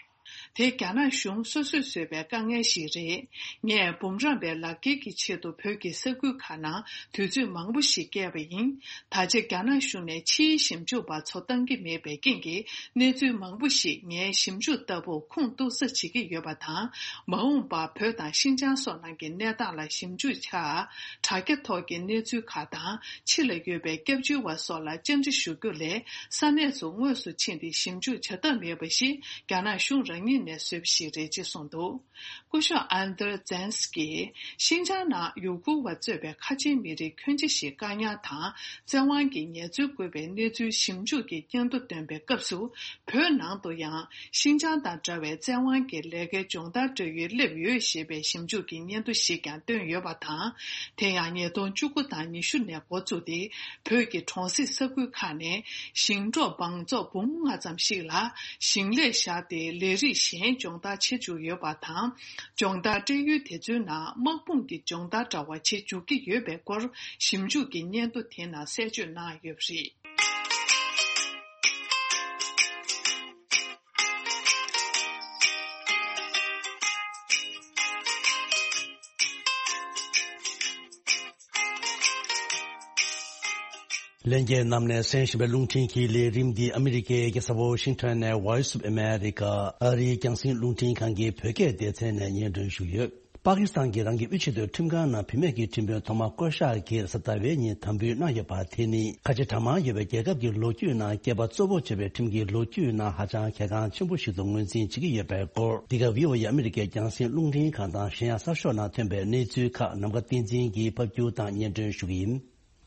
དེ་རྒྱ་ནག་གཞུང་སོ་སོས་བཟོས་པའི་དཀའ་ངལ་ཞིག་རེད། ངས་འབུམ་རམས་པའི་ལག་ཁྱེར་གྱི་ཆེད་དུ་བོད་ཀྱི་ས་ཁུལ་ཁག་ནང་དུས་ཚོད་མང་པོ་ཞིག་བསྐྱལ་བ་ཡིན། ད་ཆ་རྒྱ་ནག་གཞུང་ནས་ཕྱིའི་ཞིབ་འཇུག་པ་ཚོ་བཏང་གི་མེད་པའི་རྐྱེན་གྱིས། གནས་ཚུལ་མང་པོ་ཞིག་ངའི་ཞིབ་འཇུག་ལྟ་བུར་ཁུངས་གཏུགས་ས་བྱེད་ཀྱི་ཡོད་པ་དང་། མ་འོངས་པར་བོད་དང་ཤིན་ཅང་སོགས་ནང་གི་གནས་སྟངས་ལ་ཞིབ་འཇུག་བྱ། དྲ་རྒྱ་ཐོག་གི་གནས་ཚུལ་ཁག་དང་། ཕྱི་ལ་ཡོད་པའི་སྐྱབས་བཅོལ་བ་སོགས་ལ་བཅར་འདྲི་ཞུ་རྒྱུ་ལས། ས་གནས་སུ་དངོས་སུ་ཕྱིན་ཏེ་ཞིབ་འཇུག་བྱ་ཐབས་མེད་པ་ཞིག་རྒྱ་ནག་གཞུང་རང་ཉིད་ནས་བཟོས་པ་ཞིག་རེད་ཅེས་གསུངས་འདུག་སྐུ་ཞབས་ཨན་ཏར་ཛན་སི་ཀིས། ཤིན་ཅང་ནང་ཡུ་གུར་བ་གཙོས་པའི་ཁ་ཆེའི་མི་རིགས་ཁྱོན་ཆེ་ཞིག་བཀག་ཉར་དང་། བཙན་དབང་གིས་ངལ་རྩོལ་བསྐུལ་བའི་གནས་ཚུལ་ཞིབ་འཇུག་གི་སྙན་ཐོ་བཏོན་པའི་སྐབས་སུ། བོད་ནང་དུ་ཡང་ཤིན་ཅང་དང་འདྲ་བའི་བཙན་དབང་གིས་ལས་ཀའི་སྦྱོང་བརྡར་སྤྲོད་ཡུལ་སླེབས་ཡོད་ཞེས་པའི་ཞིབ་འཇུག་གི་སྙན་ཐོ་ཞིག་ཀྱང་བཏོན་ཡོད་པ་དང་། དེ་ཡང་ཉིས་སྟོང་བཅུ་དགུ་དང་ཉི་ཤུ་ནས་འགོ་བཙུགས་ཏེ། བོད་ཀྱི་གྲོང་གསེབ་ས་ཁུལ་ཁག་ནས་ཞིང་འབྲོག་འབངས་ཚོགས་འབུམ་ལྔ་ཙམ་ཞིག་ལ་ཞིང་ལས་བཞག་སྟེ་ལས་རིགས་གཞན་སྦྱོང་བརྡར་བྱེད་བཅུག་ཡོད་པ་དང་། སྦྱོང་བརྡར་སྤྲད་ཡུལ་དེ་ཚོའི་ནང་དམག་དཔུང་གི་སྦྱོང་བརྡར་འདྲ་བ་བྱེད་འཇུག་གི་ཡོད་པའི་སྐོར་ཞིབ་འཇུག་གི་སྙན་ཐོ་དེ་ནང་གསལ་བརྗོད་གནང་ཡོད་པ་རེད། ལྷན་རྒྱས་རྣམས་ནས་གསན་བཞིན་པའི་རླུང་འཕྲིན་གྱི་ལས་རིམ་འདི་ཨ་མི་རི་ཀའི་རྒྱལ་ས་ཝོ་ཤིང་ཊོན་ནས་Voice of America ཨ་རིའི་རྒྱང་སྲིང་རླུང་འཕྲིན་ཁང་གི་བོད་སྐད་སྡེ་ཚན་ནས་སྙན་སྒྲོན་ཞུས་ཡོད། པ་ཀི་སི་ཐན་གྱིས་རང་གི་དབུས་ཆེས་མཐོའི་ཁྲིམས་ཁང་ནང་བུད་མེད་ཀྱི་ཁྲིམས་དཔོན་ཐོག་མ་བསྐོ་གཞག་གིས་གཟའ་ཟླ་བའི་ཉིན་དམ་འབུལ་གནང་ཡོད་པ་དེ་ནི་ཁ་ཆེ་གྲངས་མང་ཡོད་པའི་རྒྱལ་ཁབ་ཀྱི་ལོ་རྒྱུས་ནང་སྐྱེས་པ་གཙོ་བོ་བྱས་པའི་ཁྲིམས་ཀྱི་ལོ་རྒྱུས་ནང་ཧ་ཅང་གལ་འགངས་ཆེན་པོ་ཞིག་ཏུ་ངོས་འཛིན་བྱེད་ཀྱི་ཡོད་པའི་སྐོར། འདི་ག་བྷི་ཨོ་ཨེ་ཨ་མི་རི་ཀའི་རྒྱང་སྲིང་རླུང་འཕྲིན་ཁང་དང་གཞན་ཡང་གསར་ཤོག་ནང་ཐོན་པའི་གནས་ཚུལ་ཁག་ནམ་མཁའ་བསྟན་འཛིན་གྱིས་ཕབ་སྒྱུར་དང་སྙན་སྒྲོན་ཞུ་གི་ཡིན།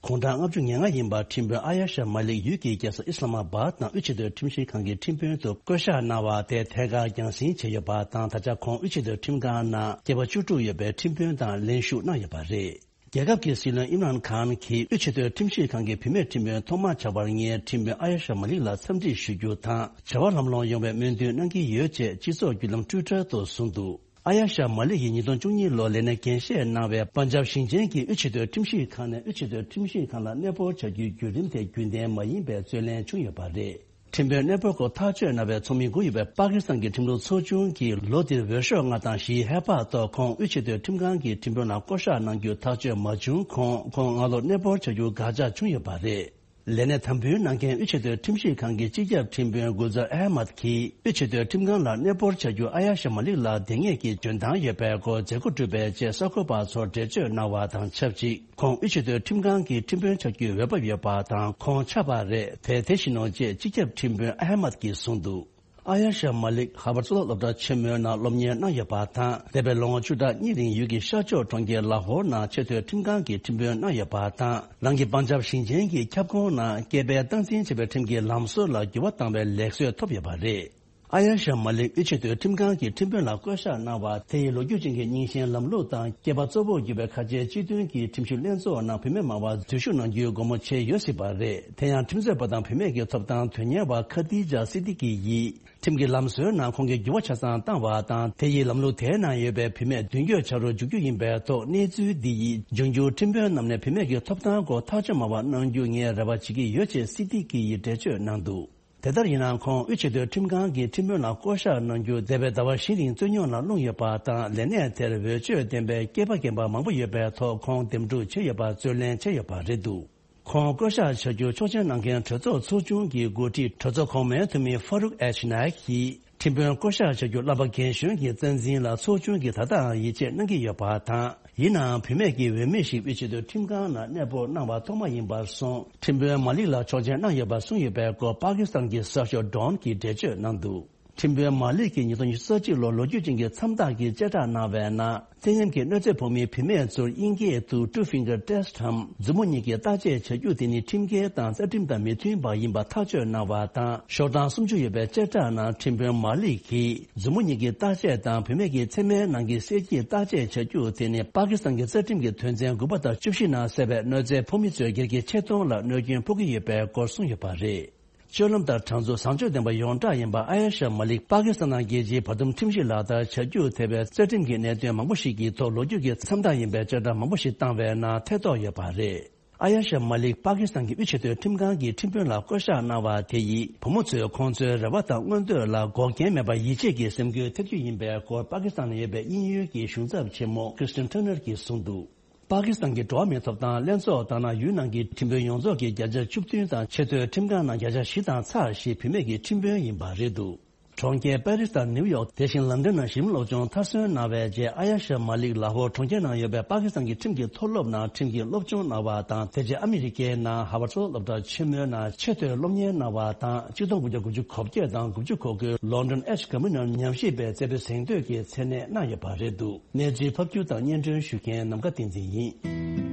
དགུང་གྲངས་ལྔ་བཅུ་ང་ལྔ་ཡིན་པ་ཁྲིམས་དཔོན་ཨ་ཡ་ཤ་མ་ལིག་ཡུལ་གྱི་རྒྱལ་ས་ཨི་སི་ལ་མ་བཱད་ནང་དབུས་ཆེས་མཐོའི་ཁྲིམས་ཞིབ་ཁང་གི་ཁྲིམས་དཔོན་དུ་བསྐོ་གཞག་གནང་བ་དེ་ཐད་ཀར་རྒྱང་སྲིང་བྱས་ཡོད་པ་དང་། ད་ཆ་ཁོང་དབུས་ཆེས་མཐོའི་ཁྲིམས་ཁང་ནང་སྐྱེས་པ་བཅུ་དྲུག་ཡོད་པའི་ཁྲིམས་དཔོན་དང་ལེན་ཞུགས་གནང་ཡོད་པ་རེད། རྒྱལ་ཁབ་ཀྱི་སྲིད་བློན་ཨིམ་རཱན་ཁཱན་གྱིས་དབུས་ཆེས་མཐོའི་ཁྲིམས་ཞིབ་ཁང་གི་བུད་མེད་ཁྲིམས་དཔོན་ཐོག་མ་ཆགས་པར་ངས་ཁྲིམས་དཔོན་ཨ་ཡ་ཤ་མ་ལིག་ལ་འཚམས་འདྲི་ཞུ་རྒྱུ་དང་བྱ་བ་ལམ་ལྷོང་ཡོང་བའི་སྨོན་འདུན་གནང་གི་ཡོད་ཅེས་སྤྱི་ཚོགས་བརྒྱུད་ལམ་ཊུའི་ཊར་དུ་གསུངས་འདུག་ཨ་ཡ་ཤ་མ་ལིག་ཡིས་ཉིས་སྟོང་བཅུ་གཉིས་ལོར་ལས་གནས་འགན་བཞེས་གནང་བའི་པན་ཇབ་ཞིང་ཆེན་གྱི་དབུས་ཆེས་མཐོའི་ཁྲིམས་ཞིབ་ཁང་ནས་དབུས་ཆེས་མཐོའི་ཁྲིམས་ཞིབ་ཁང་ལ་གནས་སྤོར་བྱ་རྒྱུའི་བརྒྱུད་རིམ་དེ་རྒྱུན་ལྡན་མ་ཡིན་པའི་རྩོད་ལེན་བྱུང་ཡོད་པ་རེད། ཁྲིམས་དཔོན་གནས་སྤོར་སྐོར་ཐག་གཅོད་གནང་བའི་ཚོགས་མི་དགུ་ཡོད་པའི་པ་ཀི་སི་ཐན་གྱི་ཁྲིམས་ལུགས་ཚོགས་ཆུང་གིས་ལོ་འདིར་འོས་ཤོག་ལྔ་དང་བཞིའི་ཧེ་བག་ཐོག་ཁོང་དབུས་ཆེས་མཐོའི་ཁྲིམས་ཁང་གི་ཁྲིམས་དཔོན་ལ་བསྐོ་གཞག་གནང་རྒྱུ་ཐག་གཅོད་མ་བྱུང་གོང་ཁོང་སྔ་ལོར་གནས་སྤོར་བྱ་རྒྱུ་དགག་བྱ་བྱུང་ཡོད་པ་རེད། ལས་གནས་དམ་འབུལ་གནང་མཁན་དབུས་ཆེས་མཐོའི་ཁྲིམས་ཞིབ་ཁང་གི་སྤྱི་ཁྱབ་ཁྲིམས་དཔོན་གུལ་ཛར་ཨ་མད་ཀྱིས་དབུས་ཆེས་མཐོའི་ཁྲིམས་ཁང་ལ་གནས་སྤོར་བྱ་རྒྱུ་ཨ་ཡ་ཤ་མ་ལིག་ལ་དེ་སྔས་ཀྱི་འཇོན་ཐང་ཡོད་པའི་སྐོར་མཛད་སྒོ་གྲུབ་པའི་རྗེས་གསར་འགོད་པ་ཚོར་འགྲེལ་བརྗོད་གནང་བ་དང་ཆབས་ཅིག་ཁོང་དབུས་ཆེས་མཐོའི་ཁྲིམས་ཁང་གི་ཁྲིམས་དཔོན་ཆགས་རྒྱུའི་འོས་བབ་ཡོད་པ་དང་ཁོང་ཆགས་པ་རེད་དེ་དེ་བཞིན་ནོ་ཅེས་སྤྱི་ཁྱབ་ཁྲིམས་དཔོན་ཨ་ཧ་མད་ཀྱིས་གསུངས་འདུག་ཨ་ཡ་ཤ་མ་ལིག་ཧར་བར་གཙུག་ལག་སློབ་གྲྭ་ཆེན་མོའི་ནང་སློབ་གཉེར་གནང་ཡོད་པ་དང་འདས་པའི་ལོ་ངོ་བཅུ་ཕྲག་གཉིས་རིང་ཡུལ་གྱི་ཤར་ཕྱོགས་གྲོང་ཁྱེར་ལ་ཧོར་ནང་ཆེས་མཐོའི་ཁྲིམས་ཁང་གི་ཁྲིམས་དཔོན་གནང་ཡོད་པ་དང་རང་གི་པན་ཇབ་ཞིང་ཆེན་གྱི་ཁྱབ་ཁོངས་ནང་སྐྱེས་པའི་སྟངས་འཛིན་བྱས་པའི་ཁྲིམས་ཀྱི་ལམ་སྲོལ་ལ་འགྱུར་བ་བཏང་བའི་ལེགས་གསོལ་ཐོབ་ཡོད་པ་རེད། ཨ་ཡ་ཤ་མ་ལིག་དབུས་ཆེས་མཐོའི་ཁྲིམས་ཁང་གི་ཁྲིམས་དཔོན་ལ་བསྐོ་གཞག་གནང་བ་དེ་ཡི་ལོ་རྒྱུས་ཅན་གྱི་རྙིང་ཞེན་ལམ་ལུགས་དང་སྐྱེས་པ་གཙོ་བོར་གྱུར་པའི་ཁ་ཆེའི་སྤྱི་མཐུན་གྱི་ཁྲིམས་ཞིབ་ལྷན་ཚོགས་ནང་བུད་མེད་མང་བ་འཛུལ་ཞུགས་གནང་རྒྱུའི་སྒོ་མོ་ཕྱེ་ཡོད་སྲིད་པ་རེད། དེ་ཡང་ཁྲིམས་རྩོད་པ་དང་བུད་མེད་ཀྱི་ཐོབ་ཐང་དོན་གཉེར་བ་ཁ་ཏི་ཇ་སི་ཏི་ཀི་ཡིས་ཁྲིམས་ཀྱི་ལམ་སྲོལ་ནང་ཁོང་གིས་འགྱུར་བ་ཆ་ཚང་བཏང་བ་དང་དེ་ཡིས་ལམ་ལུགས་དེའི་ནང་ཡོད་པའི་བུད་མེད་མདུན་སྐྱོད་བྱ་རུ་འཇུག་རྒྱུ་ཡིན་པའི་ཐོག་གནས་ཚུལ་འདི་ཡིས་འབྱུང་འགྱུར་ཁྲིམས་དཔོན་རྣམས་ནས་བུད་མེད་ཀྱི་ཐོབ་ཐང་སྐོར་ཐག་གཅོད་མང་བ་གནང་རྒྱུ་ངས་རེ་བ་བྱེད་ཀྱི་ཡོད་ཅེས་སི་ཏི་ཀི་ཡིས་འགྲེལ་བརྗོད་གནང་འདུག་དེ་ལྟར་ཡིན་ནའང་ཁོང་དབུས་ཆེས་མཐོའི་ཁྲིམས་ཁང་གི་ཁྲིམས་དཔོན་ལ་བསྐོ་གཞག་གནང་རྒྱུ་འདས་པའི་ཟླ་བ་བཞི་རིང་རྩོད་རྙོག་ནང་ལྷུང་ཡོད་པ་དང་ལས་གནས་དེར་འོས་ཆོས་ལྡན་པའི་སྐྱེས་པ་རྒན་པ་མང་པོ་ཡོད་པའི་ཐོག་ཁོང་འདེམས་སྒྲུག་བྱས་ཡོད་པར་རྩོད་ལེན་བྱས་ཡོད་པ་རེད་འདུག་ཁོང་བསྐོ་གཞག་བྱ་རྒྱུ་ཆོག་མཆན་གནང་མཁན་གྲོས་ཚོགས་ཚོགས་ཆུང་གི་འགོ་ཁྲིད་གྲོས་ཚོགས་གོང་མའི་འཐུས་མི་ཧྥ་རུག་ཨེཆ་ནཱ་ཡིག་གིས་ཁྲིམས་དཔོན་བསྐོ་གཞག་བྱ་རྒྱུ་བསླབ་པ་རྒན་གཞོན་གྱི་རྩ་འཛིན་ལ་ཚོགས་ཆུང་གིས་ད་ལྟའང་ཡིད་ཆེས་གནང་གི་ཡོད་པ་དང་། ཡིན་ནའང་བུད་མེད་ཀྱི་འོས་མི་ཞིག་དབུས་ཆེས་མཐོའི་ཁྲིམས་ཁང་ནང་གནས་སྤོར་གནང་བ་ཐོག་མ་ཡིན་པར་སོང་ཁྲིམས་དཔོན་མ་ལིག་ལ་ཆོག་མཆན་གནང་ཡོད་པ་གསུངས་ཡོད་པའི་སྐོར་པ་ཀི་སི་ཐན་གྱི་གསར་ཤོག་ཌོན་གྱིས་འགྲེལ་བརྗོད་གནང་འདུག་ཁྲིམས་དཔོན་མ་ལིག་གིས་ཉིས་སྟོང་ཉི་ཤུ་རྩ་གཅིག་ལོར་ལོ་རྒྱུས་ཅན་གྱི་མཚམས་རྟགས་ཀྱི་བཅད་ཁྲ་གནང་བའི་ནང་། ཚད་མཉམ་གྱི་གནོད་འཚེ་ཕོག་མིའི་བུད་མེད་ཚོར་དབྱིན་སྐད་དུ་Two Finger Test་འམ་མཛུབ་མོ་གཉིས་ཀྱི་བརྟག་དཔྱད་བྱ་རྒྱུ་དེ་ནི་ཁྲིམས་འགལ་དང་རྩ་ཁྲིམས་དང་མི་མཐུན་པ་ཡིན་པ་ཐག་གཅོད་གནང་བ་དང་། ཤོག་གྲངས་སུམ་ཅུ་ཡོད་པའི་བཅད་ཁྲ་ནང་ཁྲིམས་དཔོན་མ་ལིག་གིས་མཛུབ་མོ་གཉིས་ཀྱི་བརྟག་དཔྱད་དང་བུད་མེད་ཀྱི་མཚན་མའི་ནང་གི་གསེར་གྱི་བརྟག་དཔྱད་བྱ་རྒྱུ་དེ་ནི་པ་ཀི་སི་ཐན་གྱི་རྩ་ཁྲིམས་ཀྱི་དོན་ཚན་དགུ་པ་དང་བཅུ་བཞི་ནང་གསལ་བའི་གནོད་འཚེ་ཕོག་མི་ཚོའི་སྒེར་གྱི་ཆེ་མཐོང་ལ་གནོད་སྐྱོན་ཕོག་གི་ཡོད་པའི་སྐོར་གསུངས་ཡོད་པ་རེད། སྤྱོད་ལམ་ལྟར་གྲངས་འཛུགས་བཟང་སྤྱོད་ལྡན་པ་ཡོངས་གྲགས་ཡིན་པ་ཨ་ཡ་ཤ་མ་ལིག་པ་ཀི་སི་ཐན་ནང་རྒྱལ་སྤྱིའི་བར་འདུམ་ཁྲིམས་གཞི་ལག་བསྟར་བྱ་རྒྱུར་ཐེ་བའི་རྩ་ཁྲིམས་ཀྱི་གནད་དོན་མང་པོ་ཞིག་གི་ཐོག་ལོ་རྒྱུས་ཀྱི་མཚམས་རྟགས་ཡིན་པའི་བཅད་ཁྲ་མང་པོ་ཞིག་བཏང་བའི་ནང་ཐེ་གཏོགས་ཡོད་པ་རེད། ཨ་ཡ་ཤ་མ་ལིག་པ་ཀི་སི་ཐན་གྱི་དབུས་ཆེས་མཐོའི་ཁྲིམས་ཁང་གི་ཁྲིམས་དཔོན་ལ་བསྐོ་གཞག་གནང་བ་དེ་ཡིས་བུ་མོ་ཚོས་ཁོང་ཚོའི་རེ་བ་དང་མངོན་འདོད་ལ་འགོག་རྐྱེན་མེད་པར་ཡིད་ཆེས་ཀྱི་སེམས་འགུལ་ཐེབས་རྒྱུ་ཡིན་པའི་སྐོར་པ་ཀི་སི་ཐན་ནང་ཡོད་པའི་དབྱིན་ཡུལ་གྱི་གཞུང་ཚབ་ཆེན་མོ་Kristen Turner་གྱིས་གསུངས་འདུག་པ་ཀི་སི་ཐན་གྱི་འགྲོ་བ་མིའི་ཐོབ་ཐང་ལྷན་ཚོགས་ལྟར་ན་ཡུལ་ནང་གི་ཁྲིམས་དཔོན་ཡོངས་རྫོགས་ཀྱི་བརྒྱ་ཆ་བཅུ་བདུན་དང་ཆེས་མཐོའི་ཁྲིམས་ཁང་ནང་བརྒྱ་ཆ་བཞི་དང་ཚེག་བཞི་བུད་མེད་ཀྱི་ཁྲིམས་དཔོན་ཡིན་པ་རེད་འདུག་གྲོང་ཁྱེར་པེ་རིས་དང་ནིའུ་ཡོག་དེ་བཞིན་ལན་ཀྲན་ནང་གཞི་རིམ་སློབ་སྦྱོང་མཐར་སོན་གནང་བའི་རྗེས་ཨ་ཡ་ཤ་མ་ལིག་ལ་ཧོར་གྲོང་ཁྱེར་ནང་ཡོད་པའི་པ་ཀི་སི་ཐན་གྱི་ཁྲིམས་ཀྱི་མཐོ་སློབ་ནང་ཁྲིམས་ཀྱི་སློབ་སྦྱོང་གནང་བ་དང་དེ་རྗེས་ཨ་མི་རི་ཀའི་ནང་ཧར་ཝར་གཙུག་ལག་སློབ་གྲྭ་ཆེན་མོའི་ནང་ཆེས་མཐོའི་སློབ་གཉེར་གནང་བ་དང་ཆིག་སྟོང་དགུ་བརྒྱ་དགུ་བཅུ་གོ་བརྒྱད་དང་དགུ་བཅུ་གོ་དགུའི་ལོན་ཌོན་ཨེཆ་གྷ་མི་ནར་ཉམས་ཞིབ་པའི་རྩེ་ཕུད་གཟེངས་བསྟོད་ཀྱི་མཚན་གནས་གནང་ཡོད་པ་རེད་འདུག་གནས་ཚུལ་ཕབ་སྒྱུར་དང་སྙན་སྒྲོན་ཞུ་མཁན་ནམ་མཁའ་བསྟན་འཛིན་ཡིན།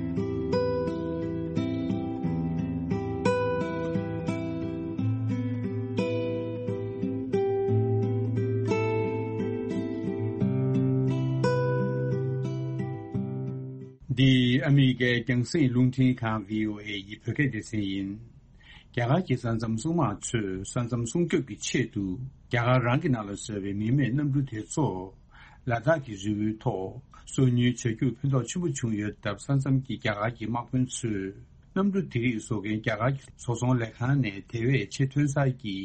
འདི་ཨ་མི་རི་ཀའི་རྒྱང་སྲིང་རླུང་འཕྲིན་ཁང་བྷི་ཨོ་ཨེ་ཡི་བོད་སྐད་སྡེ་ཚན་ཡིན། རྒྱ་གར་གྱི་ས་མཚམས་སྲུང་དམག་ཚོས་ས་མཚམས་སྲུང་སྐྱོབ་ཀྱི་ཆེད་དུ་རྒྱ་གར་རང་གི་ནང་ལ་བཟོས་པའི་མི་མེད་གནམ་གྲུ་དེ་ཚོ་ལ་དྭགས་ཀྱི་རི་བོའི་ཐོག་སོ་ཉུལ་བྱ་རྒྱུར་ཕན་ཐོགས་ཆེན་པོ་བྱུང་ཡོད་སྟབས། ས་མཚམས་ཀྱི་རྒྱ་གར་གྱི་དམག་དཔོན་ཚོས་གནམ་གྲུ་དེ་རིགས་བཟོ་མཁན་རྒྱ་གར་གྱི་བཟོ་ཚོང་ལས་ཁང་ནས་དེ་བས་ཆེས་ཐོན་གསར་གྱི་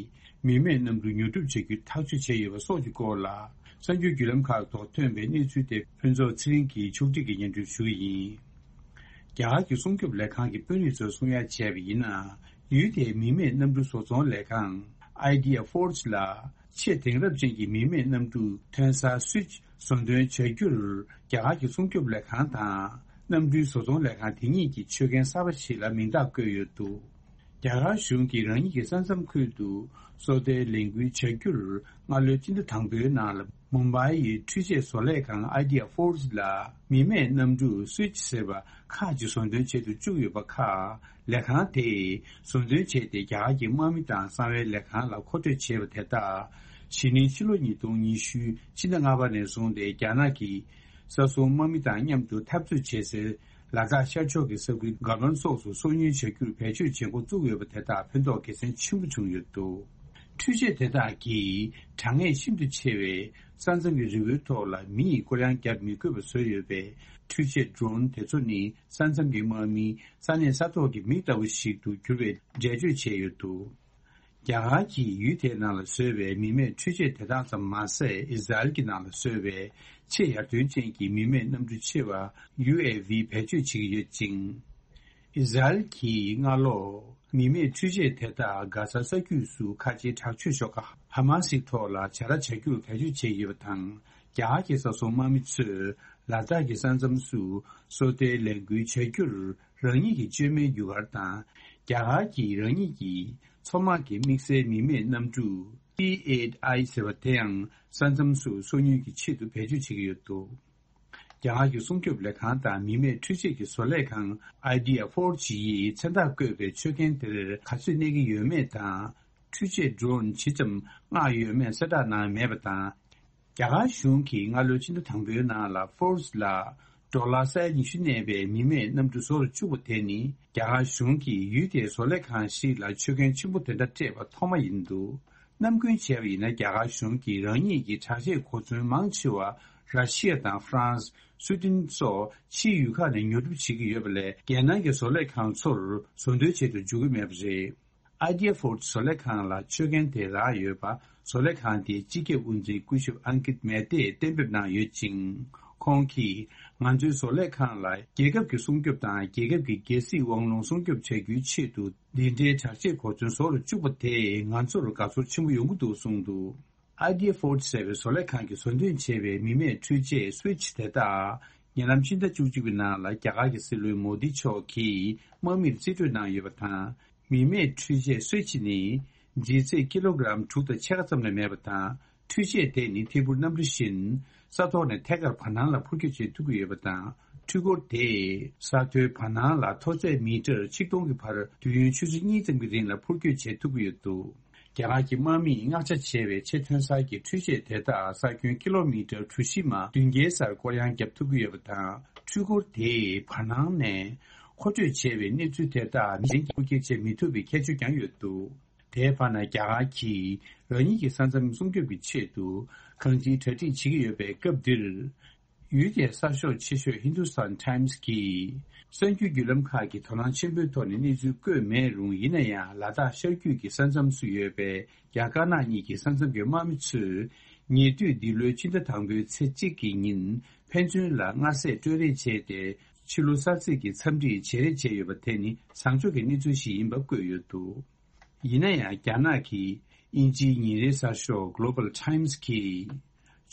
མི་མེད་གནམ་གྲུ་ཉོ་སྒྲུབ་བྱ་རྒྱུ་ཐག་གཅོད་བྱས་ཡོད་པ་སོགས་ཀྱི་སྐོར་ལ། གསར་འགྱུར་བརྒྱུད་ལམ་ཁག་ཐོག་ཐོན་པའི་གནས་ཚུལ་དེ་ཕུན་ཚོགས་ཚེ་རིང་གིས་ཕྱོགས་སྒྲིག་གིས་སྙན་སྒྲོན་ཞུ་གི་ཡིན། རྒྱ་གར་གྱི་སྲུང་སྐྱོབ་ལས་ཁང་གི་དཔོན་རིགས་ཚོས་གསུང་ཡ་བྱས་པ་ཡིན་ན། ཡུལ་དེའི་མི་མེད་གནམ་གྲུ་བཟོ་ཚོང་ལས་ཁང་Idea Forge་ལ་ཆེས་དེང་རབས་ཅན་གྱི་མི་མེད་གནམ་གྲུ་ཐོན་གསར་Switch་བཟོ་འདོན་བྱ་རྒྱུར་རྒྱ་གར་གྱི་སྲུང་སྐྱོབ་ལས་ཁང་དང་། གནམ་གྲུའི་བཟོ་ཚོང་ལས་ཁང་དེ་གཉིས་ཀྱི་ཆོད་མཁན་གསར་པ་ཞིག་ལ་མིང་རྟགས་བཀོད་ཡོད་འདུག་རྒྱ་གར་གཞུང་གིས་རང་ཉིད་ཀྱི་ས་མཚམས་ཁུལ་དུ་སོ་ལྟའི་ལས་འགུལ་བྱ་རྒྱུར་སྔ་ལོའི་སྤྱི་ཟླ་དང་པོའི་ནང་ལ་མུམ་བྷའི་ཡི་འཕྲུལ་ཆས་བཟོ་ལས་ཁང་Idea Forge་ལ་མི་མེད་གནམ་གྲུ་Switch་ཟེར་བ་ཁག་ཅིག་བཟོ་འདོན་བྱེད་དུ་བཅུག་ཡོད་པ་ཁག་ལས་ཁང་དེས་བཟོ་འདོན་བྱས་ཏེ། རྒྱ་གར་གྱི་དམག་མི་དང་གསང་བའི་ལས་ཁང་ལ་མཁོ་སྤྲོད་བྱས་པ་དེ་དག་གཞེས་ནིང་ཕྱི་ལོ་ཉིས་སྟོང་ཉི་ཤུ་ཕྱི་ཟླ་ལྔ་པ་ནས་བཟུང་སྟེ་རྒྱ་ནག་གི་ས་སྲུང་དམག་མི་དང་མཉམ་དུ་འཐབ་རྩོད་བྱེད་སའི་ ལ་དྭགས་ཤར་ཕྱོགས་ཀྱི་ས་ཁུལ་སྒ་ལོན་སོགས་སུ་སོ་ཉུལ་བྱ་རྒྱུར་བེད་སྤྱོད་བྱེད་འགོ་བཙུགས་ཡོད་པ་དེ་དག་ཕན་ཐོགས་དགེ་མཚན་ཆེན་པོ་བྱུང་ཡོད་འདུག་འཕྲུལ་ཆས་དེ་དག་གིས་གྲང་ངར་ཤིན་ཏུ་ཆེ་བའི་ས་མཚམས་ཀྱི་རི་བོའི་ཐོག་ལ་མི་ཡིས་སྐོར་གཡང་བརྒྱབ་མི་དགོས་པ་བཟོས་ཡོད་པའི་འཕྲུལ་ཆས་ཌོ་རོན་དེ་ཚོ་ནི་ས་མཚམས་ཀྱི་དམག་མི་ས་གནས་ས་ཐོག་གི་མི་ལྟ་བུ་ཞིག་ཏུ་གྱུར་བའི་འགྲེལ་བརྗོད་བྱས་ཡོད་འདུག་རྒྱ་གར་གྱིས་ཡུལ་དེའི་ནང་ལ་བཟོས་པའི་མི་མེད་འཕྲུལ་ཆས་དེ་དག་ཙམ་མ་ཟད། ཨི་ཟ་རེལ་གྱི་ནང་ལ་བཟོས་པའི་ཆེས་ཡར་ཐོན་ཅན་གྱི་མི་མེད་གནམ་གྲུ་ཆེ་བ་ཡུ་ཨེ་ཝི་བེད་སྤྱོད་བྱེད་ཀྱི་ཡོད་ཅིང་། ཨི་ཟ་རེལ་གྱིས་སྔ་ལོ་མི་མེད་འཕྲུལ་ཆས་དེ་དག་གྷ་ཟ་ས་རྒྱུད་སུ་ཁ་ཆེའི་དྲག་སྤྱོད་ཤོག་ཁག་ཧ་མ་སིའི་ཐོག་ལ་བྱ་ར་བྱ་རྒྱུར་བེད་སྤྱོད་བྱས་ཡོད་པ་དང་། རྒྱ་གར་གྱི་ས་སྲུང་དམག་མི་ཚོས་ལ་དྭགས་ཀྱི་ས་མཚམས་སུ་སོ་ལྟའི་ལས་འགུལ་བྱ་རྒྱུར་རང་ཉིད་ཀྱི་བཅོས་མའི་རྒྱུ་སྐར་དང་། རྒྱ་གར་གྱིས་རང་ཉིད་ཀྱི་མཚོ་དམག་གི་དམིགས་བསལ་མི་མེད་གནམ་གྲུ་ཊི་ཨེཊ་ཨའི་ཟེར་བ་དེ་ཡང་ས་མཚམས་སུ་སོ་ཉུལ་གྱི་ཆེད་དུ་བེད་སྤྱོད་བྱེད་ཀྱི་ཡོད་འདུག་རྒྱ་གར་གྱི་སྲུང་སྐྱོབ་ལས་ཁང་དང་མི་མེད་འཕྲུལ་ཆས་ཀྱི་བཟོ་ལས་ཁང་Idea Forge ཡིས་མཚན་རྟགས་བཀོད་པའི་མཆོད་རྐྱེན་དེར་ག་ཚོད་གནས་ཀྱི་ཡོད་མེད་དང་། འཕྲུལ་ཆས་ཌོ་རོན་ཇི་ཙམ་མངགས་ཡོད་མེད་གསལ་བསྒྲགས་གནང་མེད་པ་དང་། རྒྱ་གར་གཞུང་གིས་སྔ་ལོའི་ཕྱི་ཟླ་དང་པོའི་ནང་ལ་ཧྥོར་སི་ལ་ཌོ་ལར་ས་ཡ་ཉི་ཤུ་གནས་པའི་མི་མེད་གནམ་གྲུ་བཟོ་རུ་བཅུག་པ་དེ་ནི། རྒྱ་གར་གཞུང་གིས་ཡུལ་དེའི་བཟོ་ལས་ཁང་ཞིག་ལ་མཆོད་རྐྱེན་ཆེན་པོ་དེ་འདྲ་སྤྲད་པ་ཐོག་མ་ཡིན་འདུག་ནམ་རྒྱུན་བྱས་པ་ཡིན་ན། རྒྱ་གར་གཞུང་གིས་རང་ཉིད་ཀྱི་དྲག་ཆས་གོ་མཚོན་མང་ཆེ་བ་ར་ཤི་ཡ་དང་ཧྥ་རན་སི། སུའེ་ཏེན་སོགས་ཕྱིའི་ཡུལ་ཁག་ནས་ཉོ་སྒྲུབ་བྱེད་ཀྱི་ཡོད་པ་ལས། རྒྱལ་ནང་གི་བཟོ་ལས་ཁང་ཚོར་བཟོ་འདོད་བྱེད་དུ་འཇུག་གི་མེད་པ་རེད། Idea Forge བཟོ་ལས་ཁང་ལ་མཆོད་རྐྱེན་དེ་རག་ཡོད་པ། བཟོ་ལས་ཁང་དེའི་སྤྱི་ཁྱབ་དབུ་འཛིན་སྐུ་ཞབས་ཨང་ཀིད་མེ་ཏེས་གཏན་འབེབས་གནང་ཡོད་ཅིང་། ཁོང་གིས། ང་ཚོའི་བཟོ་ལས་ཁང་ལ་རྒྱལ་ཁབ་ཀྱི་སྲུང་སྐྱོབ་དང་། རྒྱལ་ཁབ་ཀྱི་རྒྱལ་སྲིད་དབང་ལུང་སྲུང་སྐྱོབ་བྱ་རྒྱུའི་ཆེད་དུ། འདི་འདྲའི་དྲག་ཆས་གོ་མཚོན་བཟོ་རུ་བཅུག་པ་དེས་ང་ཚོར་དགའ་ཚོར་ཆེན་པོ་ཡོང་གི་འདུག་གསུངས་འདུག Idea Forge ཟེར་བའི་བཟོ་ལས་ཁང་གིས་བཟོ་འདོན་བྱས་པའི་མི་མེད་འཕྲུལ་ཆས་སུའེ་ཆི་དེ་དག་ཉེ་ལམ་ཕྱི་ཟླ་བཅུ་གཅིག་པའི་ནང་ལ་རྒྱ་གར་གྱི་སྲིད་བློན་མོ་དི་མཆོག་གིས་དམག་མིར་རྩིས་སྤྲོད་གནང་ཡོད་པ་དང་། མི་མེད་འཕྲུལ་ཆས་སུའེ་ཆི་ནི་ལྗིད་ཚད་ཀི་ལོ་གི་རམ་དྲུག་དང་ཕྱེད་ཀ་ཙམ་ལས་མེད་པ་དང་། འཕྲུལ་ཆས་དེ་ནི་ཐད་འཕུར་གནམ་གྲུ་བཞིན་ས་ཐོག་ནས་ཐད་ཀར་བར་སྣང་ལ་འཕུར་སྐྱོད་བྱེད་ཐུབ་ཀྱི་ཡོད་པ་དང་། འཕྲུལ་འཁོར་དེས་ས་མཐོའི་བར་སྣང་ལ་མཐོ་ཚད་མི་ཊར་ཆིག་སྟོང་གི་བར་དུས་ཡུན་ཆུ་ཚོད་གཉིས་ཙམ་གྱི་རིང་ལ་འཕུར་སྐྱོད་བྱེད་ཐུབ་ཀྱི་ཡོད་འདུག་རྒྱ་གར་གྱི་དམག་མིས་མངགས་ཆ་བྱས་པའི་ཆེས་ཐོན་གསར་གྱི་འཕྲུལ་ཆས་དེ་དག་ས་ཁྱོན་ཀི་ལོ་མི་ཊར་གྲུ་བཞི་མ་བདུན་བརྒྱའི་སར་སྐོར་གཡང་བརྒྱབ་ཐུབ་ཀྱི་ཡོད་པ་དང་། འཕྲུལ་འཁོར་དེས་བར་སྣང་ནས་མཁོ་སྤྲོད་བྱས་པའི་གནས་ཚུལ་དེ་དག་མི་གཞན་གྱིས་འཕུར་སྐྱོད་བྱེད་མི་ཐུབ་པའི་ཁྱད་ཆོས་ཀྱང་ཡོད་འདུག་དེའི་བར་ན་རྒྱ་གར་གྱིས་རང་ཉིད་ཀྱི་ས་མཚམས་སྲུང་སྐྱོབ་ཀྱི་ཆེད་དུ་གང་ཅིའི་གྲ་སྒྲིག་བྱེད་ཀྱི་ཡོད་པའི་སྐབས་འདིར། ཡུལ་དེའི་གསར་ཤོག་ཆེ་ཤོས་ཧིན་དུ་སྟན་ཊའིམ་སི་གིས་གསར་འགྱུར་བརྒྱུད་ལམ་ཁག་གིས་དོ་སྣང་ཆེན་པོའི་ཐོག་ནས་གནས་ཚུལ་བཀོད་མེད་རུང་། ཡིན་ན་ཡང་ལ་དྭགས་ཤར་རྒྱུད་ཀྱི་ས་མཚམས་སུ་ཡོད་པའི་རྒྱ་དཀར་ནག་གཉིས་ཀྱི་ས་མཚམས་ཀྱི་དམག་མི་ཚོས་ཉེ་དུས་འདི་ལོའི་ཕྱི་ཟླ་དང་པོའི་ཚེས་གཅིག་གི་ཉིན་ཕན་ཚུན་ལ་མངའ་ཟས་སྤྲོད་རེས་བྱས་ཏེ། ཕྱི་ལོ་གསར་ཚེས་ཀྱི་འཚམས་འདྲི་བྱེད་རེས་བྱས་ཡོད་པ་དེ་ནི་བཟང་ཕྱོགས་ཀྱི་གནས་ཚུལ་ཞིག་ཡིན་པ་བཀོད་ཡོད་འདུག་ཡིན་ན་ཡང་། རྒྱ་ནག་གི་དབྱིན་ཇིའི་ཉིན་རེའི་གསར་ཤོག་Global Times གིས།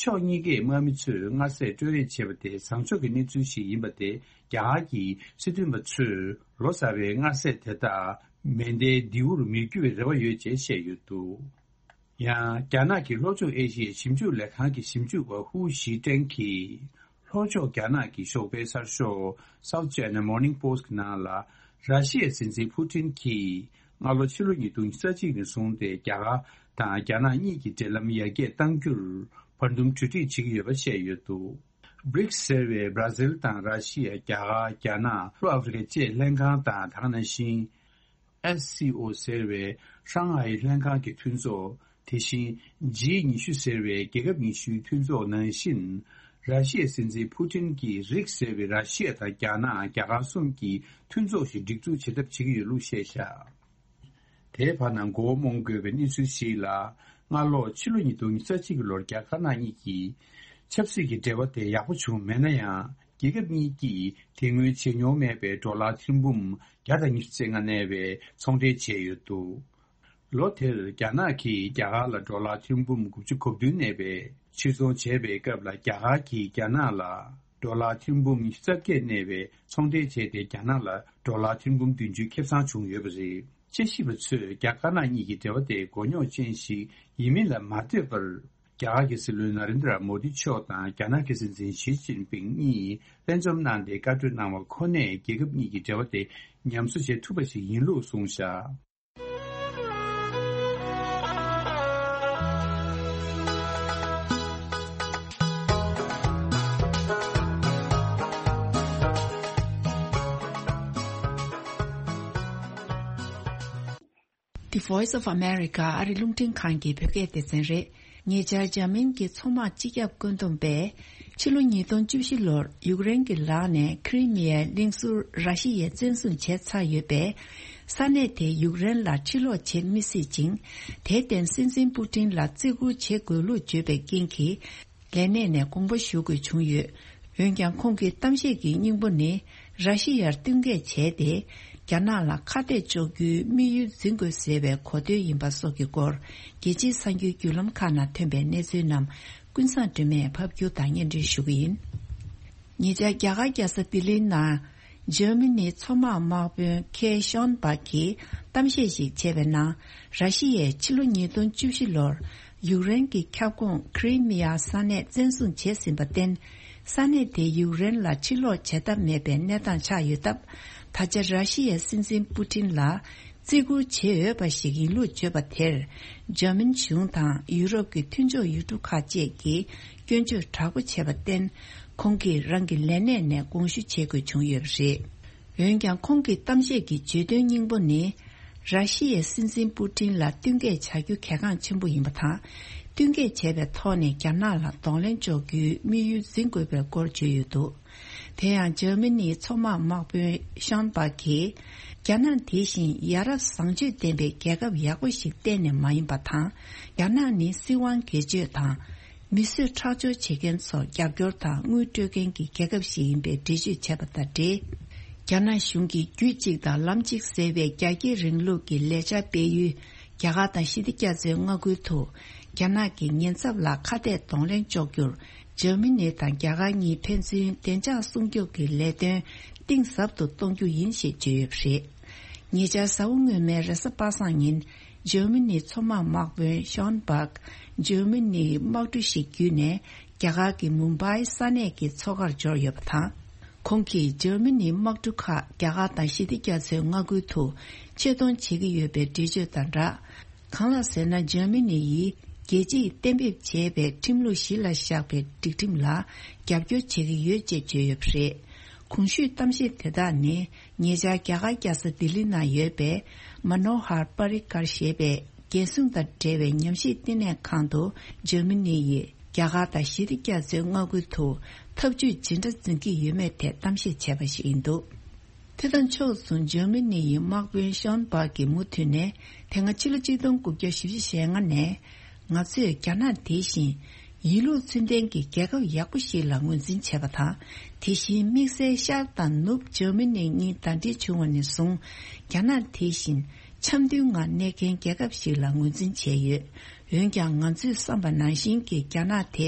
ཕྱོགས་གཉིས་ཀའི་དམག་མི་ཚོས་མངའ་ཟས་སྤྲོད་རེས་བྱས་པ་དེ་བཟང་ཕྱོགས་ཀྱི་གནས་ཚུལ་ཞིག་ཡིན་པ་དེ། རྒྱ་གར་གྱི་སྲིད་དོན་པ་ཚོས་ལོ་གསར་པའི་མངའ་ཟས་དེ་དག་མེ་མདའི་མདེའུར་མི་བསྒྱུར་བའི་རེ་བ་ཡོད་ཅེས་བཤད་ཡོད་འདུག་ཡང་། རྒྱ་ནག་གི་ལྷོ་ཕྱོགས་ཨེ་ཤི་ཡའི་ཞིབ་འཇུག་ལས་ཁང་གི་ཞིབ་འཇུག་པ་ཧུའུ་ཞི་ཀྲེང་གིས། ལྷོ་ཕྱོགས་རྒྱ་ནག་གི་ཞོགས་པའི་གསར་ཤོག་South China Morning Post གི་ནང་ལ། ར་ཤི་ཡའི་སྲིད་འཛིན་ཕུ་ཊིན་གྱིས་སྔ་ལོ་ཕྱི་ལོ་ཉིས་སྟོང་ཉི་ཤུ་རྩ་གཅིག་ནས་བཟུང་སྟེ། རྒྱ་གར་དང་རྒྱ་ནག་གཉིས་ཀྱི་འབྲེལ་ལམ་ཡར་རྒྱས་གཏང་རྒྱུར་བར་འདུམ་གྲོས་འགྲིག་བྱེད་ཀྱི་ཡོད་པ་བཤད་ཡོད་འདུག་བྷི་རིག་སི་ཟེར་བའི་བྷ་ར་ཟིལ་དང་ར་ཤི་ཡ། རྒྱ་གར། རྒྱ་ནག། ལྷོ་ཨ་ཧྥེ་རི་ཁ་བཅས་ལྷན་ཁང་དང་། དེ་ག་ནང་བཞིན། ཨེས་སི་ཨོ་ཟེར་བའི་ཧྲང་ཧའེ་ལྷན་ཁང་གི་མཐུན་ཚོགས། དེ་བཞིན་ཇི་ཉི་ཤུ་ཟེར་བའི་རྒྱལ་ཁབ་ཉི་ཤུའི་མཐུན་ཚོགས་ནང་བཞིན། ར་ཤི་ཡའི་སྲིད་འཛིན་ཕུ་ཊིན་གྱིས་རིགས་ཟེར་བའི་ར་ཤི་ཡ་དང་རྒྱ་ནག་རྒྱ་གར་གསུམ་གྱི་མཐུན་ཚོགས་ཤིག་སྒྲིག་འཛུགས་བྱེད་ཐབས་བྱེད་ཀྱི་ཡོད་ལུགས་བཤད་བཞག་དེའི་བར་ན་མགོ་བོ་རྨོངས་དགོས་པའི་གནས་ཚུལ་ཞིག་ལ། སྔ་ལོ་ཕྱི་ལོ་ཉིས་སྟོང་ཉི་ཤུ་རྩ་གཅིག་གི་ལོར་རྒྱ་དཀར་ནག་གཉིས་ཀྱི་ཆབ་སྲིད་ཀྱི་འབྲེལ་བ་དེ་ཡག་པོ་བྱུང་མེད་ན་ཡང་། རྒྱལ་ཁབ་གཉིས་ཀྱིས་དེ་སྔོན་བྱེད་མྱོང་མེད་པའི་ཌོ་ལར་ཐེར་འབུམ་བརྒྱ་དང་ཉི་ཤུ་རྩ་ལྔ་གནས་པའི་ཚོང་འབྲེལ་བྱས་ཡོད་འདུག་ལོ་དེར་རྒྱ་ནག་གིས་རྒྱ་གར་ལ་ཌོ་ལར་ཐེར་འབུམ་དགུ་བཅུ་གོ་བདུན་གནས་པའི་ཕྱིར་ཚོང་བྱས་པའི་སྐབས་ལ། རྒྱ་གར་གྱིས་རྒྱ་ནག་ལ་ཌོ་ལར་ཐེར་འབུམ་ཉི་ཤུ་རྩ་བརྒྱད་གནས་པའི་ཚོང་འབྲེལ་བྱས་ཏེ། རྒྱ་ནག་ལ་ཌོ་ལར་ཐེར་འབུམ་བདུན་ཅུ་ཁེ་བཟང་བྱུང་ཡོད་པ་རེད། དཔྱད་ཞིབ་པ་ཚོས་རྒྱ་དཀར་ནག་གཉིས་ཀྱི་འབྲེལ་བ་དེ་མགོ་རྙོག་ཅན་ཞིག་ཡིན་མིན་ལ་མ་ལྟོས་པར། རྒྱ་གར་གྱི་སྲིད་བློན་ན་རེན་དྲ་མོ་དི་མཆོག་དང་རྒྱ་ནག་གི་སྲིད་འཛིན་ཞི་ཅིན་ཕིང་གཉིས་ལྷན་འཛོམས་གནང་སྟེ་བཀའ་གྲོས་གནང་བ་ཁོ་ནས། རྒྱལ་ཁབ་གཉིས་ཀྱི་འབྲེལ་བ་དེ་ཉམས་གསོ་བྱེད་ཐུབ་པ་ཞིག་ཡིན་ལུགས་གསུངས་བཞག The Voice of America ཨ་རི་རླུང་འཕྲིན་ཁང་གི་བོད་སྐད་སྡེ་ཚན་རེད། ཉེ་ཆར་འཇར་མན་གྱི་མཚོ་དམག་སྤྱི་ཁྱབ་བཀོད་འདོམས་པས་ཕྱི་ལོ་ཉིས་སྟོང་བཅུ་བཞི་ལོར་ཡུཀ་རེན་གྱི་ལག་ནས་ཁི་རི་མི་ཡའི་གླིང་ཟུར་ར་ཤི་ཡས་བཙན་བཟུང་བྱས་ཚར་ཡོད་པས། ས་གནས་དེ་ཡུཀ་རེན་ལ་ཕྱིར་སློག་བྱེད་མི་སྲིད་ཅིང་། དེར་བརྟེན་སྲིད་འཛིན་པུ་ཏིན་ལ་བརྩི་བཀུར་བྱེད་དགོས་ལུགས་བརྗོད་པའི་རྐྱེན་གྱིས། ལས་གནས་ནས་དགོངས་པ་ཞུ་དགོས་བྱུང་ཡོད། འོན་ཀྱང་ཁོང་གི་གཏམ་བཤད་ཀྱི་སྙིང་པོ་ནི། ར་ཤི་ཡར་བསྟུན་མཁས་བྱས་ཏེ། རྒྱ་ནག་ལ་ཁ་གཏད་གཅོག་རྒྱུའི་དམིགས་ཡུལ་འཛིན་དགོས་ཟེར་བའི་གོ་དོན་ཡིན་པ་སོགས་ཀྱི་སྐོར། རྒྱལ་སྤྱིའི་གསར་འགྱུར་བརྒྱུད་ལམ་ཁག་ནང་ཐོན་པའི་གནས་ཚུལ་རྣམས་ཀུན་བཟང་སྒྲོལ་མས་ཕབ་སྒྱུར་དང་སྙན་སྒྲོན་ཞུ་གི་ཡིན། ཉེ་ཆར་རྒྱ་གར་རྒྱལ་ས་ལྡི་ལིའི་ནང་། འཇར་མ་ནིའི་མཚོ་དམག་དམག་དཔོན་ཁེ་ཤོན་པག་གིས་གཏམ་བཤད་ཞིག་བྱས་པའི་ནང་། ར་ཤི་ཡས་ཕྱི་ལོ་ཉིས་སྟོང་བཅུ་བཞི་ལོར་ཡུཀ་རེན་གྱི་ཁྱབ་ཁོངས་ཁི་རི་མི་ཡ་ས་གནས་བཙན་བཟུང་བྱས་ཟིན་པར་བརྟེན། ས་གནས་དེ་ཡུཀ་རེན་ལ་ཕྱིར་སློག་བྱེད་ཐབས་མེད་པའི་གནས་སྟངས་ཆགས་ཡོད་སྟབས། ད་ཆ་ར་ཤི་ཡའི་སྲིད་འཛིན་པུ་ཏིན་ལ་བརྩི་བཀུར་བྱེད་འོས་པ་ཞིག་ཡིན་ལུགས་བརྗོད་པ་དེར། འཇར་མན་གཞུང་དང་ཡུ་རོབ་ཀྱི་མཐུན་ཕྱོགས་ཡུལ་གྲུ་ཁག་བཅས་ཀྱིས་སྐྱོན་བརྗོད་དྲག་པོ་བྱས་པར་བརྟེན། ཁོང་གིས་རང་གི་ལས་གནས་ནས་དགོངས་ཞུ་བྱེད་དགོས་བྱུང་ཡོད་པ་རེད། འོན་ཀྱང་ཁོང་གི་གཏམ་བཤད་ཀྱི་བརྗོད་དོན་སྙིང་པོ་ནི། ར་ཤི་ཡའི་སྲིད་འཛིན་པུ་ཏིན་ལ་བསྟུན་མཁས་བྱ་རྒྱུ་གལ་འགངས་ཆེན་པོ་ཡིན་པ་དང་། བསྟུན་མཁས་བྱས་པའི་ཐོག་ནས་རྒྱ་ནག་ལ་གདོང་ལེན་འཇོག་རྒྱུའི་དམིགས་ཡུལ་འཛིན་དགོས་པའི་སྐོར་བརྗོད་ཡོད་འདུག་དེ་ཡང་འཇར་མ་ནིའི་མཚོ་དམག་དམག་དཔོན་ཤོན་པག་གིས། རྒྱ་ནག་དེ་བཞིན་ཡ་རབས་བཟང་སྤྱོད་ལྡན་པའི་རྒྱལ་ཁབ་ཡག་པོ་ཞིག་གཏན་ནས་མ་ཡིན་པ་དང་། རྒྱ་ནག་ནི་སྲིད་དབང་སྒེར་གཅོད་དང་། མི་གསོད་ཁྲག་སྦྱོར་བྱེད་མཁན་ཚོར་རྒྱབ་སྐྱོར་དང་དངུལ་སྤྲོད་མཁན་གྱི་རྒྱལ་ཁབ་ཞིག་ཡིན་པའི་འགྲེལ་བརྗོད་བྱས་པ་དང་འབྲེལ། རྒྱ་ནག་གཞུང་གིས་རྒྱུད་གཅིག་དང་ལམ་གཅིག་ཟེར་བའི་རྒྱ་སྐྱེད་རིང་ལུགས་ཀྱི་ལས་འཆར་སྤེལ་ཡུལ། རྒྱ་གར་དང་ཞི་བདེ་རྒྱ་མཚོའི་མངའ་ཁུལ་དུ། རྒྱ་ནག་གི་ཉེན་ཚབས་ལ་ཁ་གཏད་གདོང་ལེན་གཅོག་རྒྱུར། འཇར་མ་ནི་དང་རྒྱ་གར་གཉིས་ཕན་ཚུན་བདེ་འཇགས་སྲུང་སྐྱོབ་ཀྱི་ལས་དོན་གཏིང་ཟབ་ཏུ་གཏོང་རྒྱུ་ཡིན་ཞེས་བརྗོད་ཡོད་པ་རེད། ཉེ་ཆར་གཟའ་འཁོར་སྔོན་མའི་རེས་གཟའ་པ་སངས་ཉིན། འཇར་མ་ནིའི་མཚོ་དམག་དམག་དཔོན་ཤོན་པག་འཇར་མ་ནིའི་དམག་གྲུ་ཞིག་བརྒྱུད་ནས། རྒྱ་གར་གྱི་མུམ་བྷའི་ས་གནས་ཀྱི་མཚོ་ཁར་འབྱོར་ཡོད་པ་དང་། ཁོང་གིས་འཇར་མ་ནིའི་དམག་གྲུ་ཁག་རྒྱ་གར་དང་ཞི་བདེ་རྒྱ་མཚོའི་མངའ་ཁུལ་དུ་ཆེད་གཏོང་བྱེད་ཀྱི་ཡོད་པའི་འགྲེལ་བརྗོད་དང་སྦྲགས། གང་ལགས་ཟེར་ན། འཇར་མ་ནི་ཡིས་རྒྱལ་སྤྱིས་གཏན་འབེབས་བྱས་པའི་ཁྲིམས་ལུགས་གཞི་ལ་བཞག་པའི་སྒྲིག་ཁྲིམས་ལ་རྒྱབ་སྐྱོར་བྱེད་ཀྱི་ཡོད་ཅེས་བརྗོད་ཡོད་པ་རེད། གོང་ཞུས་གཏམ་བཤད་དེ་དག་ནི། ཉེ་ཆར་རྒྱ་གར་རྒྱལ་ས་ལྡི་ལི་ནང་ཡོད་པའི་མ་ནོ་ཧར་པ་རི་ཀར་ཞེས་པའི་རྒྱལ་སྲུང་དང་འབྲེལ་བའི་ཉམས་ཞིབ་བསྟི་གནས་ཁང་དུ། འཇར་མ་ནི་ཡིས་རྒྱ་གར་དང་ཞི་བདེ་རྒྱ་མཚོའི་མངའ་ཁུལ་དུ་འཐབ་ཇུས་ཇི་འདྲ་འཛིན་གྱི་ཡོད་མེད་ཐད་གཏམ་བཤད་བྱས་པ་ཞིག་ཡིན་འདུག་དེ་དང་ཕྱོགས་མཚུངས། འཇར་མ་ནི་ཡི་དམག་དཔོན་ཤོན་པག་གིས་མུ་མཐུད་ནས། དེ་སྔ་ཕྱི་ལོ་གཅིག་སྟོང་དགུ་བརྒྱ་བཞི་བཅུ་ཞེ་ལྔ་ནས། ང་ཚོས་རྒྱ་ནག་དེ་བཞིན་ཡིན་ལུགས་ཚུལ་ལྡན་གྱི་རྒྱལ་ཁབ་ཡག་པོ་ཞིག་ལ་ངོས་འཛིན་བྱས་པ་དང་། དེ་བཞིན་དམིགས་བསལ་ཤར་དང་ནུབ་འཇར་མ་ནི་གཉིས་ཟླ་སྒྲིལ་བྱུང་བ་ནས་བཟུང་། རྒྱ་ནག་དེ་བཞིན་འཆམ་མཐུན་ངང་གནས་མཁན་རྒྱལ་ཁབ་ཞིག་ལ་ངོས་འཛིན་བྱས་ཡོད། འོན་ཀྱང་། ང་ཚོས་བསམ་པ་ནང་བཞིན་གྱི་རྒྱ་ནག་དེ་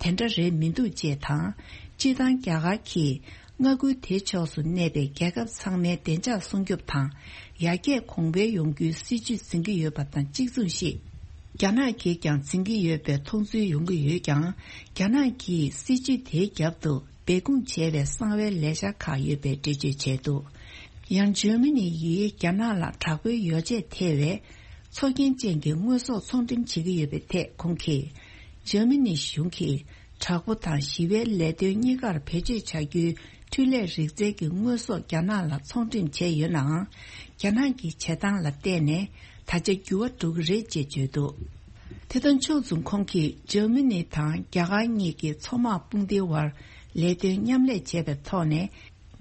དེ་འདྲ་རེད་མི་འདུག་ཅེས་དང་། སྤྱིར་བཏང་རྒྱ་གར་གྱིས་མངའ་ཁུལ་དེའི་ཕྱོགས་སུ་གནས་པའི་རྒྱལ་ཁབ་ཚང་མའི་བདེ་འཇགས་སྲུང་སྐྱོབ་དང་། ཡར་རྒྱས་གོང་འཕེལ་ཡོང་རྒྱུའི་སྲིད་ཇུས་འཛིན་གྱི་ཡོད་པ་དང་གཅིག་མཚུངས་ཤིག་རྒྱ་ནག་གིས་ཀྱང་འཛིན་གྱི་ཡོད་པའི་མཐོང་ཚུལ་ཡོང་གི་ཡོད་ཀྱང་། རྒྱ་ནག་གིས་སྲིད་ཇུས་དེའི་རྒྱབ་ཏུ་སྦས་སྐུང་བྱས་པའི་གསང་བའི་ལས་འཆར་ཁག་ཡོད་པའི་འགྲེལ་བརྗོད་བྱས་འདུག་ཡང་འཇར་མ་ནི་ཡིས་རྒྱ་ནག་ལ་དྲག་པོའི་ཡོ་བྱད་ཐེ་བའི་མཚོ་རྒྱན་ཅན་གྱི་དངོས་ཟོག་ཚོང་འགྲེམས་བྱེད་ཀྱི་ཡོད་པའི་ཐད་ཁོང་གིས། འཇར་མ་ནི་གཞུང་གིས་དྲག་པོ་དང་ཞི་བའི་ལས་དོན་གཉིས་ཀར་བེད་སྤྱོད་བྱ་རྒྱུའི་འཕྲུལ་ལས་རིག་རྩལ་གྱི་དངོས་ཟོག་རྒྱ་ནག་ལ་ཚོང་འགྲེམས་བྱས་ཡོད་ནའང་། རྒྱ་ནག་གི་བྱེད་སྟངས་ལ་བལྟས་ནས་ད་ཆ་འགྱུར་བ་འགྲོ་གི་རེད་ཅེས་བརྗོད་འདུག་དེ་དང་ཕྱོགས་མཚུངས། ཁོང་གིས་འཇར་མ་ནི་དང་རྒྱ་གར་གཉིས་ཀྱི་མཚོ་དམག་དཔུང་སྡེའི་དབར་ལས་དོན་མཉམ་ལས་བྱས་པའི་ཐོག་ནས།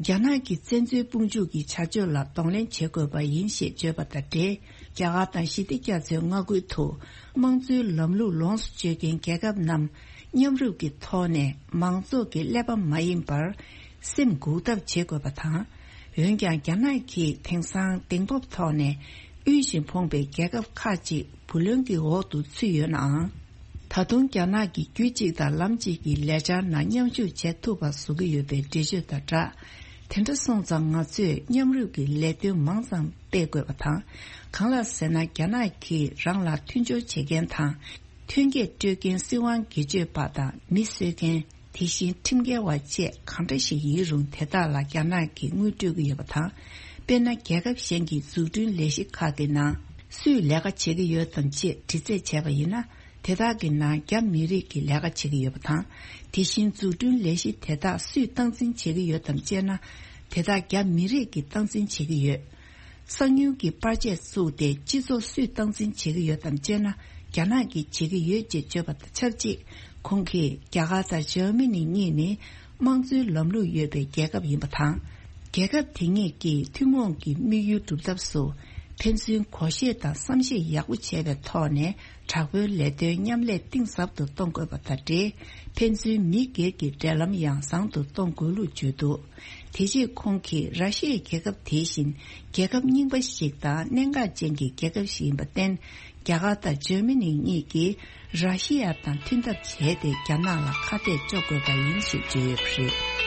རྒྱ་ནག་གི་བཙན་འཛུལ་དཔུང་འཇུག་གི་བྱ་སྤྱོད་ལ་གདོང་ལེན་བྱེད་དགོས་པ་ཡིན་ཞེས་བརྗོད་པ་དང་འབྲེལ། རྒྱ་གར་དང་ཞི་བདེ་རྒྱ་མཚོའི་མངའ་ཁུལ་དུ་དམངས་གཙོའི་ལམ་ལུགས་ལོངས་སུ་སྤྱོད་མཁན་རྒྱལ་ཁབ་རྣམས་མཉམ་རུབ་ཀྱི་ཐོག་ནས་མང་ཚོགས་ཀྱི་ཀླད་པ་མ་ཡིན་པར་སེམས་འགུག་ཐབས་བྱེད་དགོས་པ་དང་། འོན་ཀྱང་རྒྱ་ནག་གིས་དེང་སང་གདེང་སྤོབས་ཐོག་ནས་དབུལ་ཞིང་ཕོངས་པའི་རྒྱལ་ཁབ་ཁག་ཅིག་བུ་ལོན་གྱི་འོག་ཏུ་ཚུད་ཡོད་ནའང་། ད་དུང་རྒྱ་ནག་གིས་རྒྱུད་གཅིག་དང་ལམ་གཅིག་གི་ལས་འཆར་ནང་མཉམ་ཞུགས་བྱེད་ཐུབ་པ་བཟོ་གི་ཡོད་པའི་འགྲེལ་བརྗོད་དང་སྦྲགས། དེ་འདྲ་སོང་ཙང་ང་ཚོས་མཉམ་རུབ་ཀྱི་ལས་དོན་མང་ཙམ་སྤེལ་དགོས་པ་དང་། གང་ལགས་ཟེར་ན། རྒྱ་ནག་གིས་རང་ལ་མཐུན་སྦྱོར་བྱེད་མཁན་དང་། ཐོན་སྐྱེད་སྤྲོད་མཁན་སྲིད་དབང་སྒེར་གཅོད་པ་དང་མི་གསོད་མཁན། དེ་བཞིན་ཁྲིམས་འགལ་བ་བཅས་གང་འདྲ་ཞིག་ཡིན་རུང་། དེ་དག་ལ་རྒྱ་ནག་གིས་དངུལ་སྤྲོད་ཀྱི་ཡོད་པ་དང་། དཔེར་ན། རྒྱལ་ཁབ་གཞན་གྱི་འཛུགས་སྐྲུན་ལས་གཞི་ཁག་གི་ནང་སུས་ལས་ཀ་བྱེད་ཀྱི་ཡོད་དམ་ཅེས་དྲི་རྩད་བྱས་པ་ཡིན་ན། དེ་དག་གི་ནང་རྒྱ་མི་རིགས་ཀྱིས་ལས་ཀ་བྱེད་ཀྱི་ཡོད་པ་དང་། དེ་བཞིན་འཛུགས་སྐྲུན་ལས་གཞི་དེ་དག་སུས་སྟངས་འཛིན་བྱེད་ཀྱི་ཡོད་དམ་ཅེ་ན། དེ་དག་རྒྱ་མི་རིགས་ཀྱིས་སྟངས་འཛིན་བྱེད་ཀྱི་ཡོད། གསང་ཉུལ་གྱི་པར་ཆས་བཙུགས་ཏེ་སྤྱི་ཚོགས་སུས་སྟངས་འཛིན་བྱེད་ཀྱི་ཡོད་དམ་ཅེ་ན། རྒྱ་ནག་གིས་བྱེད་ཀྱི་ཡོད་ཅེས་བརྗོད་པ་དང་ཆབས་ཅིག་ཁོང་གིས་རྒྱ་གར་དང་འཇར་མ་ནི་གཉིས་ནི་དམངས་གཙོའི་ལམ་ལུགས་ཡོད་པའི་རྒྱལ་ཁབ་ཡིན་པ་དང་། རྒྱལ་ཁབ་དེ་གཉིས་ཀྱིས་ཐུན་མོང་གི་དམིགས་ཡུལ་སྒྲུབ་ཐབས་སུ་ཕན་ཚུན་གོ་ཤེས་དང་བསམ་ཤེས་ཡག་པོ་བྱས་པའི་ཐོག་ནས་དྲག་པོའི་ལས་དོན་མཉམ་ལས་གཏིང་ཟབ་ཏུ་གཏོང་དགོས་པ་དང་འབྲེལ། ཕན་ཚུན་མི་སྒེར་གྱི་འབྲེལ་ལམ་ཡང་བཟང་དུ་གཏོང་དགོས་ལུགས་བརྗོད་འདུག་དེ་རྗེས་ཁོང་གིས་ར་ཤི་ཡའི་རྒྱལ་ཁབ་དེ་བཞིན་རྒྱལ་ཁབ་རྙིང་པ་ཞིག་དང་གནད་འགག་ཅན་གྱི་རྒྱལ་ཁབ་ཞིག་ཡིན་པར་བརྟེན། རྒྱ་གར་དང་འཇར་མ་ནི་གཉིས་ཀྱིས་ར་ཤི་ཡ་དང་མཐུན་ཐབས་བྱས་ཏེ་རྒྱ་ནག་ལ་ཁ་གཏད་གཅོག་དགོས་པ་ཡིན་ཞེས་བརྗོད་ཡོད་པ་རེད།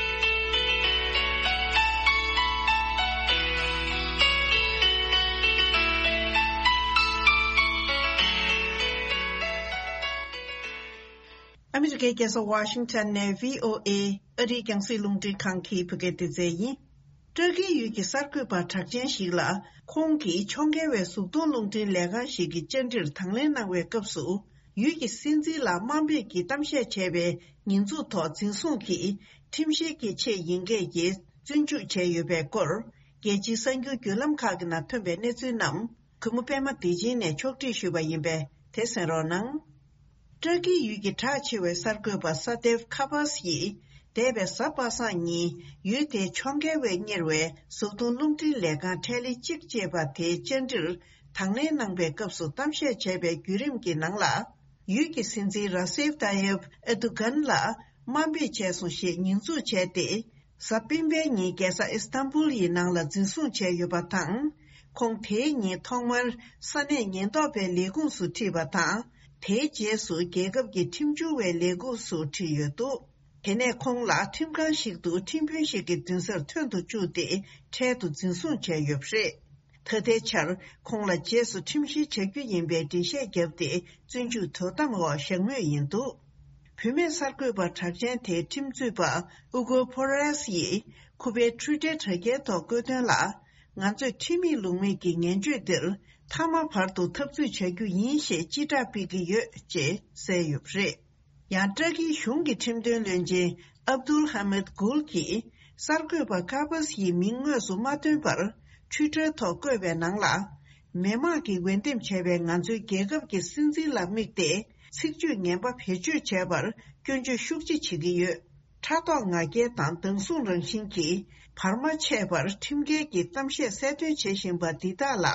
ཨ་མི་རི་ཀའི་རྒྱལ་ས་ཝ་ཤིང་ཊོན་ནས་བྷི་ཨོ་ཨེ་ཨ་རིའི་རྒྱང་སྲིང་རླུང་འཕྲིན་ཁང་གི་བོད་སྐད་སྡེ་ཚན་ཡིན། ཏྲ་ཀིའི་ཡུལ་གྱི་གསར་འགོད་པ་གྲགས་ཅན་ཞིག་ལ། ཁོང་གིས་ཕྱོགས་འགལ་བའི་གཟུགས་མཐོང་རླུང་འཕྲིན་ལས་ཁང་ཞིག་གི་བཅར་འདྲིར་དང་ལེན་གནང་བའི་སྐབས་སུ། ཡུལ་གྱི་སྲིད་འཛིན་ལ་དམའ་འབེབས་ཀྱི་གཏམ་བཤད་བྱས་པའི་ཉེས་འཛུགས་ཐོག་འཛིན་བཟུང་གིས་ཁྲིམས་བཤེར་གྱི་ཆེད་ཡིན་སྐད་ཀྱི་བཙོན་འཇུག་བྱས་ཡོད་པའི་སྐོར། རྒྱལ་སྤྱིའི་གསར་འགྱུར་བརྒྱུད་ལམ་ཁག་གི་ནང་ཐོན་པའི་གནས་ཚུལ་རྣམས། གུས་མོ་པད་མ་བདེ་ཆེན་ནས་ཕྱོགས་སྒྲིག་ཞུས་པ་ཡིན་པས་དེ་གསན་རོགས་གནང་། ཏྲ་ཀིའི་ཡུལ་གྱི་གྲགས་ཆེ་བའི་གསར་འགོད་པ་ས་དེབ་ཁ་པཱས་ཡིས། འདས་པའི་གཟའ་པ་སངས་ཉིན་ཡུལ་དེའི་ཕྱོགས་འགལ་བས་གཉེར་བའི་གཟུགས་མཐོང་རླུང་འཕྲིན་ལས་ཁང་ཁྲལ་ལེ་གཅིག་ཅེས་པ་དེའི་བཅར་འདྲིར་དང་ལེན་གནང་པའི་སྐབས་སུ་གཏམ་བཤད་བྱས་པའི་བརྒྱུད་རིམ་གྱི་ནང་ལ། ཡུལ་གྱི་སྲིད་འཛིན་ར་སེབ་ཏཱ་ཡེབ་ཨེ་རྡུ་གན་ལ་དམའ་འབེབས་བྱས་སོང་ཞེས་ཉེས་འཛུགས་བྱས་ཏེ། གཟའ་སྤེན་པའི་ཉིན་རྒྱལ་ས་ཨི་སྟན་བུལ་ཡི་ནང་ལ་འཛིན་བཟུང་བྱས་ཡོད་པ་དང་། ཁོང་དེའི་ཉིན་ཐོག་མར་ས་གནས་ཉེན་རྟོག་པའི་ལས་ཁུངས་སུ་ཁྲིད་པ་དང་། དེའི་རྗེས་སུ་རྒྱལ་ཁབ་ཀྱི་ཁྲིམས་སྦྱོར་བའི་ལས་ཁུངས་སུ་ཁྲིད་ཡོད་འདུག་དེ་ནས་ཁོང་ལ་ཁྲིམས་ཁང་ཞིག་ཏུ་ཁྲིམས་དཔོན་ཞིག་གི་མདུན་སར་ཐོན་དུ་བཅུག་སྟེ་འཕྲལ་དུ་འཛིན་བཟུང་བྱས་ཡོད་པ་རེད། ད་ལྟའི་ཆར་ཁོང་ལ་རྗེས་སུ་ཁྲིམས་བཤེར་བྱ་རྒྱུ་ཡིན་པའི་འགྲེལ་བཤད་བརྒྱབ་སྟེ་བཙོན་འཇུག་དོ་དམ་འོག་བཞག་མུས་ཡིན་འདུག་བུད་མེད་གསར་འགོད་པ་གྲགས་ཅན་དེའི་ཁྲིམས་རྩོད་པ་ཨུ་གོ་ཕོ་རེས་ཡིས་ཁུ་པའི་ཁྲུའུ་ཏེར་དྲ་རྒྱའི་ཐོག་བཀོད་དོན་ལ། ང་ཚོས་ཁྲིམས་ཡིག་ལུགས་མེད་ཀྱི་ངན་བྱུས་འདིར་མཐའ་མ་བར་དུ་འཐབ་རྩོད་བྱ་རྒྱུ་ཡིན་ཞེས་སྤྱི་བསྒྲགས་སྤེལ་གྱི་ཡོད་ཅེས་གསལ་ཡོད་པ་རེད། ཡང་ཏྲ་ཀིའི་གཞུང་གི་ཁྲིམས་དོན་བློན་ཆེན་ཨབ་དུལ་ཧ་མད་གུལ་གྱིས་གསར་འགོད་པ་ཀ་པཱས་ཡི་མིང་དངོས་སུ་མ་བཏོན་པར་ཁྲུའུ་ཏེར་ཐོག་བཀོད་པའི་ནང་ལ། མི་དམངས་ཀྱིས་འོས་འདེམས་བྱས་པའི་ང་ཚོའི་རྒྱལ་ཁབ་ཀྱི་སྲིད་འཛིན་ལ་དམིགས་ཏེ་ཚིག་བརྗོད་ངན་པ་བེད་སྤྱོད་བྱས་པར་སྐྱོན་བརྗོད་ཤུགས་ཆེ་བྱེད་ཀྱི་ཡོད། ཕྲག་དོག་ང་རྒྱལ་དང་སྡང་ཟུག་རང་བཞིན་གྱིས་བར་མ་ཆད་པར་ཁྲིམས་འགལ་གྱི་གཏམ་བཤད་གསལ་སྟོན་བྱེད་བཞིན་པ་འདི་དག་ལ།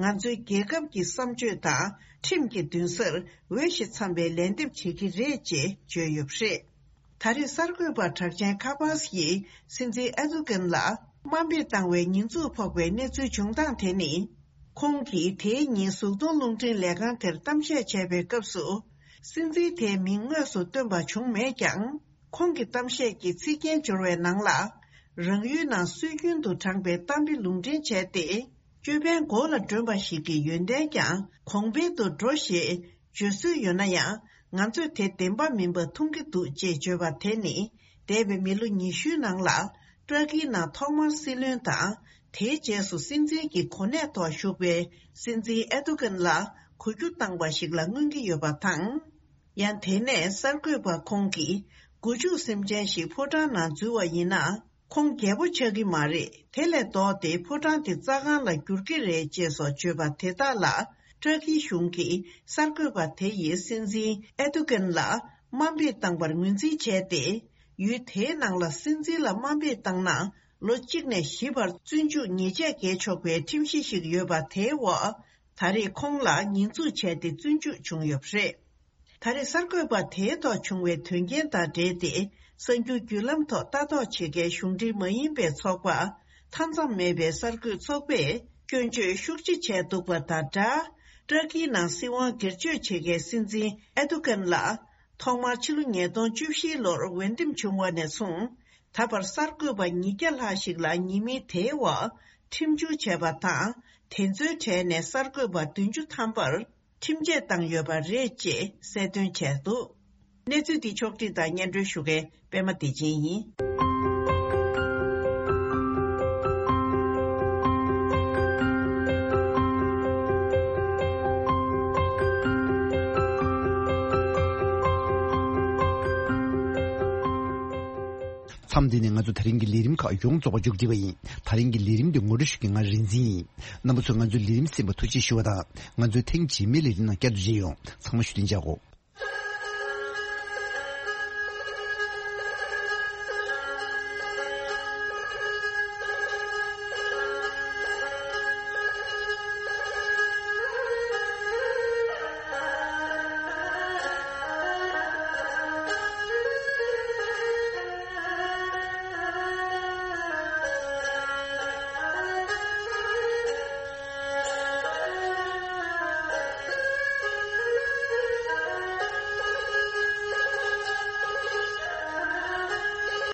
ང་ཚོའི་རྒྱལ་ཁབ་ཀྱི་བསམ་སྤྱོད་དང་ཁྲིམས་ཀྱི་མདུན་སར་འོས་ཤིང་འཚམ་པའི་ལན་འདེབས་བྱེད་ཀྱི་རེད་ཅེས་བརྗོད་ཡོད་པ་རེད། ད་རེས་གསར་འགོད་པ་གྲགས་ཅན་ཁ་པཱས་ཡིས་སྲིད་འཛིན་ཨེ་རྡུ་ཀན་ལ་དམའ་འབེབས་བཏང་བའི་ཉེས་འཛུགས་ཕོག་པའི་གནས་ཚུལ་བྱུང་སྟངས་དེ་ནི། ཁོང་གིས་དེའི་ཉིན་གཟུགས་མཐོང་རླུང་འཕྲིན་ལས་ཁང་དེར་གཏམ་བཤད་བྱས་པའི་སྐབས་སུ། སྲིད་འཛིན་དེའི་མིང་དངོས་སུ་བཏོན་པ་བྱུང་མེད་ཀྱང་། ཁོང་གི་གཏམ་བཤད་ཀྱི་ཚིག་རྒྱན་སྦྱོར་བའི་ནང་ལ། རང་ཡུལ་ནང་སྲོལ་རྒྱུན་དུ་དྲངས་པའི་གཏམ་དཔེ་ལུང་འདྲེན་བྱས་ཏེ། ཅོད་པན་མགོ་ལ་སྒྲོན་པ་ཞིག་གི་ཡོན་ཏན་ཀྱང་གོང་འཕེལ་དུ་འགྲོ་ཞེས་བརྗོད་སྲོལ་ཡོད་ན་ཡང་། ང་ཚོས་དེ་བདེན་པ་མིན་པ་མཐོང་གི་འདུག་ཅེས་བརྗོད་པ་དེ་ནི། འདས་པའི་མི་ལོ་ཉི་ཤུའི་ནང་ལ། ཏྲ་ཀིའི་ནང་ཐོག་མར་སྲིད་བློན་དང་། དེའི་རྗེས་སུ་སྲིད་འཛིན་གྱི་གོ་གནས་ཐོག་བཞུགས་པའི་སྲིད་འཛིན་ཨེ་རྡུ་ཀན་ལ་གོ་རྒྱུ་བཏང་བ་ཞིག་ལ་མངོན་གྱི་ཡོད་པ་དང་། ཡང་དེ་ནས་གསར་འགོད་པ་ཁོང་གིས་སྒོ་ཕྱུགས་སེམས་ཅན་ཞིག་ཕོ་བྲང་ནང་འཛུལ་བ་ཡིན་ན། ཁོང་རྒྱལ་པོ་ཆགས་ཀྱི་མ་རེད། དེ་ལས་ལྡོག་སྟེ་ཕོ་བྲང་དེ་རྩྭ་ཁང་ལ་འགྱུར་གྱི་རེད་ཅེས་སོགས་བརྗོད་པ་དེ་དག་ལ། ཏྲ་ཀིའི་གཞུང་གིས་གསར་འགོད་པ་དེ་ཡིས་སྲིད་འཛིན་ཨེ་རྡུ་ཀན་ལ་དམའ་འབེབས་བཏང་བར་ངོས་འཛིན་བྱས་ཏེ། ཡུལ་དེའི་ནང་ལ་སྲིད་འཛིན་ལ་དམའ་འབེབས་བཏང་ན། ལོ་གཅིག་ནས་བཞི་བར་བཙོན་འཇུག་ཉེས་ཆད་འགེལ་ཆོག་པའི་ཁྲིམས་གཞི་ཞིག་ཡོད་པ་དེའི་འོག་ད་རེས་ཁོང་ལ་ཉེས་འཛུགས་བྱས་ཏེ་བཙོན་འཇུག་བྱུང་ཡོད་པ་རེད། ད་རེས་གསར་འགོད་པ་དེའི་ཐོག་བྱུང་བའི་དོན་རྐྱེན་དང་འབྲེལ་ཏེ། གསར་འགྱུར་བརྒྱུད་ལམ་ཐོག་ལྟ་རྟོག་བྱེད་མཁན་གཞུང་འབྲེལ་མ་ཡིན་པའི་ཚོགས་པ། མཐའ་མཚམས་མེད་པའི་གསར་འགོད་ཚོགས་པས་སྐྱོན་བརྗོད་ཤུགས་ཆེ་བྱས་འདུག་པ་དང་སྦྲགས། ཏྲ་ཀིའི་ནང་སྲིད་དབང་སྒེར་གཅོད་བྱེད་མཁན་སྲིད་འཛིན་ཨེ་རྡུ་ཀན་ལ། ཐོག་མར་ཕྱི་ལོ་ཉིས་སྟོང་བཅུ་བཞིའི་ལོར་འོས་འདེམས་བྱུང་བ་ནས་བཟུང་། ད་བར་གསར་འགོད་པ་ཉིས་བརྒྱ་ལྷག་ཞིག་ལ་ཉེས་མིང་དེའི་འོག་ཁྲིམས་སྦྱོར་བྱས་པ་དང་། དེ་ཚོའི་གྲས་ནས་གསར་འགོད་པ་བདུན་ཅུ་ཐམ་པར་ཁྲིམས་ཆད་བཏང་ཡོད་པ་རེད་ཅེས་གསལ་སྟོན་བྱས་འདུག་གནས་ཚུལ་འདི་ཕྱོགས་བསྒྲིགས་དང་སྙན་སྒྲོན་ཞུ་མཁན་པད་མ་བདེ་ཆེན་ཡིན། མཚམས་འདི་ནས་ང་ཚོ་ད་རིང་གི་ལས་རིམ་ཁག་ཡོངས་རྫོགས་པ་མཇུག་བསྒྲིལ་བ་ཡིན། ད་རིང་གི་ལས་རིམ་འདི་ངོ་སྤྲོད་ཞུ་མཁན་ང་རིག་འཛིན་ཡིན། རྣམ་པ་ཚོས་ང་ཚོའི་ལས་རིམ་གསན་པར་ཐུགས་རྗེ་ཞུ་བ་དང་། ང་ཚོའི་ཐེངས་རྗེས་མའི་ལས་རིམ་ནང་བསྐྱར་དུ་མཇལ་ཡོང་། ཚང་མ་བཞུགས་གདན་འཇགས་གོ།